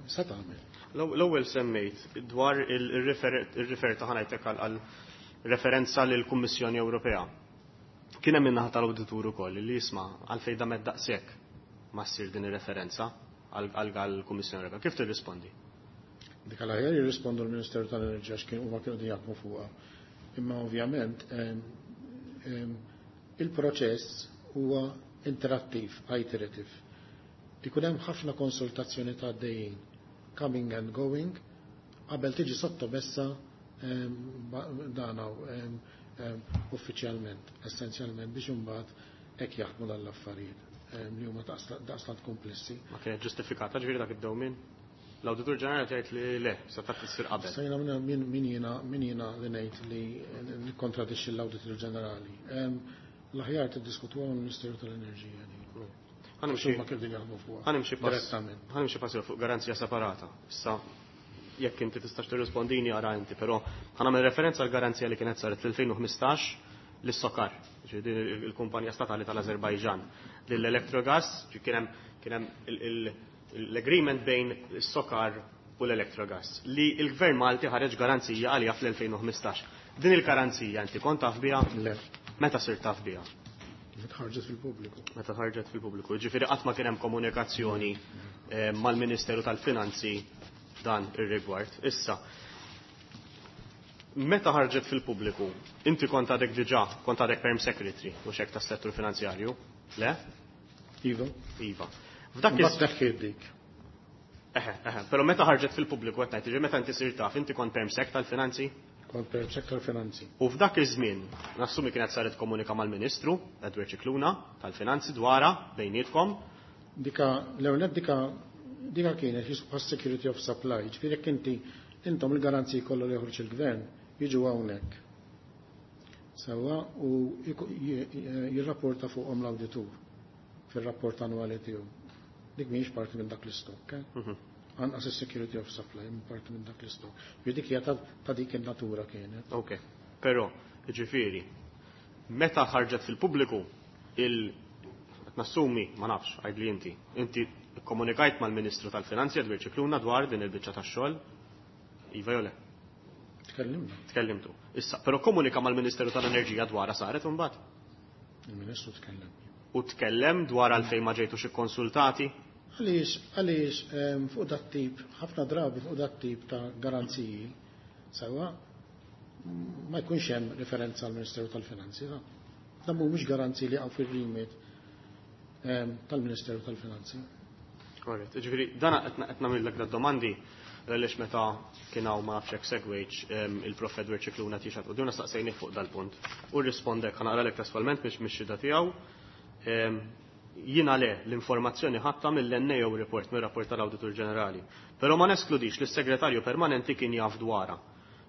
sa tagħmel. L-ewwel semmejt dwar il-refer ta' ħa ngħidlek għal referenza lill Kummissjoni Ewropea. Kien hemm min-naħa tal-awditur ukoll li jisma' għalfejn damet daqshekk ma ssir din ir-referenza għall-Kummissjoni Ewropea. Kif tirrispondi? Dik għal aħjar jirrispondu l-Ministeru tal-Enerġija x'kien huma kienu qegħdin jaħdmu fuqha. Imma ovvjament em, em, il-proċess huwa interattiv, iterative. Ikun hemm ħafna konsultazzjoni ta' għaddejjin, coming and going, qabel tiġi sottomessa em, ba- dan hawn, em, em, uffiċjalment, essenzjalment biex imbagħad hekk jaħdmu dan l-affarijiet em, li huma daqstant komplessi. Ma kienet ġustifikata ġifieri dak id-dewmien? L-Awditur Ġenerali tgħid li le, se taf issir qabel. Sejna minna min min jiena min jiena li ngħid li nikkontradixxi l-Awditur Ġenerali. Em, L-aħjar tiddiskutuha mal-Ministeru tal-Enerġija din. Ħa nimxi Huma kif din jaħdmu fuqha. ħa nimxi pass Direttament. ħa nimxi pass fuq garanzija separata. Issa jekk inti tistax tirrispondini ara inti, però ħa nagħmel referenza għal garanzija li kienet saret fl-elfejn u ħmistax lis-Sokar, il-kumpanija statali tal-Azerbajġan. Lill-Electrogas, kien hemm kien hemm l-agreement bejn is-Sokar u l-Electrogas li l-Gvern Malti ħareġ garanzija għalija fl-elfejn u ħmistax. Din il-garanzija inti kont taf biha? Le. Meta sirt taf biha? Meta ħarġet fil-pubbliku. Meta ħarġet fil-pubbliku. Ġifieri qatt ma kien hemm komunikazzjoni mal-Ministeru tal-Finanzi dan ir-rigward. Issa, meta ħarġet fil-pubbliku, inti kont għadek diġà, kont għadek perm secretary u xek tas-settur finanzjarju, le? Iva. Iva. F'dak iż dik. Eħe, eħe, però meta ħarġet fil-pubbliku qed ngħid, meta inti sirt taf, inti kont perm sec tal-finanzi? Kont perm sec tal-finanzi. U f'dak iż-żmien, nassumi kienet saret komunika mal-Ministru Edward Scicluna tal-Finanzi dwarha bejnietkom. Dika, l-ewwel dika dika kienet jisbu security of supply, ġifieri jekk inti intom il-garanziji kollha li joħroġ il-gvern jiġu hawnhekk. Sewwa u jirrapporta fuqhom l-awditur fir-rapport annwali tiegħu. Dik mhijiex parti minn dak l-istokk. Anqas is-security of supply minn parti minn dak l-istokk. Dik hija ta' dik in-natura kienet. Ok, però ġifieri meta ħarġet fil-pubbliku il nassumi, ma nafx, għajdli inti, inti komunikajt mal-Ministru tal-Finanzi Edward Scicluna dwar din il-biċċa tax-xogħol? Iva jew le? Tkellimna. Tkellimtu. Issa, però komunika mal-Ministeru tal-Enerġija dwarha saret imbagħad? Il-Ministru tkellem. U tkellem dwar għalfejn ma ġejtux ikkonsultati? Għaliex, għaliex fuq dat tip, ħafna drabi fuq dat tip ta' garanziji, sewa, ma jkunx hemm referenza għall-Ministeru tal-Finanzi. Dan mhumiex garanziji li għaw fir-remit tal-Ministeru tal-Finanzi. Korrett, ġifieri dan qed nagħmellek domandi għaliex meta kien hawn ma nafx hekk segwejġ il-Prof Edward Scicluna tixgħat qudiemna staqsejnih fuq dal-punt. U rrispondek, ħa naqralek testualment biex mix-xhieda tiegħu. Jiena le l-informazzjoni ħadtha mill-N A O report, mir-rapport tal-Awditur Ġenerali. Però ma neskludix li s-segretarju permanenti kien jaf dwarha.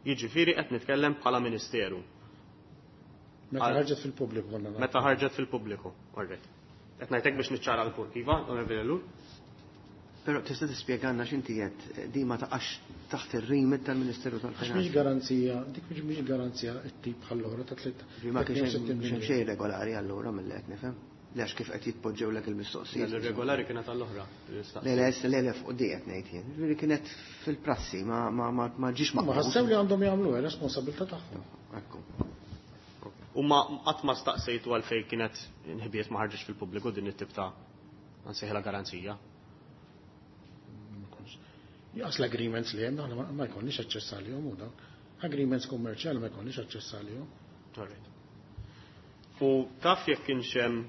Jiġifieri qed nitkellem bħala Ministeru. Meta ħarġet fil-pubbliku konna nagħmlu. Meta ħarġet fil-pubbliku, orrejt. Qed ngħidlek biex niċċara l-punt, iva, Onorevoli Ellul? Però tista' tispjegalna x'inti qed di ma taqax taħt ir-remit tal-Ministeru tal-Finanzi. Mhix garanzija, dik mhix garanzija t-tip bħall-oħra ta' tliet. Ma kienx hemm xejn regolari allura mill-li qed nifhem. Għax kif qed jitpoġġewlek il-mistoqsijiet. Regolari kienet għall-oħra. Le, le, le, le, fuq di qed ngħid jien. Ġifieri kienet fil-prassi, ma ma ma ma ġiex Ma ħassew li għandhom jagħmlu, responsabilità tagħhom. Ekku. U ma qatt ma staqsejtu għalfejn kienet inħbiet ma ħarġitx fil-pubbliku din it-tip ta' nsejħilha garanzija. Jaqs l-agreements li hemm aħna ma jkollniex aċċess għalihom u dawn. Agreements kummerċjali ma jkollniex aċċess għalihom. Alright. U taf jekk kienx hemm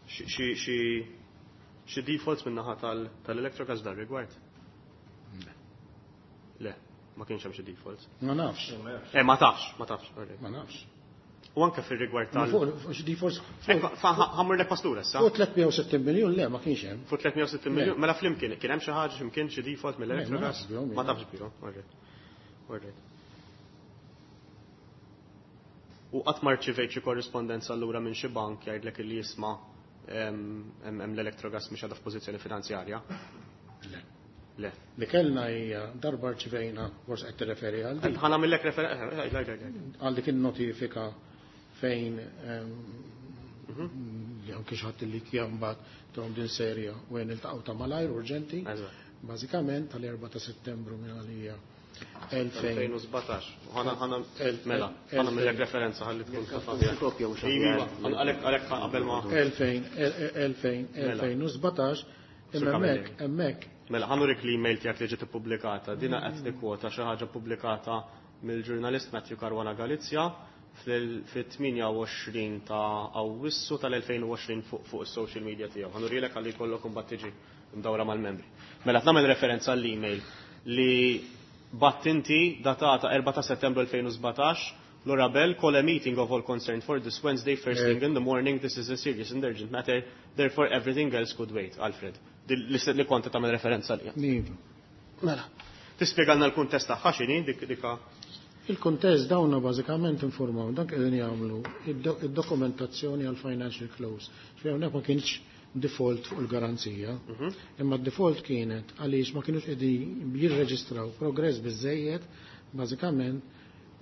xi defaults min-naħa tal-Electrogas dar rigward? Le. Le, ma kienx hemm xi defaults. Ma nafx. Eh, ma tafx, ma tafx. Ma nafx. U anke fir-rigward tal Fuq xi defaults. Ħammur lek pastura issa. Fuq tliet mija u sittin miljun le ma kienx hemm. Fuq tliet mija u sittin miljun, mela flimkien kien hemm xi ħaġa x'imkien xi default mill-Electrogas? Ma tafx bihom, alright. Alright. U qatt ma rċivejt xi korrispondenza allura minn xi bank jgħidlek illi jisma' hemm l-Electrogas mhix għadha f'pożizzjoni finanzjarja? Le. Le. Li kellna hija darba rċivejna, forsi qed tirreferi għal dik. Ħa nagħmellek refer- Għal dik in-notifika fejn li anke xi ħadd li kien mbagħad tuhom din serja u għen iltaqgħu ta' malajr urġenti. Bażikament tal-erba' ta' Settembru minn għalija elfejn u sbatax. Ħana ħana mela, ħana nagħmellek referenza ħalli tkun taf aħjar. Kopja u xi Iva, għalhekk għalhekk qabel ma elfejn, elfejn, elfejn u sbatax, imma hemmhekk, hemmhekk. Mela, ħa nurik l-email tiegħek li ġiet ippubblikata. Dina qed tikkwota xi ħaġa ppubblikata mill-ġurnalist Matthew Caruana Galizia fit-tmienja u għoxrin ta' Awwissu tal-elfejn u għoxrin fuq fuq is-social media tiegħu. Ħa nurilek ħalli jkollok imbagħad tiġi mdawra mal-membri. Mela qed nagħmel referenza għall-email li batt inti datata erba' ta' Settembru elfejn u sbatax, Laura Bell, call a meeting of all concerned for this Wednesday, first thing in the morning. This is a serious and urgent matter, therefore everything else could wait. Alfred, li kont tagħmel referenza għalija. Iva. Mela, tispjegalna l-kuntest tagħha x'inhi dik dika? Il-kuntest dawna bażikament informaw dak qegħdin jagħmlu id-dokumentazzjoni għal financial close. Ġifieri hawnhekk ma kienx default fuq il-garanzija, imma d-default kienet għaliex ma kienux qegħdin jirreġistraw progress biżejjed bażikament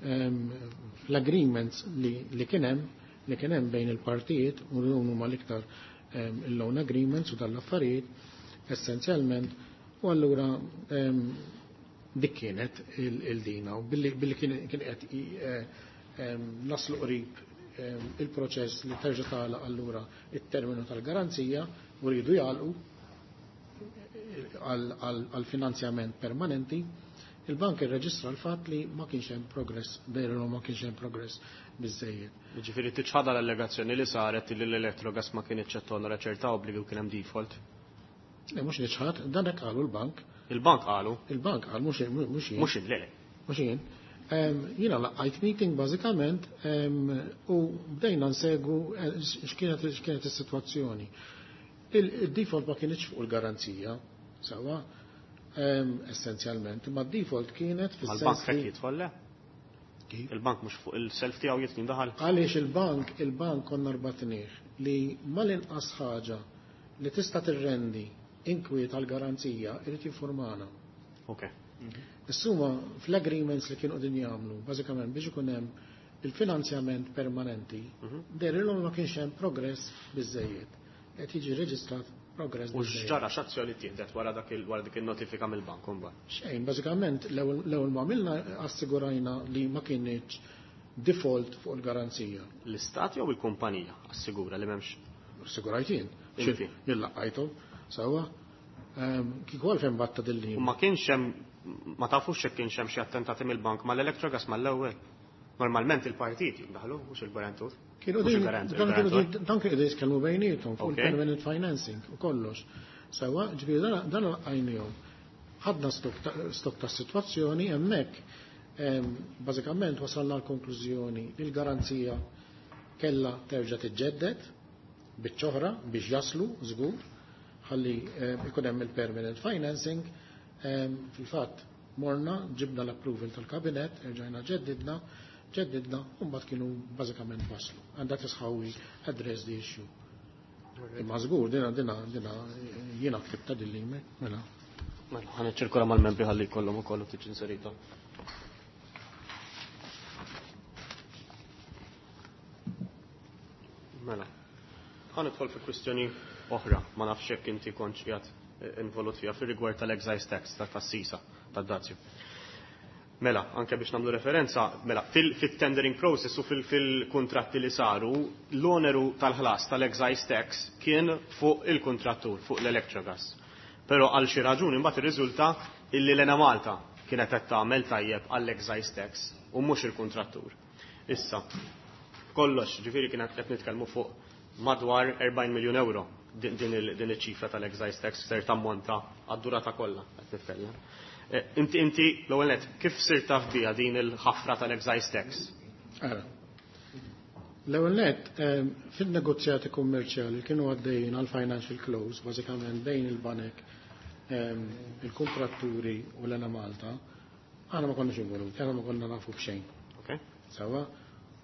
fl-agreements li kien hemm li kien hemm bejn il-partijiet u dawn huma l-iktar il-loan agreements u tal-affarijiet essenzjalment, u allura dik kienet il-dina u billi kien qed naslu qrib il-proċess li terġa' tagħlaq allura it-terminu tal-garanzija u rridu jagħlqu għal finanzjament permanenti, il-bank irreġistra l-fatt li ma kienx hemm progress, dejru ma kienx hemm progress biżejjed. Jiġifieri tiċħadha l-allegazzjoni li saret li l-Electrogas ma kienx qed tonora ċerta obbligi u kien hemm default. Le mhux niċħad, dan hekk qalu l-bank. Il-bank qalu? Il-bank qal mhux mhux jien. Mhux le le. Mhux jien. Jiena laqgħajt meeting bażikament u bdejna nsegwu x'kienet x'kienet is-sitwazzjoni. Il-default ma kienx fuq il-garanzija, sewwa, essenzjalment, imma d-default kienet fis-sens. Il-bank hekk jidħol le? Il-bank mhux fuq il-self tiegħu jitnin daħal. Għaliex il-bank, il-bank konna rbatnih li mal-inqas ħaġa li tista' tirrendi inkwiet għall-garanzija irid jinformana. Okay. Issuma fl-agreements li kienu qegħdin jagħmlu, bażikament biex ikun hemm il-finanzjament permanenti, dehrilhom ma kienx hemm progress biżejjed. Qed jiġi reġistrat progress. U x'ġara, x'azzjoni tieħdet wara dak wara dik in-notifika mill-bank imbagħad? Xejn, bażikament l-ewwel ma għamilna assigurajna li ma kienx default fuq il-garanzija. L-istat jew il-kumpanija assigura li m'hemmx? Assigurajt jien. Jien laqqajthom, sewwa. Kieku għalfejn batta dil-lim. U ma kienx hemm, ma tafux jekk kienx hemm xi attentati mill-bank mal-Electrogas mal-ewwel. Normalment il-partit jiddaħlu, mhux il-garantur. Kienu dan kienu jitkellmu bejniethom fuq il-permanent financing u kollox. Sewwa, ġifieri dan laqajnihom. Ħadna stok tas-sitwazzjoni hemmhekk bażikament wasalna l-konklużjoni li l-garanzija kellha terġa' tiġġedded biċ-ċoħra biex jaslu żgur ħalli ikun hemm il-permanent financing. Fil-fatt morna ġibna l-approval tal-kabinet, erġajna ġeddidna, ġeddidna, u mbagħad kienu bażikament waslu. And that is how we address the issue. Imma żgur, dina dina dina jiena ktibta din l-email, mela. Mela, ħa niċċirkola mal-membri ħalli jkollhom ukoll tiġi inserita. Mela. Ħa nidħol fi kwistjoni oħra, ma nafx jekk inti kontx qiegħed involut fiha fir-rigward tal-excise tax, tas-sisa, tad-dazju. Mela, anke biex nagħmlu referenza, mela, fil-tendering process u fil-kontratti li saru, l-oneru tal-ħlas tal-excise tax kien fuq il-kontrattur, fuq l-Electrogas. Però għal xi raġuni mbagħad irriżulta illi l-Enemalta kienet qed tagħmel tajjeb għall-excise tax u mhux il-kontrattur. Issa, kollox, ġifieri kienet qed nitkellmu fuq madwar erbgħin miljun euro din iċ-ċifra tal-excise tax ser tammonta għad-durata kollha qed nitkellem. Inti inti l-ewwel nett kif sirt taf biha din il-ħafra tal-excise tax? Ara. L-ewwel nett fin-negozjati kummerċjali kienu għaddejjin għal financial close bażikament bejn il-banek, il-kontratturi u l-Enemalta, aħna ma konniex involuti, aħna ma konna nafu b'xejn. Okay. Sewwa?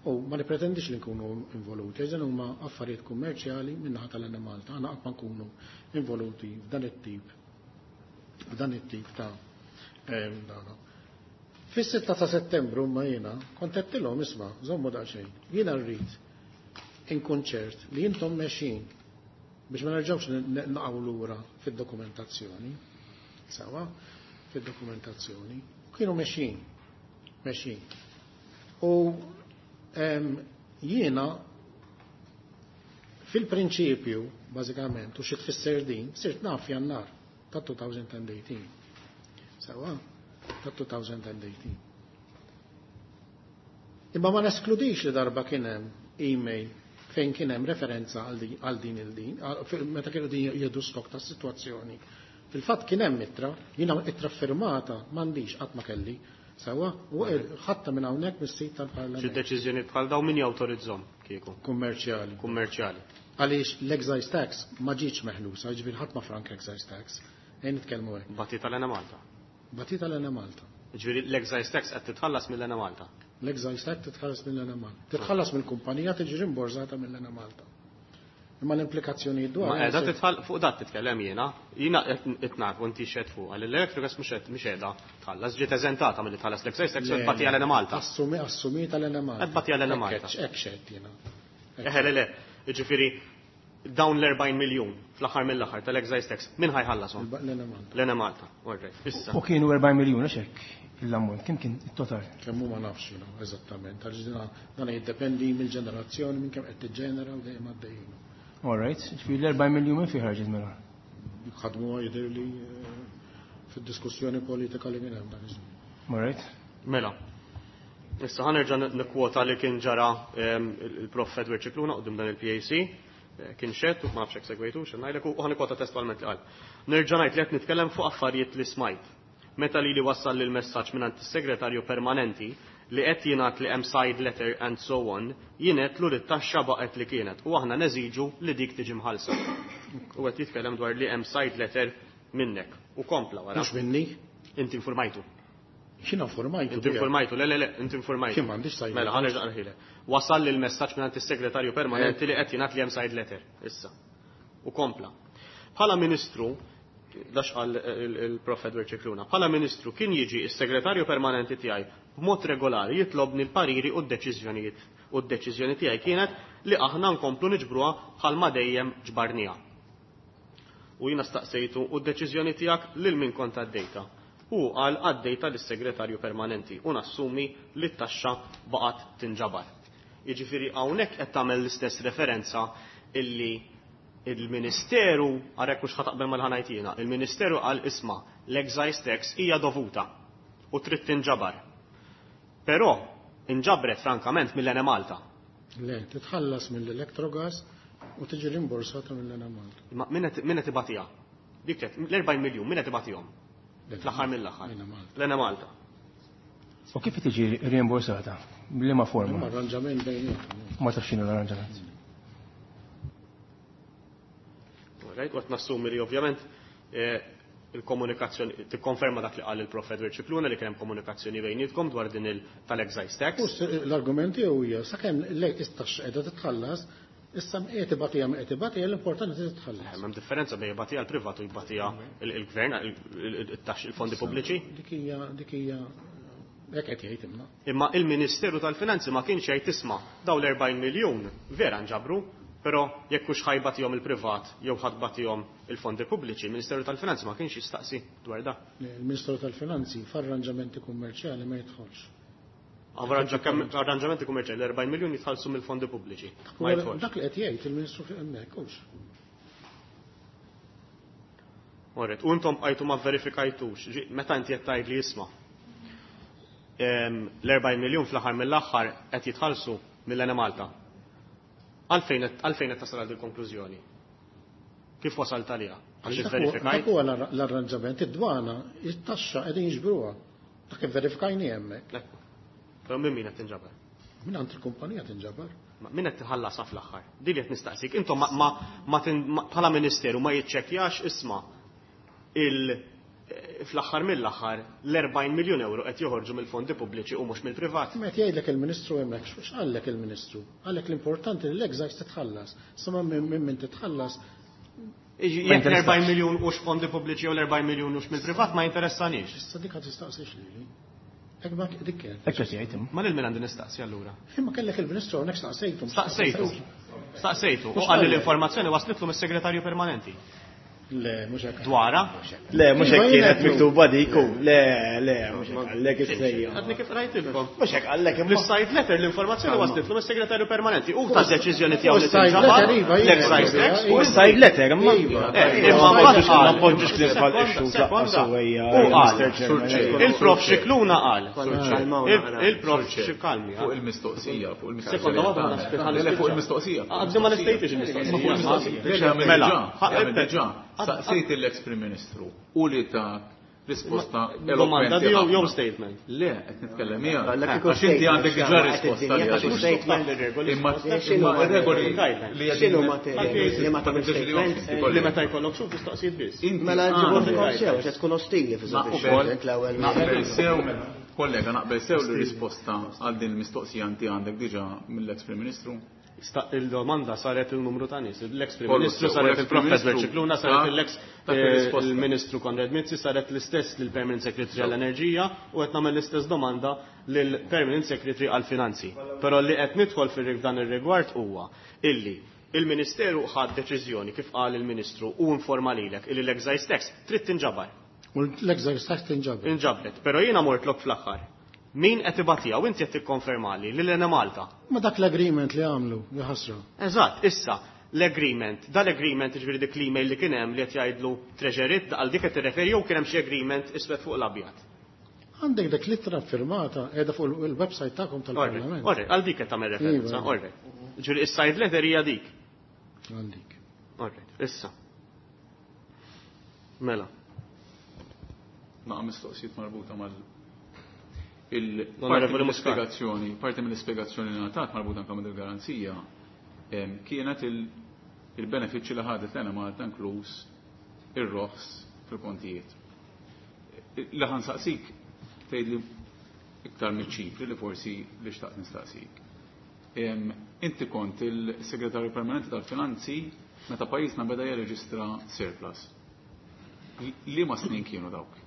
U ma nipretendix li nkunu involuti, eżen huma affarijiet kummerċjali min-naħa tal-Enemalta, aħna qatt ma nkunu involuti f'dan it-tip f'dan it-tip ta' dana. Fis-sitta ta' Settembru ma jiena kont qedtilhom isma' żommu daqsxejn. Jiena rrid inkun ċert li intom mexjin biex ma nerġgħux naqgħu lura fid-dokumentazzjoni. Sewwa, fid-dokumentazzjoni. Kienu mexjin, mexjin. U jiena fil-prinċipju, bażikament, u xi tfisser din, sirt naf Jannar ta' twenty eighteen. Sewwa, ta' twenty eighteen. Imma ma neskludix li darba kien hemm email fejn kien hemm referenza għal din il-din, meta kienu din jieħdu stok ta' sitwazzjoni. Fil-fatt kien hemm ittra, jiena ittra firmata m'għandix qatt ma kelli. Sewwa, u ħatta minn hawnhekk mis-sit tal-Parlament. Xi deċiżjoni bħal dawn min jawtorizzhom kieku? Kummerċjali. Kummerċjali. Għaliex l-excise tax ma ġietx meħlusa, jiġifieri ħadd ma frank excise tax. Ejn nitkellmu hekk. Bati tal-Enemalta. Bati tal-Enemalta. Jiġifieri l-excise tax qed titħallas mill-Enemalta. L-excise tax titħallas mill-Enemalta. Titħallas mill-kumpanija tiġi rimborżata mill-Enemalta. Imma l-implikazzjoni dwar. Ma qiegħda titħall fuq dat titkellem jiena, jiena qed naf u inti xed fuq, għal l-Electrogas mhux qed mhix qiegħda tħallas, ġiet eżentata milli tħallas l-excise tax u tbati għal Malta. Assumi assumita l-Enemalta. Qed tbati għal Malta. Hekk xed jiena. Eħe le le, jiġifieri dawn l-erbgħin miljun fl-aħħar mill-aħħar tal-excise tax min ħajħallasom? L-Enemalta. L-Enemalta, all right. Issa. U kienu erbgħin miljun għax hekk l-ammont, kemm kien it-total? Kemm hu ma nafx jiena eżattament, għaliex dan jiddependi mill-ġenerazzjoni minn kemm qed tiġġenera u dejjem għaddejjin. All right, ġifieri l-erbgħin miljun minn fejn ħarġet mela? Ħadmu jidher li fid-diskussjoni politika li kien hemm dak iż-żmien. All right. Mela. Issa ħa nerġa' nikkwota li kien ġara il-Prof Edward Scicluna quddiem dan il-P A C, kien xed u ma nafx hekk segwejtu, x'in ngħidlek, u ħa nikkwota testualment li qal. Nerġa' ngħid li qed nitkellem fuq affarijiet li smajt. Meta lili wassal lil messaġġ mingħand is-segretarju permanenti li qed jingħad li hemm side letter and so on, jien għedtlu li t-taxxa baqgħet li kienet u aħna neżiġu li dik tiġi mħallsa. U qed jitkellem dwar li hemm side letter minnek u kompla wara. Mhux minni? Inti informajtu. X'inhu informajtu? Inti informajtu, le, le, le, inti informajtu. X'in m'għandix side Mela, letter. ħa nerġa' nqraħilek. Wasal lil messaġġ mingħand is-segretarju permanenti li qed jingħad li hemm side letter issa. U kompla. Bħala ministru, dax qal il-Prof Edward Scicluna, bħala ministru kien jiġi s-segretarju permanenti tiegħi b'mod regolari jitlobni l-pariri u d-deċiżjonijiet. U d-deċiżjoni tiegħi kienet li aħna nkomplu niġbruha bħalma dejjem ġbarniha. U jiena staqsejtu u d-deċiżjoni tiegħek lil min kont għaddejta. U qal għaddejta lis-segretarju permanenti u nassumi li t-taxxa baqgħet tinġabar. Jiġifieri hawnhekk qed tagħmel l-istess referenza illi il-Ministeru, għarek mhux ħataqbel mal-ħanajt jiena, il-Ministeru qal isma' l-excise tax hija dovuta u trid tinġabar. Però inġabret frankament mill-Enemalta. Le, titħallas mill-Electrogas u tiġi rimborsata mill-Enemalta. Ma min qed, min qed ibatiha? Dik qed, l-erbgħin miljun min qed ibatihom? Fl-aħħar mill-aħħar. L-Enemalta. L-Enemalta. U kif tiġi rimborsata? B'liema forma? Imma arranġament bejniethom. Ma tafx x'inhu l-arranġament. Right, waqt nassumi li ovvjament, eh, il-komunikazzjoni tikkonferma dak li qal il-Prof Edward Scicluna li kien hemm komunikazzjoni bejnietkom dwar din il tal-excise tax. U s-, l-argument tiegħu hija sakemm l-taxxa qiegħda titħallas, issa qed ibatija ma qed ibatija, l-importanti li titħallas. Hemm differenza bejn ibatija l-privat u jbatija il-gvern, il-taxxi, il-fondi pubbliċi. Dik hija, dik hija hekk qed jgħid imma. Imma il-Ministeru tal-Finanzi ma kienx jgħid isma' dawn l-erbgħin miljun vera nġabru, però jekk hux ħajbatihom il-privat jew ħadbatihom il-fondi pubbliċi, il-Ministeru tal-Finanzi ma kienx jistaqsi dwar da. Il-Ministeru tal-Finanzi f'arranġamenti kummerċjali ma jidħolx. Arranġamenti kummerċjali l-erbgħin miljun jitħallsu mill-fondi pubbliċi. Ma jidħolx. Dak li qed jgħid il-Ministru hemmhekk hux. Orret, u intom bqajtu ma verifikajtux, ġi, meta inti qed tgħid li jisma' ehm, l-erbgħin miljun fl-aħħar mill-aħħar qed jitħallsu mill-Enemalta. Għalfejn qed, għalfejn qed tasal għal il-konklużjoni? Kif wasalt għaliha? Għax Dak huwa- ivverifikajt? dak huwa l-arra-, l-arranġament, id-dwana, it-taxxa qegħdin jiġbruha. Dak ivverifikajni hemmhekk. Ekku. Però minn min qed tinġabar? Minn għand il-kumpanija tinġabar. Ma min qed tħallasha fl-aħħar? Din li qed nistaqsik. Intom ma, ma, ma tin-, ma, bħala ministeru ma jiċċekkjax isma' il-, fl-aħħar mill-aħħar l-erbgħin miljun euro qed joħorġu mill-fondi pubbliċi u mhux mill-privat. Meta jgħidlek il-Ministru hemmhekk, x'qallek il-Ministru? Qallek l-importanti li l-excise titħallas. Sa ma minn min titħallas. Iġi, Ma jekk l-erbgħin jinteressax. miljun hux fondi pubbliċi jew l-erbgħin miljun hux mill-privat ma jinteressanix. Issa dik qed tistaqsix lili. Hekk ma dik kien. Hekk qed jgħid imma. Ma lil min għandi nistaqsi allura? Imma kellek il-Ministru hawnhekk staqsejtu. Staqsejtu. Staqsejtu. U Mhux qal li qallek. l-informazzjoni waslitlu mis-segretarju permanenti. Le, mhux hekk. Dwara? Le, mhux hekk Iva, kienet jien miktuba dik u. Le, le, mhux hekk qallek is-sejja. Għadni kif rajtilkom. Mhux hekk qallek imma. L-side letter l-informazzjoni waslitlu mis-segretarju permanenti. U ta' deċiżjoni tiegħu li U s-side tinġabar, letter, iva, iva, l-excise iva, tax. iva. U s-side letter imma. Iva. Eh, imma Ma mbagħad poġġux qal. ma poġġux kif Sekonda, bħal ixxu sekonda. tlaqqa sewwejja, U qal. Mister Chairman. Il-Prof Scicluna qal. Sur Il-Prof Xikalmi. Fuq il-mistoqsija, fuq il-mistoqsija. Sekonda, waħda ma naspetta, Le, le, fuq il-mistoqsija. Għadni ma nistejtix il-mistoqsija. Ma fuq il-mistoqsija. Le, le, għamil Mela, diġà, ħa- għamil diġà. Saqsejt l-ex Prim Ministru u li ta' risposta Domanda eloquenti jew ħafna. jew statement. Le, qed nitkellem hija. Għallek ikun Għax inti għandek diġà statement, risposta x'għamel, li qed għandek. statement. Imma X'inhu imma regoli li X'inhu ma li ma tagħmel statement? Li meta jkollok xuf mistoqsijiet biss. Mela ġibu tkun sew, se tkun ostili fi Naqbel l-ewwel. naqbel sew, kollega, naqbel sew li risposta għal din il-mistoqsija inti għandek diġà mill-ex Prim Ministru. Il-domanda saret il-numru ta' nies. L-ex Prim Ministru saret il-Professor Scicluna, saret l-ex il-Ministru Konrad Mizzi, saret l-istess lill-Permanent Secretary għall-Enerġija u qed nagħmel l-istess domanda lill-Permanent Secretary għall-Finanzi. Però li qed nidħol fil-dan ir-rigward huwa illi il-Ministeru ħad deċiżjoni kif qal il-Ministru u informa lilek illi l-excise tax trid tinġabar. U l-excise tax tinġabar. Inġabret, però jiena mortlok fl-aħħar. Min qed ibatija u inti qed tikkonfermali li l-Enemalta. Ma dak l-agreement li għamlu, jaħasra. Eżatt, issa l-agreement, dal-agreement ġifieri dik l-email li kien hemm li qed jgħidlu Treasury għal dik qed tirreferi jew kien hemm xi agreement iswed fuq l-abjad. Għandek dak l-ittra firmata qiegħda fuq il-website tagħkom tal-Parlament. Orre, għal dik qed tagħmel referenza, orre. Ġifieri is-side letter hija dik. Għal dik. Orre, issa. Mela. Naqa' mistoqsijiet marbuta mal il-parti mill-ispjegazzjoni, parti mill-ispjegazzjoni li ngħatat marbuta anke mill-garanzija kienet il-benefiċċji li ħadet l-Enemalta inkluż ir-roħs fil-kontijiet. Li ħansaqsik tgħidli iktar miċ-ċifri li forsi li xtaqt nistaqsik. Inti kont il-Segretarju Permanenti tal-Finanzi meta pajjiżna beda jirreġistra surplus. Liema snin kienu dawk?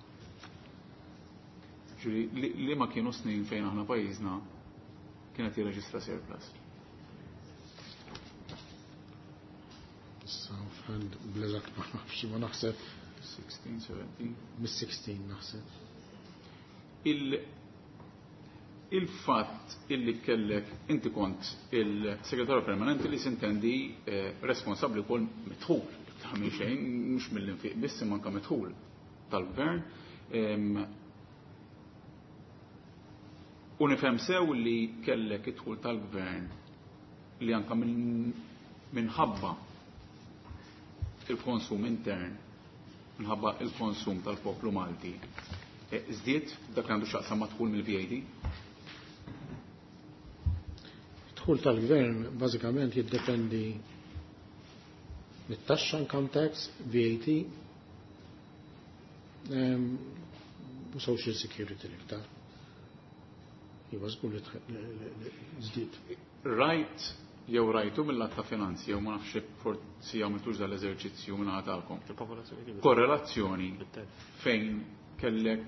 Li ma kienu snin fejn aħna pajjiżna kienet jirreġistra surplus? Issa, friend, bl-eżatt ma nafx, ma naħseb. sixteen, seventeen? Mis-sixteen naħseb. Il-fatt illi kellek, inti kont il-segretarju permanenti li sintendi responsabbli wkoll midħul, ta' minn xejn, mhux mill-infiq biss imma anke midħul tal-gvern. U nifhem sew li kellek id-dħul tal-gvern li anke minħabba il-konsum intern, minħabba il-konsum tal-poplu Malti, żdied dak li għandu x'jaqsam ma' dħul mill-V A T? Dħul tal-gvern bażikament jiddependi mit-taxxa, income tax, V A T, u social security l-iktar. Iva, żgur li żdied. Rajt jew rajtu mill-att ta' finanzi jew ma nafx forsi għamiltux dal-eżerċizzju minn għadalkom. Korrelazzjoni fejn kellek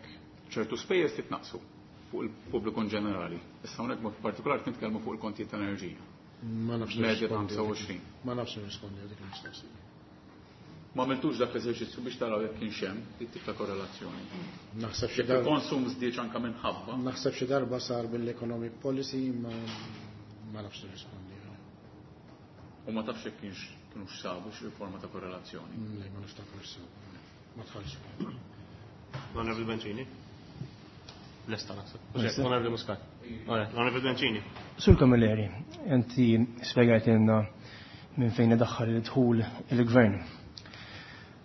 ċertu spejjeż titnaqsu fuq il-pubbliku in ġenerali. Issa hawnhekk mod partikolari nitkellmu fuq il-kontijiet ta' enerġija. Ma nafx Medja ta' ħamsa u għoxrin. Ma nafx nirrispondi għal dik il-mistoqsija. Ma għamiltux dak l-eżerċizzju biex taraw jekk kienx hemm dit-tip ta' korrelazzjoni. Naħseb xi Jekk darba il-konsum żdied anke minħabba. Naħseb xi darba sar bil-economic policy ma, ma nafx nirrispondi. U ma tafx jekk kienx kienux sabu xi forma ta' korrelazzjoni. Le, ma niftakar sabu. Ma tħallx. L-Onorevoli Bencini. Lesta naħseb. L-Onorevoli Muscat. L-Onorevoli Bencini. Sur Camilleri, inti spjegajtilna minn fejn idaħħal il-dħul il-gvern.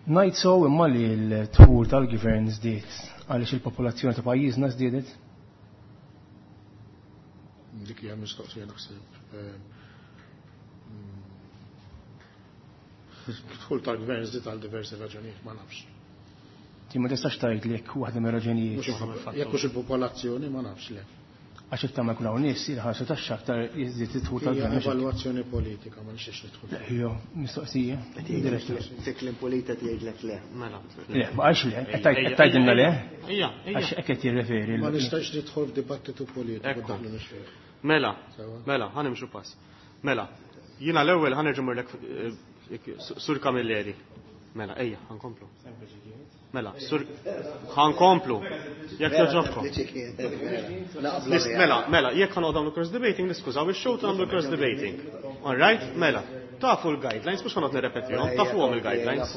Ngħid sew imma li l-dħul tal-gvern żdied għaliex il-popolazzjoni ta' pajjiżna żdiedet? Dik hija mistoqsija naħseb. Dħul tal-gvern żdied għal diversi raġunijiet, ma nafx. Ti ma tistax tgħid li jekk waħda mir-raġunijiet. Mhux jekk hux il-popolazzjoni ma nafx le. Għax iktar ma jkun hawn nies jilħallsu taxxa aktar jiżdied id-dħul tal-gvern. Hija evalwazzjoni politika, ma nixtiex nidħol. Le, hija mistoqsija. Fi kliem polita tgħidlek le. Mela. Le, ma qalx le, qed tgħidilna le. Ejja, ejja. Għax hekk qed jirreferi. Ma nistax nidħol f'dibattitu politiku daħlu mhux fih. Mela, mela, ħa nimxu pass. Mela, jiena l-ewwel ħa nerġa' mmurlek Sur Camilleri. Mela, ejja, ħankomplu. Mela, sur ħankomplu. Jekk joġobkom. Mela, mela, jekk ħanoqgħod nagħmlu cross debating, niskużaw ix-show ta' nagħmlu cross debating. All right? Mela, tafu l-guidelines, mhux ħanoqgħod nirrepetihom, tafuhom il-guidelines.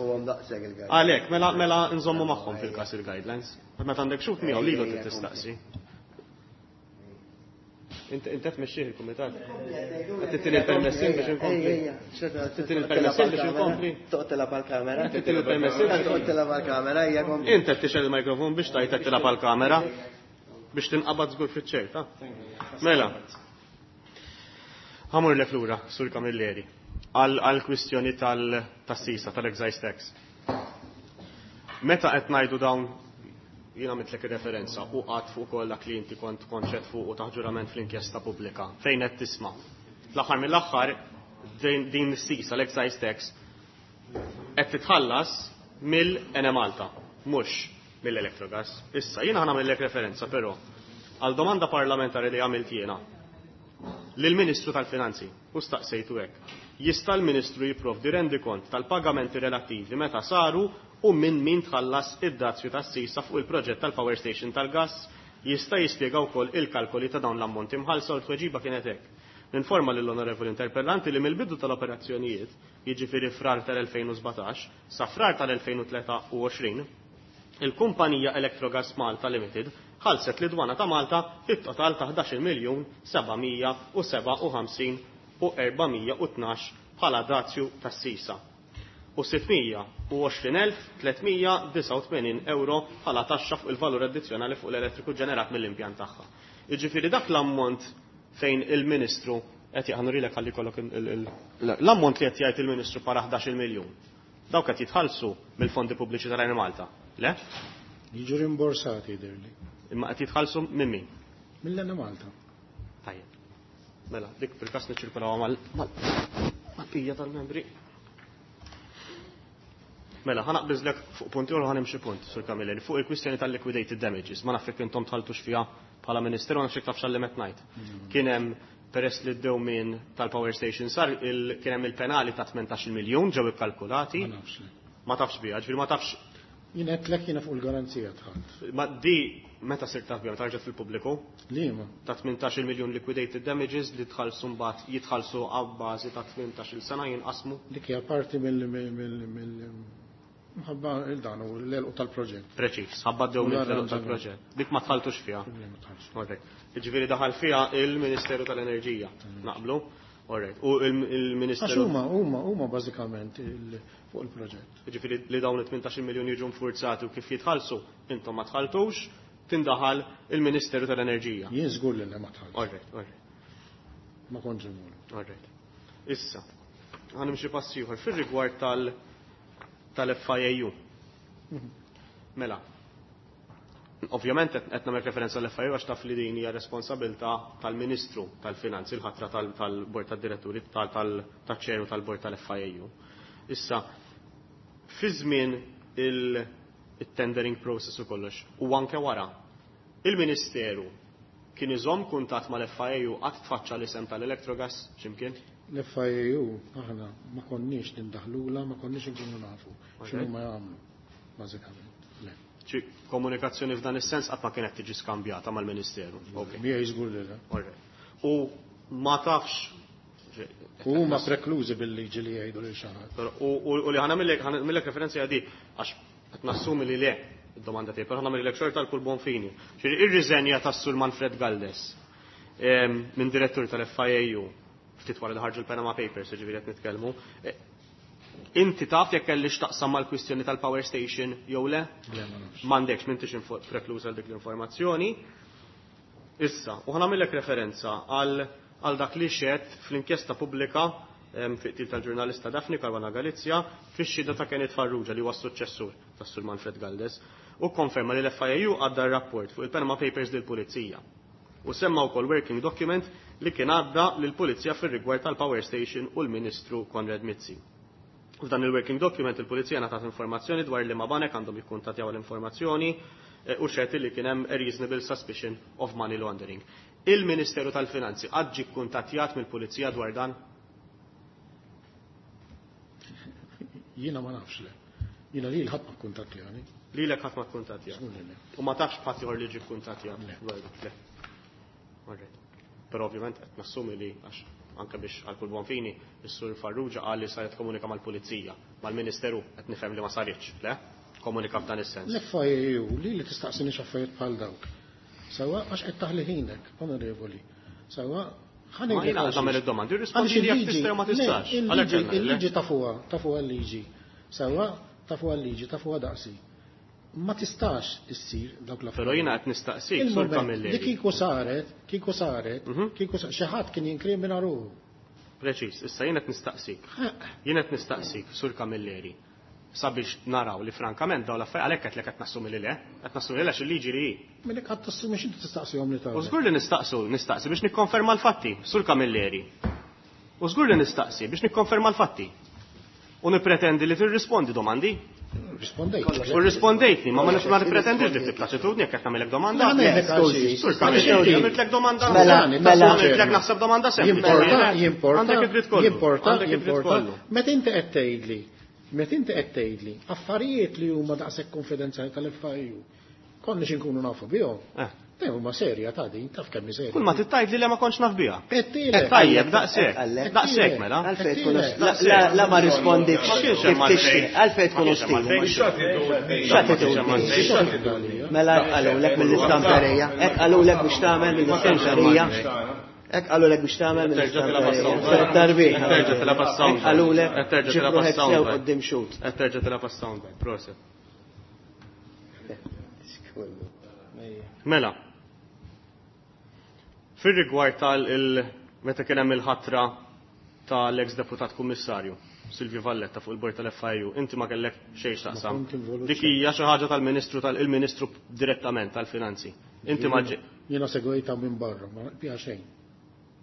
Għalhekk, mela, mela nżommu magħhom fil-każ il-guidelines. Meta għandek xut miegħu lilu trid tistaqsi. Inti qed tmexxih il-kumitat. Qed tittini l-permessin biex inkompli. Tittini l-permessin biex inkompli. Toqgħod tilgħab għall-kamera. Tittini l-permessin. Toqgħod tilgħab għall-kamera, hija kompli. Inti qed tixgħel il-mikrofon biex tgħid qed tilgħab għall-kamera biex tinqabad żgur fiċ-ċert, ha? Mela. Ħamur lek lura, Sur Camilleri, għal kwistjoni tas-sisa, tal-excise tax. Meta qed ngħidu dawn jiena għamiltlek ir-referenza u qatt fuq ukoll dak li inti kont konċett fuq u taħt ġurament fl-inkjesta pubblika. Fejn qed tisma'? Fl-aħħar mill-aħħar Din is-sisa, l-excise tax, qed titħallas mill-Enemalta, mhux mill-Electrogas. Issa, jiena ħa nagħmellek referenza però għal domanda parlamentari li għamilt jiena lill-Ministru tal-Finanzi u staqsejtu hekk. Jista' l-Ministru jipprovdi rendikont tal-pagamenti relattivi meta saru u minn min tħallas id-dazju tas-sisa fuq il-proġett tal-Power Station tal-gas? Jista' jispjega wkoll il-kalkoli ta' dawn l-ammonti mħallsa? U l-tweġiba kienet hekk. Ninforma lill-onorevoli interpellanti li mill-bidu tal-operazzjonijiet, jiġifieri frar tal-elfejn u sbatax, sa frar tal-elfejn u tlieta u għoxrin, il-kumpanija Electrogas Malta Limited ħallset lid-dwana ta' Malta it-total ta' ħdax-il miljun seba' mija u seba' u ħamsin u erba' mija u tnax bħala dazju tas-sisa u sitt mija u għoxrin elf tliet mija disgħa u tmenin euro bħala taxxa fuq il-valur addizzjonali fuq l-elettriku ġenerat mill-impjant tagħha. Jiġifieri dak l-ammont fejn il-Ministru qed jaqgħu ħalli jkollok l-ammont li qed jgħid il-Ministru para ħdax-il miljun. Dawk qed jitħallsu mill-fondi pubbliċi tal-Enemalta. Le? Jiġu rimborsati jidhirli. Imma qed jitħallsu minn min? Mill-Enemalta. Tajjeb. Mela, dik fil-każ niċċirkulaw mal-bqija tal-membri. Mela, ħa naqbiżlek fuq punti u ħa nimxi punt, Sur Camilleri, fuq il-kwistjoni tal-liquidated damages. Ma nafx jekk intom tħalltux fiha bħala Ministeru, ma nafx jekk tafx għal li qed ngħid. Kien hemm, peress li d-dewmien tal-power station sar, kien hemm il-penali ta' tmintax-il miljun ġew ikkalkulati. Ma nafx. Ma tafx biha, ġifieri ma tafx. Jien qed lek jiena fuq il-garanzija dħalt. Ma di meta sirt taf biha, meta ġiet fil-pubbliku? Liema? Ta' tmintax-il miljun liquidated damages li tħallsu mbagħad jitħallsu għabbażi ta' tmintax-il sena jinqasmu. Dik hija parti mill-, mill-, mill-, mill-, mħabba il-dan u l-elqu tal-proġett. Preċiż, ħabba d-dew mill-elqu tal-proġett. Dik ma tħalltux fiha. Le, ma tħalltux. Alright. Jiġifieri daħal fiha il-Ministeru tal-Enerġija. Naqblu? Alright. U il-, il-Ministeru Għax huma, huma, huma bażikament il-, fuq il-proġett. Jiġifieri li dawn it-tmintax-il miljun jiġu nfurzati u kif jitħallsu, intom ma tħalltux, tindaħal il-Ministeru tal-Enerġija. Jien żgur li le ma tħalltux. Alright, alright. Ma kontx involut. Alright. Issa, ħa nimxi pass ieħor fir-rigward tal-, tal-F I A U. Mela, ovvjament qed, qed nagħmel referenza l-F I A U għax taf li din hija responsabilità tal-Ministru tal-Finanzi, il-ħatra tal-, tal-Bord tad-Diretturi, tal-, tal-, taċ-ċeru tal-Bord tal-F I A U. Issa, fi żmien il-, il-tendering process u kollox, u anke wara, il-Ministeru kien iżomm kuntatt mal-F I A U qatt tfaċċa l-isem tal-Electrogas x'imkien? L-F I A U aħna ma konniex nindaħlula, ma konniex inkunu nafu Ok. x'inhu ma jagħmlu, bażikament. Le. Ċi komunikazzjoni f'dan is-sens qatt ma kienet tiġi skambjata mal-Ministeru. Ok. Mija żgur li le. Alright. U ma tafx U huma preklużi bil-liġi li jgħidu lil xi ħadd. Però, u, u, u li ħa nagħmillek, ħa nagħmillek referenza għadi għax qed nassumi li le id-domanda tiegħi, però ħa nagħmillek xorta l kull buon fini. Ġifieri ir-riżenja tas-Sur Manfred Galdes, ehm, minn direttur tal-F I A U ftit wara li ħarġu l-Panama Papers, ġifieri qed nitkellmu. Eh, inti taf jekk kellix taqsam mal-kwistjoni tal-power station jew le? Le, ma nafx. M'għandekx, m'intix info-, prekluża għal dik l-informazzjoni. Issa, u ħa nagħmillek referenza għal, għal dak li xed fl-inkjesta pubblika, ehm, fi qtil tal-ġurnalista Daphne Caruana Galizia fix-xhieda ta' Kenneth Farrugia li huwa s-suċċessur tas-Sur Manfred Galdes u konferma li l-F I A U għadda r-rapport fuq il-Panama Papers lill-Pulizija. U semma wkoll working document li kien għadda lill-Pulizija fir-rigward tal-Power Station u l-Ministru Konrad Mizzi. F'dan il-working document il-Pulizija ngħatat informazzjoni dwar li ma banek għandhom jikkuntattjaw l-informazzjoni, eh, u xed li kien hemm a reasonable suspicion of money laundering. Il-Ministeru tal-Finanzi qatt ġie kkuntattjat mill-Pulizija dwar dan? Jiena ma nafx le. Jiena lil ħadd ma kkuntattjani. Lilek ħadd ma kkuntattjat. Żgur li le. U ma tafx b'ħadd ieħor li ġie kkuntattjat Le. dwar dak, le. Alright. Però ovvjament qed nassumi li għax anke biex għal kull buon fini, is-Sur Farrugia qal li saret komunika mal-Pulizija, mal-Ministeru qed nifhem li ma saritx, le? Komunika f'dan is-sens. L-F I A U li li tistaqsini x'affarijiet bħal dawk. Sewwa għax qed taħli ħinek, onorevoli. Sewwa ħa Ma ngħidlek jiena għal nagħmel xiex. id-domandi, Għaliex irrispondi li jekk il-liġi- tista' jew ma le, tistax. il-liġi- Għalhekk qed ngħidlek. il-liġi tafuha, tafuha l-liġi. Sewwa tafuha l-liġi, tafuha daqsi. Ma tistax issir dawk l-affarijiet. Però jiena qed nistaqsik, Sur Il-moment Camilleri. li kieku saret, kieku saret, Mhm. kieku sa-, xi ħadd kien jinkrimina ruħu. Preċiż, issa jiena qed nistaqsik. Jiena qed nistaqsik, Sur Camilleri, sabiex naraw li frankament dawn l-affarijiet għalhekk qed lek qed nassumi li le, qed nassumi li le għax il-liġi li hi. Milli qed tassumi x'inti tistaqsihom li tagħmel. U żgur li nistaqsu, nistaqsi biex nikkonferma l-fatti, Sur Camilleri. U żgur li nistaqsi biex nikkonferma l-fatti. U nippretendi li tirrispondi domandi. Rispondejt. U rispondejtni, ma ma nipretendix li tibplaċitudni jekk qed nagħmilek domanda. Skużi. Għamiltlek domanda. Mela, mela. Għamiltlek naħseb domanda sempliċi. Jimporta, jimporta. Għandek id-dritt kollu. Jimporta, Għandek id-dritt jimporta. kollu. Meta inti qed tgħidli, meta inti qed tgħidli affarijiet li huma daqshekk konfidenzjali tal-F I U, konniex inkunu nafu bihom. Eh. Dejjem huma serja ta' din, taf kemm hi serja. Kull ma tittajt li le ma kontx naf biha. Qedtilek. Tajjeb, daqshekk. Għallek. Daqshekk mela. Għalfejn tkun la- la- la ma rispondikx Ma kienx kif hemm għalfejn. tixtieq, għalfejn tkun Ma kienx hemm ostili. għalfejn. X'attitudni? Mela qalulek mill-istamperija, hekk qalulek biex tagħmel mill-istamperija. Hekk qalulek biex tagħmel Terġa' tilgħab mill-istamperija. għas-soundbite. Tarbih. Terġa' tilgħab għas-soundbite. Hekk qalulek Terġa' ġib tilgħab ruħek sew għas-soundbite. quddiem xut. Qed terġa' tilgħab għas-soundbite, proset. Mela. Fir-rigward tal il meta kien hemm il-ħatra tal-ex deputat kummissarju Silvio Valletta fuq il-bord tal-F I U, inti ma kellek xejn x'taqsam. Ma kont involut Dik hija xi ħaġa tal-Ministru tal-Ministru direttament tal-Finanzi. Inti ma ġi- Jiena segwejta minn barra, ma biha xejn.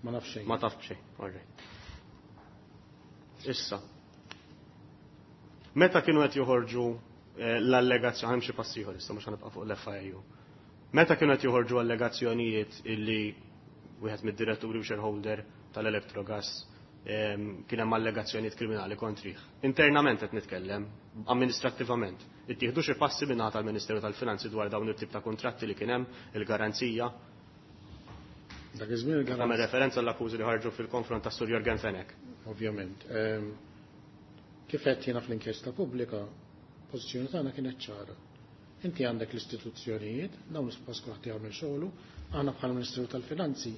Ma naf xejn. Ma taf xejn. All right. Issa. Meta kienu qed joħorġu eh, l-allegazzjoni, ħa nimxi pass ieħor issa, mhux ħa nibqa' fuq l-F I U. Meta kienu qed joħorġu allegazzjonijiet illi wieħed mid-diretturi u shareholder tal-Electrogas em, kien hemm allegazzjonijiet kriminali kontrih. Internament qed nitkellem, amministrattivament. Ittieħdu xi passi min-naħa tal-Ministeru tal-Finanzi dwar dawn it-tip ta' kontratti li kien hemm, il-garanzija? Dak iż-żmien Nagħmel il-garanzija. referenza l-akkużi li ħarġu fil-konfront ta' Sur Yorgen Fenech. Ovvjament. Ehm, Kif qed jiena fl-inkjesta pubblika, pożizzjoni tagħna kienet ċara. Inti għandek l-istituzzjonijiet, dawn suppost kulħadd jagħmel xogħlu, aħna bħala Ministeru tal-Finanzi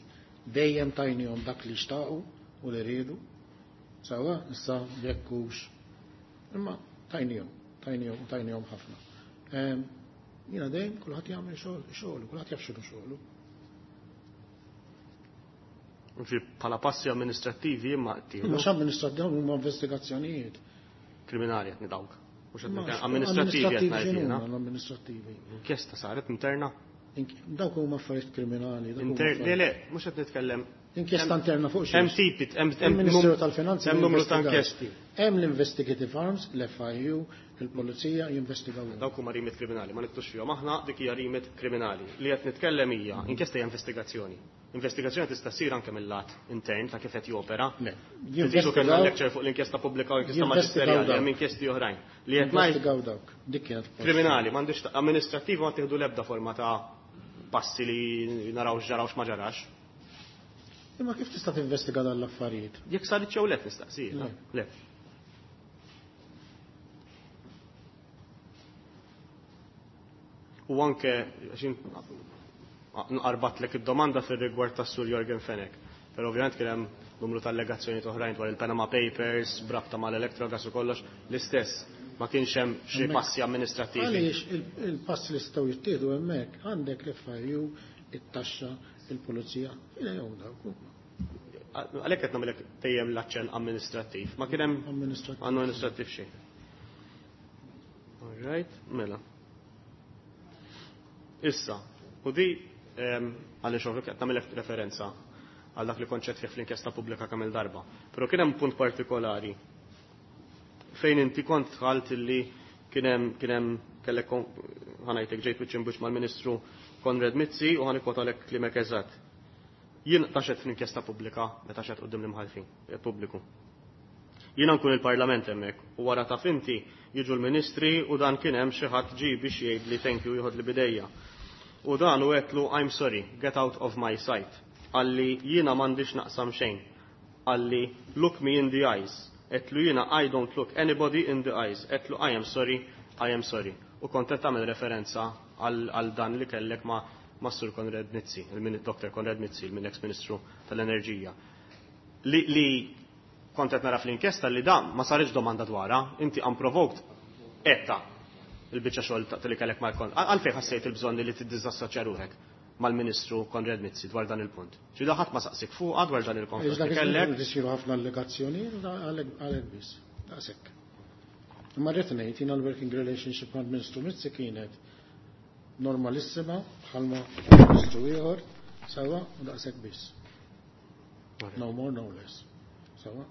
dejjem tajnihom dak li xtaqu u li riedu. Sawa, issa jekk hux. Imma tajnihom, tajnihom u tajnihom ħafna. Ehm, Jiena dejjem kulħadd jagħmel xogħol, xogħlu, kulħadd jaf x'inhu xogħlu. Ġi bħala passi amministrattivi imma ttieħdu. Mhux amministrattivi, huma investigazzjonijiet. Kriminali qed nidawk. Mhux qed Ma nitkellem amministrattivi qed ngħid x'inhuma jiena. l-amministrattivi? Inkjesta saret interna. Ink- Dawk huma affarijiet kriminali. Dawk huma Inter le affarijiet- le, mhux qed nitkellem. Inkjesta interna fuq xiex? Hemm tipi, hemm hemm Il-Ministeru num- tal-Finanzi hemm numru ta' jinvestigax. inkjesti. Hemm l-Investigative Arms, l-F I U, il-Pulizija jinvestigaw. Dawk huma remit kriminali, ma niktux fihom aħna, dik hija remit kriminali. Li qed nitkellem hija inkjesta hija investigazzjoni. Investigazzjoni tista' ssir anke mill-lat intern ta' kif qed jopera. Le, Tiġu kellna jinvestigaw- lecture fuq l-inkjesta pubblika u l-inkjesta Jinvestigaw maġisterjali, dawk. hemm inkjesti oħrajn. Li qed ngħid Jinvestigaw dawk. Dik kienet kriminali, m'għandix amministrattiva ma tieħdu l-ebda forma ta' passi li naraw x'ġara u x'ma ġarax. Imma kif tista' tinvestiga dan l-affarijiet? Jekk saret jew le nistaqsija. Le. Le. U anke għax nqarbatlek id-domanda fir-rigward tas-Sur Yorgen Fenech. Però ovvjament kien hemm numru ta' allegazzjonijiet oħrajn dwar il-Panama Papers, brabta mal-Electrogas u kollox, l-istess ma kienx hemm xi Hemmhekk- passi amministrattivi. Għaliex il- il-passi li jistgħu jittieħdu hemmhekk għandek l-F I U, it-taxxa, il-pulizija, fidejhom dawk huma. Għalhekk qed nagħmilek dejjem l-aċċenn amministrattiv. Ma kien hemm Amministrattiv. amministrattiv xejn. All right, mela. Issa, u di ehm, għaliex ovvju qed nagħmilek referenza għal dak li konċett fih fl-inkjesta pubblika kemm il-darba. Però kien hemm punt partikolari fejn inti kont tħalt illi kien hemm kien hemm kellek kon- ħa ngħidlek ġejt wiċċ imbwiċċ mal-Ministru Konrad Mizzi u ħa nikkwotalek klimek eżatt. Jien taxet fl-inkjesta pubblika meta xedt quddiem l-imħallfin, eh, pubbliku. Jiena nkun il-Parlament hemmhekk u wara taf inti jiġu l-ministri u dan kien hemm xi ħadd ġie biex jgħid li thank you, jieħod li bidejja. U dan u għedtlu, "I'm sorry, get out of my sight." Qalli jiena m'għandix naqsam xejn. Qalli, "Look me in the eyes." Għedtlu jiena, "I don't look anybody in the eyes." Għedtlu, "I am sorry, I am sorry." U kont qed tagħmel referenza għal għal dan li kellek ma' ma' Sur Konrad Mizzi, il-Doctor Konrad Mizzi, il-ex Ministru tal-Enerġija. Li, li kont qed nara fl-inkjesta li dan ma saritx domanda dwarha, inti unprovoked etta il-biċċa xogħol ta' li kellek mal-kont. Għalfejn ħassejt il-bżonn li tiddisassoċja ruħek mal-Ministru Konrad Mizzi dwar dan il-punt? Ġi ħadd ma saqsik fuqha dwar dan il-konfront Dak li kellek. Isiru ħafna allegazzjonijiet għalhekk għalhekk biss. Daqshekk. Imma rrid ngħid jiena l-working relationship mal-Ministru Mizzi kienet normalissima bħalma ministru ieħor, sewwa, u daqshekk biss. No more, no less. Sewwa?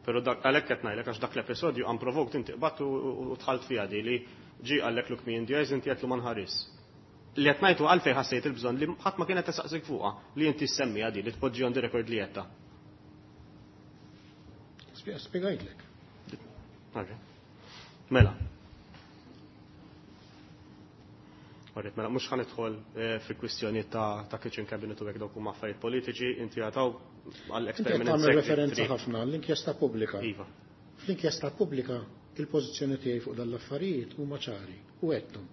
Però dak għalhekk qed ngħidlek għax dak l-episodju unprovoked inti qbadt u dħalt fiha di li ġie qallek look me in the eyes inti għedtlu ma nħares. Li qed ngħidu għalfejn ħassejt il-bżonn li ħadd ma kienet tisaqsik fuqha li inti ssemmiha di li tpoġġi on the record li għedtha. Spjegajtlek. Mela. Alright, mela mhux ħa nidħol fi kwistjoni ta' ta' kitchen cabinet u hekk dawk huma affarijiet politiċi, inti għataw għall Inti qed tagħmel referenza ħafna għall-inkjesta pubblika. Iva. Fl-inkjesta pubblika il-pożizzjoni tiegħi fuq dan l-affarijiet huma ċari u għedthom.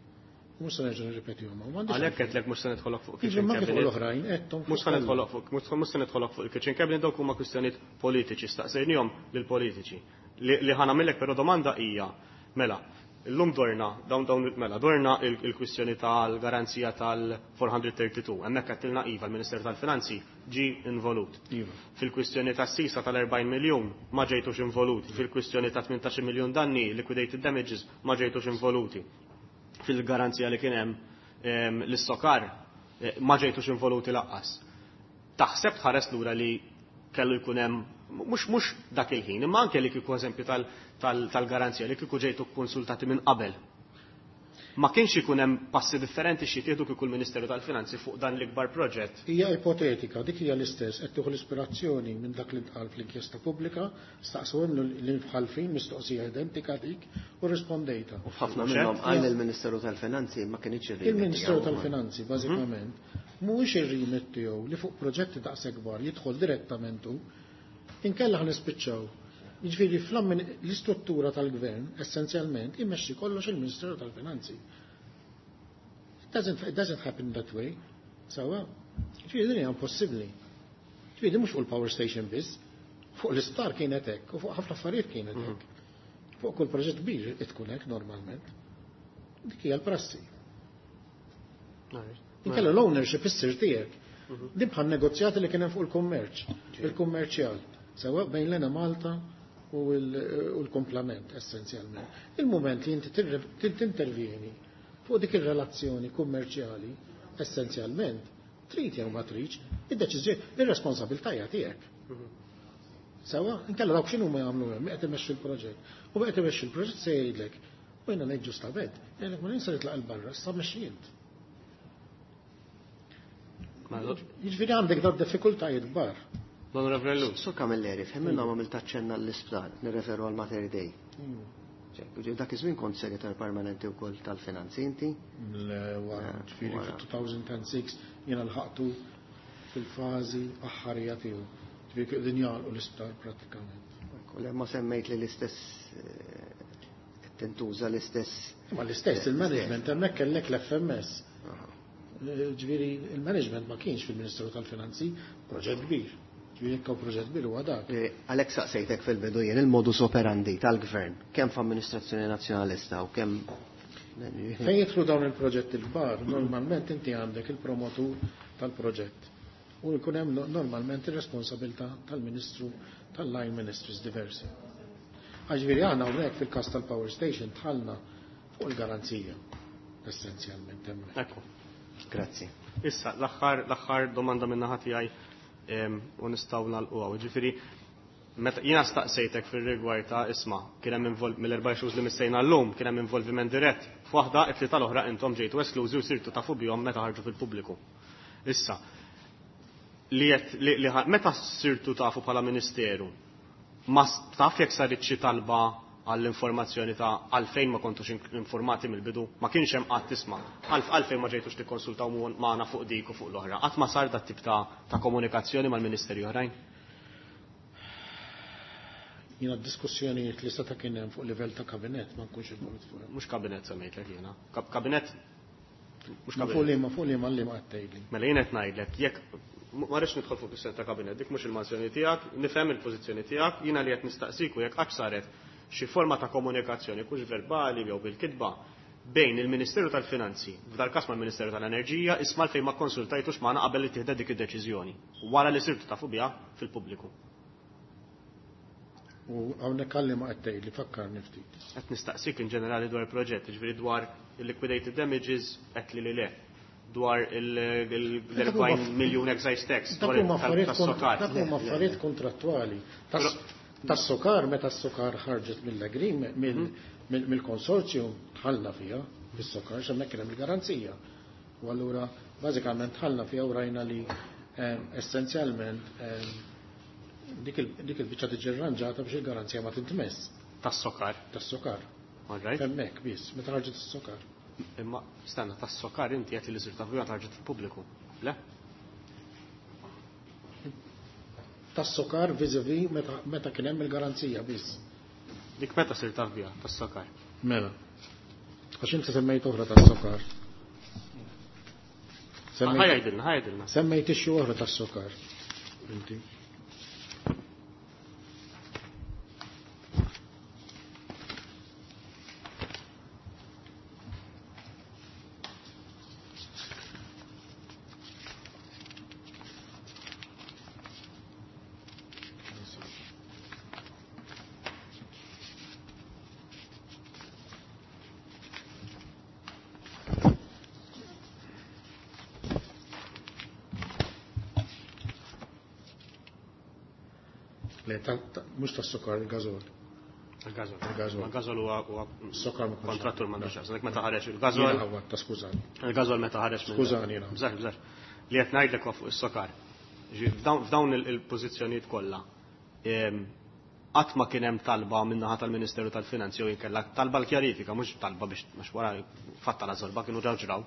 U mhux se nerġa' nirrepetihom. Għalhekk qedlek mhux se nidħolok fuq Jiġri kitchen ma kif cabinet. l-oħrajn għedthom. Mhux ħa nidħolok fuq mhux se nidħolok fuq il-kitchen cabinet dawk huma kwistjonijiet politiċi, staqsejnihom lill-politiċi. Li, li ħa nagħmillek però domanda hija, mela, illum dorna, dawn dawn mela, dorna il-kwistjoni tal-garanzija tal-four thirty-two. Hemmhekk għedtilna iva l-Ministeru tal-Finanzi ġi involut. Iva. Fil-kwistjoni tas-sisa tal-erbgħin miljun ma ġejtux involuti. Fil-kwistjoni ta' tmintax miljun danni, liquidated damages, ma ġejtux involuti. Fil-garanzija li kien hemm l-SOCAR eh, ma ġejtux involuti lanqas. Taħseb tħares lura li kellu jkun hemm mhux mhux dak il-ħin, imma anke li kieku eżempju tal-garanzija li kieku ġejtu konsultati minn qabel. Ma kienx ikun hemm passi differenti xi tieħdu kieku l-Ministeru tal-Finanzi fuq dan l-ikbar proġett? Hija ipotetika, dik hija l-istess, qed tieħu l-ispirazzjoni minn dak li ntqal fl-inkjesta pubblika, staqsewhom l-imħalfin mistoqsija identika dik u rispondejta. U f'ħafna minnhom qal il-Ministeru tal-Finanzi ma kienx ir-remit. Il-Ministeru tal-Finanzi bażikament mhuwiex ir-remit tiegħu li fuq proġetti daqshekk kbar jidħol direttament hu, inkella ħa nispiċċaw. Jiġifieri l-istruttura tal-gvern essenzjalment immexxi kollox il-Ministeru tal-Finanzi. It doesn't, it doesn't happen that way. Sewwa, ġifieri din hija impossibbli. Ġifieri mhux fuq il-power station biss, fuq l-isptar kienet hekk u fuq ħafna affarijiet kienet hekk. Fuq kull proġett kbir tkun hekk normalment. Dik hija l-prassi. Inkella l-ownership issir tiegħek. Din bħal negozjati li kien hemm fuq il-kummerċ, il-kummerċjal, sewwa bejn l-Enemalta u l-kumplament essenzjalment. Il-moment li inti tintervjeni fuq dik ir-relazzjoni kummerċjali essenzjalment, trid jew ma tridx, id-deċiżjoni, ir-responsabilità hija tiegħek. Sewwa, inkella dawk x'inhu ma jagħmlu hemm, qed imexxi l-proġett. U qed imexxi l-proġett se jgħidlek, u jiena ngħid ġustament, jgħidlek ma ninsa jitlaq il barra, sa mexxi int. Jiġifieri għandek dad diffikultajiet kbar. L-Onorevole Ellul. Sur Camilleri, f'ħin minnhom għamilt aċċenna l-isptar, nirreferu għal Mater Dei. Dak iż-żmien kont segretar permanenti wkoll tal-finanzi inti? Le, wara, ġifieri fil-two thousand and six jiena lħaqtu fil-fażi aħħarija tiegħu. Ġifieri din jagħlqu l-isptar prattikament. U ma semmejt li l-istess eh, tintuża l-istess. Ma l-istess il-management hemmhekk kellek l-F M S. Ġifieri il-management ma kienx fil-Ministeru tal-Finanzi, proġett kbir. Ġifieri jekk hawn proġett kbir huwa dak. Eh, għalhekk saqsejtek fil-bidu jien il-modus operandi tal-gvern, kemm f'amministrazzjoni nazzjonalista u kemm Fejn jidħlu dawn il-proġetti l-kbar, normalment inti għandek il-promotur tal-proġett. U jkun hemm normalment ir-responsabilità tal-Ministru tal-line ministries diversi. Ġifieri aħna hawnhekk fil-każ tal-power station dħalna fuq il-garanzija essenzjalment hemmhekk. Ekku. Grazzi. Issa, l-aħħar l-aħħar domanda minn naħa tiegħi u nistgħu nagħlquha. Ġifieri meta jiena staqsejtek fir-rigward ta' isma' kien hemm mill-erba' issues li missejna llum kien hemm involviment dirett. F'waħda it-tlieta l-oħra intom ġejtu esklużi u sirtu tafu bihom meta ħarġu fil-pubbliku. Issa, li li, li meta sirtu tafu bħala ministeru, ma taf jekk saret xi talba għall-informazzjoni ta' għalfejn ma kontux informati mill-bidu, ma kienx hemm qatt tisma' għalfejn ma ġejtux tikkonsultaw magħna fuq dik u fuq l-oħra. Qatt ma sar dat tip ta', ta' komunikazzjoni mal-ministeri oħrajn? Jiena diskussjonijiet li seta' kien hemm fuq livell ta' kabinet ma nkunx involut fuq. Mhux kabinet semmejtlek jiena. Kabinet mhux kabinet. Fuq liema fuq liema li ma qed tgħidli. Mela jien qed ngħidlek jekk ma rridx nidħol fuq is ta' kabinet, dik mhux il-mansjoni tiegħek, nifhem il-pożizzjoni tiegħek, jiena li qed nistaqsiku jekk qatt saret xi forma ta' komunikazzjoni kux verbali jew bil-kitba bejn il-Ministeru tal-Finanzi, f'dal każ mal-Ministeru tal-Enerġija, isma' fejn ma konsultajtux magħna qabel li tieħda dik id-deċiżjoni, wara li sirtu tafu biha fil-pubbliku. U hawnhekk għalli ma qed tgħidli fakkarni ftit. Qed nistaqsik in ġenerali dwar il-proġett, ġifieri dwar il-liquidated damages qed li li le dwar il-erbgħin miljun excise tax. Dak huma affarijiet kontrattwali. Tas-SOCAR, meta s-SOCAR ħarġet mill-agreement, mill-konsorzju, tħallna fiha, fis-SOCAR, x'hemmhekk kien hemm il-garanzija. U allura, bażikament tħallna fiha u rajna li essenzjalment dik il-biċċa tiġi rranġata biex il-garanzija ma tintmess. Tas-SOCAR? Tas-SOCAR. Hemmhekk biss, meta ħarġet is-SOCAR. Imma stanna tas-SOCAR inti qed li sirta fiha ħarġet fil-pubbliku. Le? Tas-SOCAR vis-a-vis meta kien hemm il-garanzija biss. Dik meta sirt taf biha tas-SOCAR? Mela. Għax inti semmejt oħra tas-SOCAR. Ħajdilna, ħajdilna. Semmejt ixxu oħra tas-SOCAR. Inti. Mux tas-SOCAR, il-gazol. Il-gazol. Il-gazol. Il-gazol huwa SOCAR ma kontrattur m'għandux x'jaqsam. Dik meta ħareġ il-gazol. Jiena ħawwatta, skużani. Il-gazol meta ħareġ minn. Skużani jiena. Bżar, bżar. Li qed ngħidlek huwa fuq is-SOCAR. F'dawn il-pożizzjonijiet kollha qatt ma kien hemm talba min-naħa tal-Ministeru tal-Finanzi jew inkella talba l-kjarifika, mhux talba biex mhux wara fatta la żorba kienu ġew ġraw.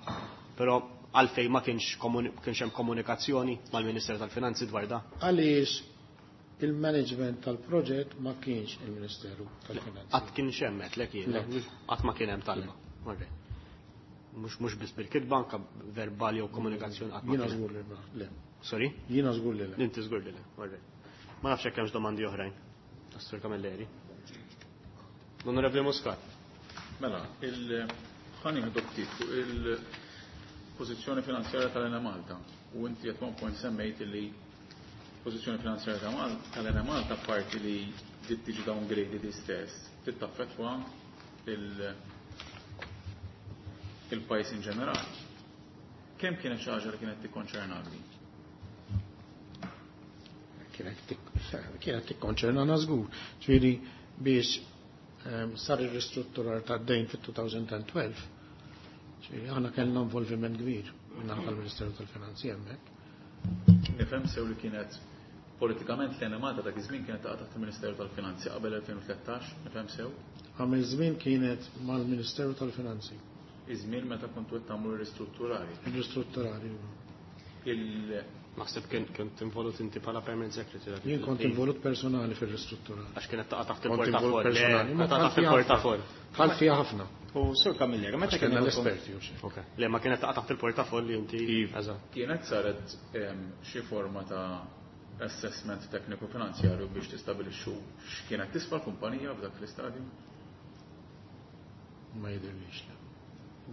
Però għalfejn ma kienx kienx hemm komunikazzjoni mal-Ministeru tal-Finanzi dwar da. Għaliex il-management tal-proġett ma kienx il-Ministeru tal-Finanzi. Qatt kienx hemm lek jien, qatt ma kien hemm talba. Mhux mhux biss bil-kitba, anke verbali jew komunikazzjoni qatt ma Jiena żgur li le. Sorry? Jiena żgur li le. Inti żgur li le. Ma nafx hekk hemmx domandi oħrajn. Assur Camilleri. L-Onorevoli Muscat. Mela, il-ħani ftit fuq il-pożizzjoni finanzjarja tal-Enemalta u inti at one point semmejt li pożizzjoni finanzjarja tal-Enemalta parti li dit tiġi downgraded istess, tittaffettwa il-pajjiż in ġenerali. Kemm kienet xi ħaġa li kienet tikkonċernak din? Kienet tikkonċernana żgur. Ġifieri biex sar ir-ristrutturar tad-dejn fit-twenty twelve, ġifieri aħna kellna involviment kbir min-naħa tal-Ministeru tal-Finanzi hemmhekk. Nifhem sew li kienet politikament l-Enemalta dak iż-żmien kienet taqa' taħt il-Ministeru tal-Finanzi qabel elfejn u tlettax, nifhem sew? Għamil żmien kienet mal-Ministeru tal-Finanzi. Iż-żmien meta kontu qed tagħmlu ristrutturali. Ristrutturali. Il Naħseb kien kont involut inti bħala permanent secretary. Jien kont involut personali fir-ristrutturali. Għax kienet taqa' taħt Kont involut il-portafol. personali. Le, taqa' taħt il-portafol. Tħall fiha ħafna. U Sur Camilleri, meta Għax kellna kien l-esperti u xi. Ok. Le, ma kienet taqa' taħt il-portafol li inti. Eżatt. Kienet saret xi forma ta' assessment tekniku finanzjarju biex tistabilixxu x'kienet tisfa l-kumpanija f'dak l-istadju? Ma jidhirlix, le.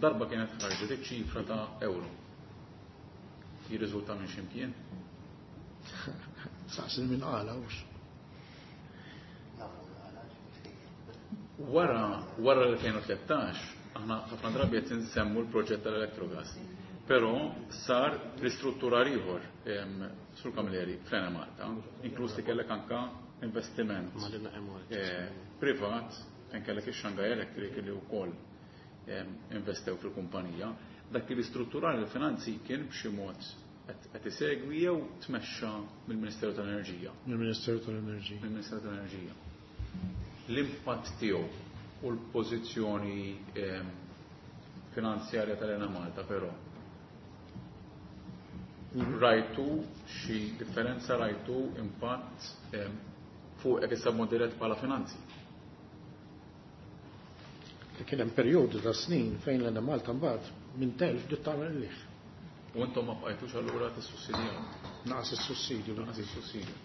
Darba kienet ħarġet iċ-ċifra ta' euro. Jirriżulta minn x'imkien? Saqsi minn qala hux. Wara, wara l-elfejn u tlettax, aħna ħafna drabi qed insemmu l-proġett tal-Electrogas. Però sar ristrutturar ieħor, Sur Camilleri, fl-Enemalta, inkluż li kellek anka investiment, eh, privat, fejn kellek ix-Shanghai Electric li wkoll, em, investew fil-kumpanija. Dak li ristrutturar il-finanzi kien b'xi mod qed isegwi jew tmexxa mill-Ministeru tal-Enerġija? Mill-Ministeru tal-Enerġija. Mill-Ministeru tal-Enerġija. L-impatt tiegħu u l-pożizzjoni, em, finanzjarja tal-Enemalta però. Rajtu xi differenza, rajtu impatt, em, fuq hekk issa b'mod dirett bħala finanzi? Kien hemm perjodu ta' snin fejn l-Enemalta mbagħad minn telf bdiet tagħmel liħ. U intom ma bqajtux allura tissussidjaw? Naqas is-sussidju. Naqas is-sussidju.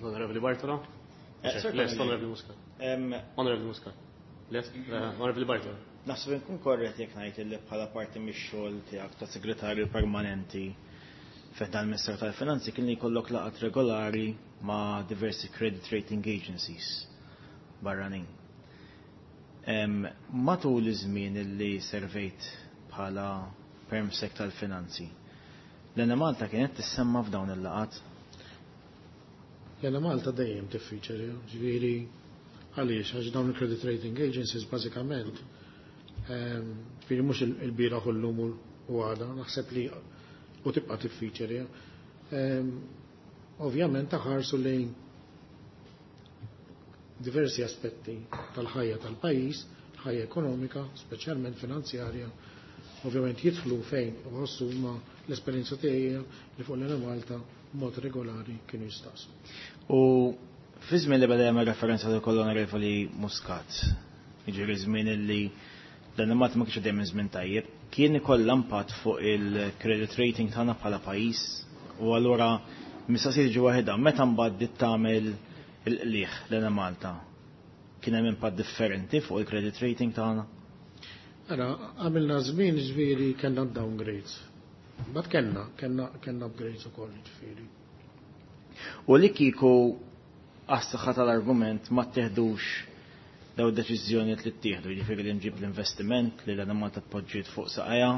Onorevoli Bartolo? Eh, Sir Lest, Camilleri. Onorevoli Muscat. Em, Onorevoli Muscat. Lest, eh, Onorevoli Bartolo. Naħseb inkun korrett jekk ngħid li bħala parti mix-xogħol tiegħek ta' segretarju permanenti fejn dan il-Ministeru tal-Finanzi kien li jkollok laqgħat regolari ma' diversi credit rating agencies barranin. Em, matul iż-żmien li servejt bħala permsec tal-finanzi, l-Enemalta kienet tissemma f'dawn il-laqgħat? L-Enemalta dejjem tiffiċeri, ġifieri għaliex għax dawn il-credit rating agencies bażikament ġifieri mhux il-bieraħ u llum u għada, naħseb li u tibqa' tiffiċeri. Ovvjament taħarsu lejn diversi aspetti tal-ħajja tal-pajjiż, ħajja ekonomika, speċjalment finanzjarja, ovvjament jidħlu fejn uħossu ma l-esperjenza tiegħi li fuq l-Enemalta mod regolari kienu jistaqsu. U fi żmien li beda jagħmel referenza lil onorevoli Muscat, jiġifieri żmien li l-Enemalta ma kienx għaddej minn żmien tajjeb, kien ikollha impatt fuq il-credit rating tagħna bħala pajjiż u allura mistoqsija tiġi waħedha, meta mbagħad bdiet tagħmel il-qligħ l-Enemalta, kien hemm impatt differenti fuq il-credit rating tagħna? Ara, għamilna żmien ġifieri kellna downgrades. Mbagħad kellna, kellna kellna upgrades ukoll ġifieri. U li kieku għas-saħħa tal-argument ma ttieħdux daw id-deċiżjonijiet li ttieħdu, jiġifieri li nġib l-investiment li l-Enemalta tpoġġiet fuq saqajja.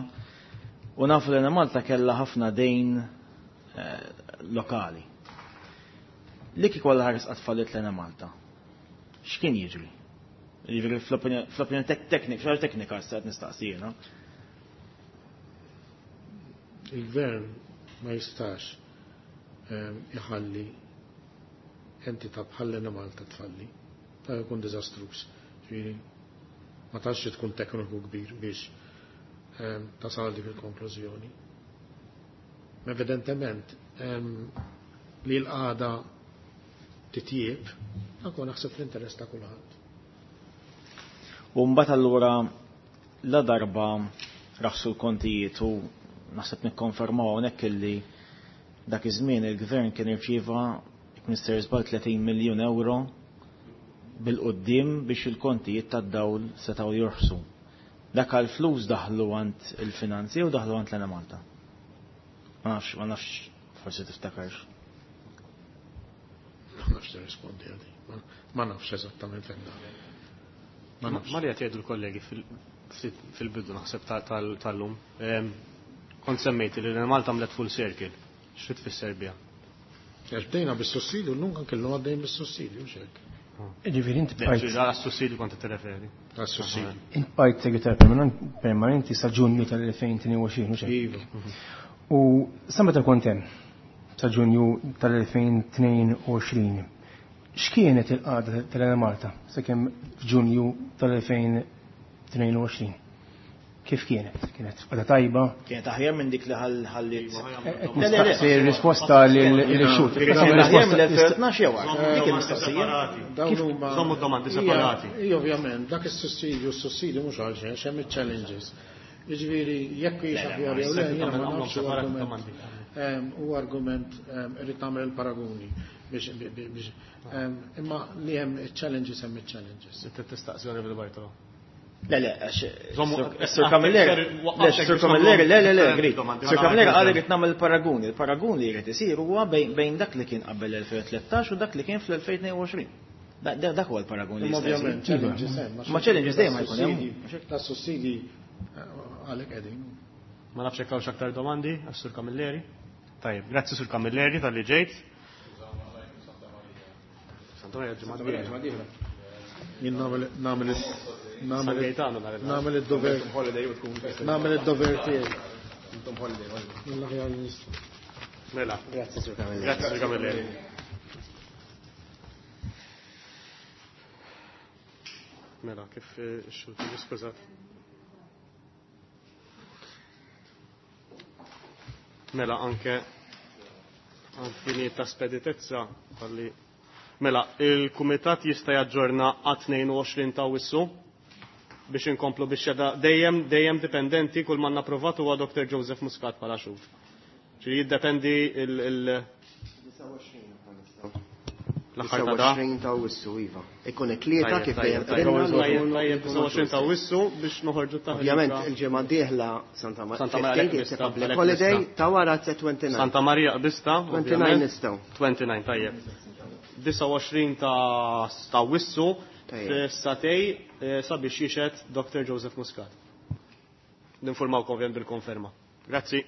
U nafu l-Enemalta kellha ħafna dejn lokali. Li kieku għal ħares qatt fallit l-Enemalta, x'kien jiġri? Jiġifieri fl-opinjoni teknika, xi ħaġa teknika issa qed nistaqsi jiena. Il-gvern ma jistax iħalli entità bħal l-Enemalta tfalli. Ta' jkun diżastruż. Ġifieri ma tantx tkun tekniku kbir biex tasal dik il-konklużjoni. Evidentement li l-qagħda titjieb, dak naħseb fl-interess ta' kulħadd. U mbagħad allura la darba raħsu l-kontijiet u naħseb nikkonfermaw hawnhekk illi dak iż-żmien il-gvern kien irċieva jekk mister żball tletin miljun euro bil-qoddim biex il-kontijiet tad-dawl setgħu jorħsu. Dak għall-flus daħlu għand il-finanzi u daħlu għand l-Enemalta. Ma nafx, ma nafx, forsi tiftakarx. Ma nafx tirrispondi għadi. Ma nafx eżattament fejn daħlu. Ma nafx. Ma li qed jgħidu l-kollegi fil-bidu naħseb tal-lum. Kont semmejt li l-Enemalta għamlet full circle. Xi tfisser biha? Għax bdejna bis-sussidju, llum anke llum għaddejn bis-sussidju, mhux hekk. Ġifieri inti bqajt. Għas-sussidju kont tirreferi. Għas-sussidju. Int bqajt segretar permanenti sa Ġunju tal-elfejn tnejn u għoxrin, mhux hekk? Iva. U sa meta kont hemm sa Ġunju tal-elfejn tnejn u għoxrin, x'kienet il-qagħda tal-Enemalta sakemm f'Ġunju tal-elfejn tnejn u għoxrin? Kif kienet? Kienet qagħda tajba? Kienet aħjar minn dik li ħallit. Nistaqsi r-risposta lil-xhud. Kienet aħjar mill-elfejn tnax jew aktar. Dik il-mistoqsija. Dawn huma Żommu d-domandi separati. Ija, ovvjament, dak is-sussidju, s-sussidju mhux għal xejn, x'hemm iċ-challenges. Jiġifieri jekk hix aħjar jew le, jiena ma nafx argument. U argument irid nagħmel il-paraguni biex biex imma li hemm iċ-challenges hemm iċ-challenges. Inti tistaqsi Onorevoli Bartolo. Le, le, Sur Camilleri, le, Sur Camilleri, le, le, le, grit. Sur Camilleri qal irid nagħmel il-paraguni. Il-paragun li jrid isir huwa bejn dak li kien qabel l-elfejn tlettax u dak li kien fl-elfejn tnejn u għoxrin. Dak huwa l-paragun li jista' jsir. Ovvjament, challenges hemm. Ma challenges dejjem jkun hemm. Ta' sussidji għalhekk qegħdin. Ma nafx hekk hawnx aktar domandi għas-Sur Camilleri. Tajjeb, grazzi Sur Camilleri talli ġejt. Santa Maria ġimgħa dieħla. Jien nagħmel nagħmel nagħmel id-dover nagħmel id-dover tiegħi. Intom holiday. Mill-aħjar li nista'. Mela. Grazzi Sur Camilleri. Grazzi Sur Camilleri. Mela, kif ix-xulti skużat. Mela anke għal ta' speditezza tal-li Mela, il-Kumitat jista' jaġġorna għat tnejn u għoxrin ta' Awwissu biex inkomplu biex jada dejjem dejjem dipendenti kull ma napprovat huwa Doktor Joseph Muscat bħala xhud. Ġifieri jiddependi il il l-aħħar ta' da. disgħa u għoxrin ta' Awwissu, iva. Ikun it-tlieta kif dejjem Tajjeb, qbilna tajjeb, li tajjeb, disgħa u għoxrin ta' Awwissu biex noħorġu ta' Ovvjament il-ġimgħa d-dieħla Santa Maria Santa Maria fifteen, Qbista, public għalhekk holiday, nista'. ta' wara twenty-nine. Santa Maria Qbista, twenty-nine ovvjament. nistgħu. twenty-nine, tajjeb. disgħa u għoxrin ta' ta' Awwissu Tajjeb. fis-satej sabiex jixhed Doktor Joseph Muscat. Ninformawkom ovvjament bil-konferma. Grazzi.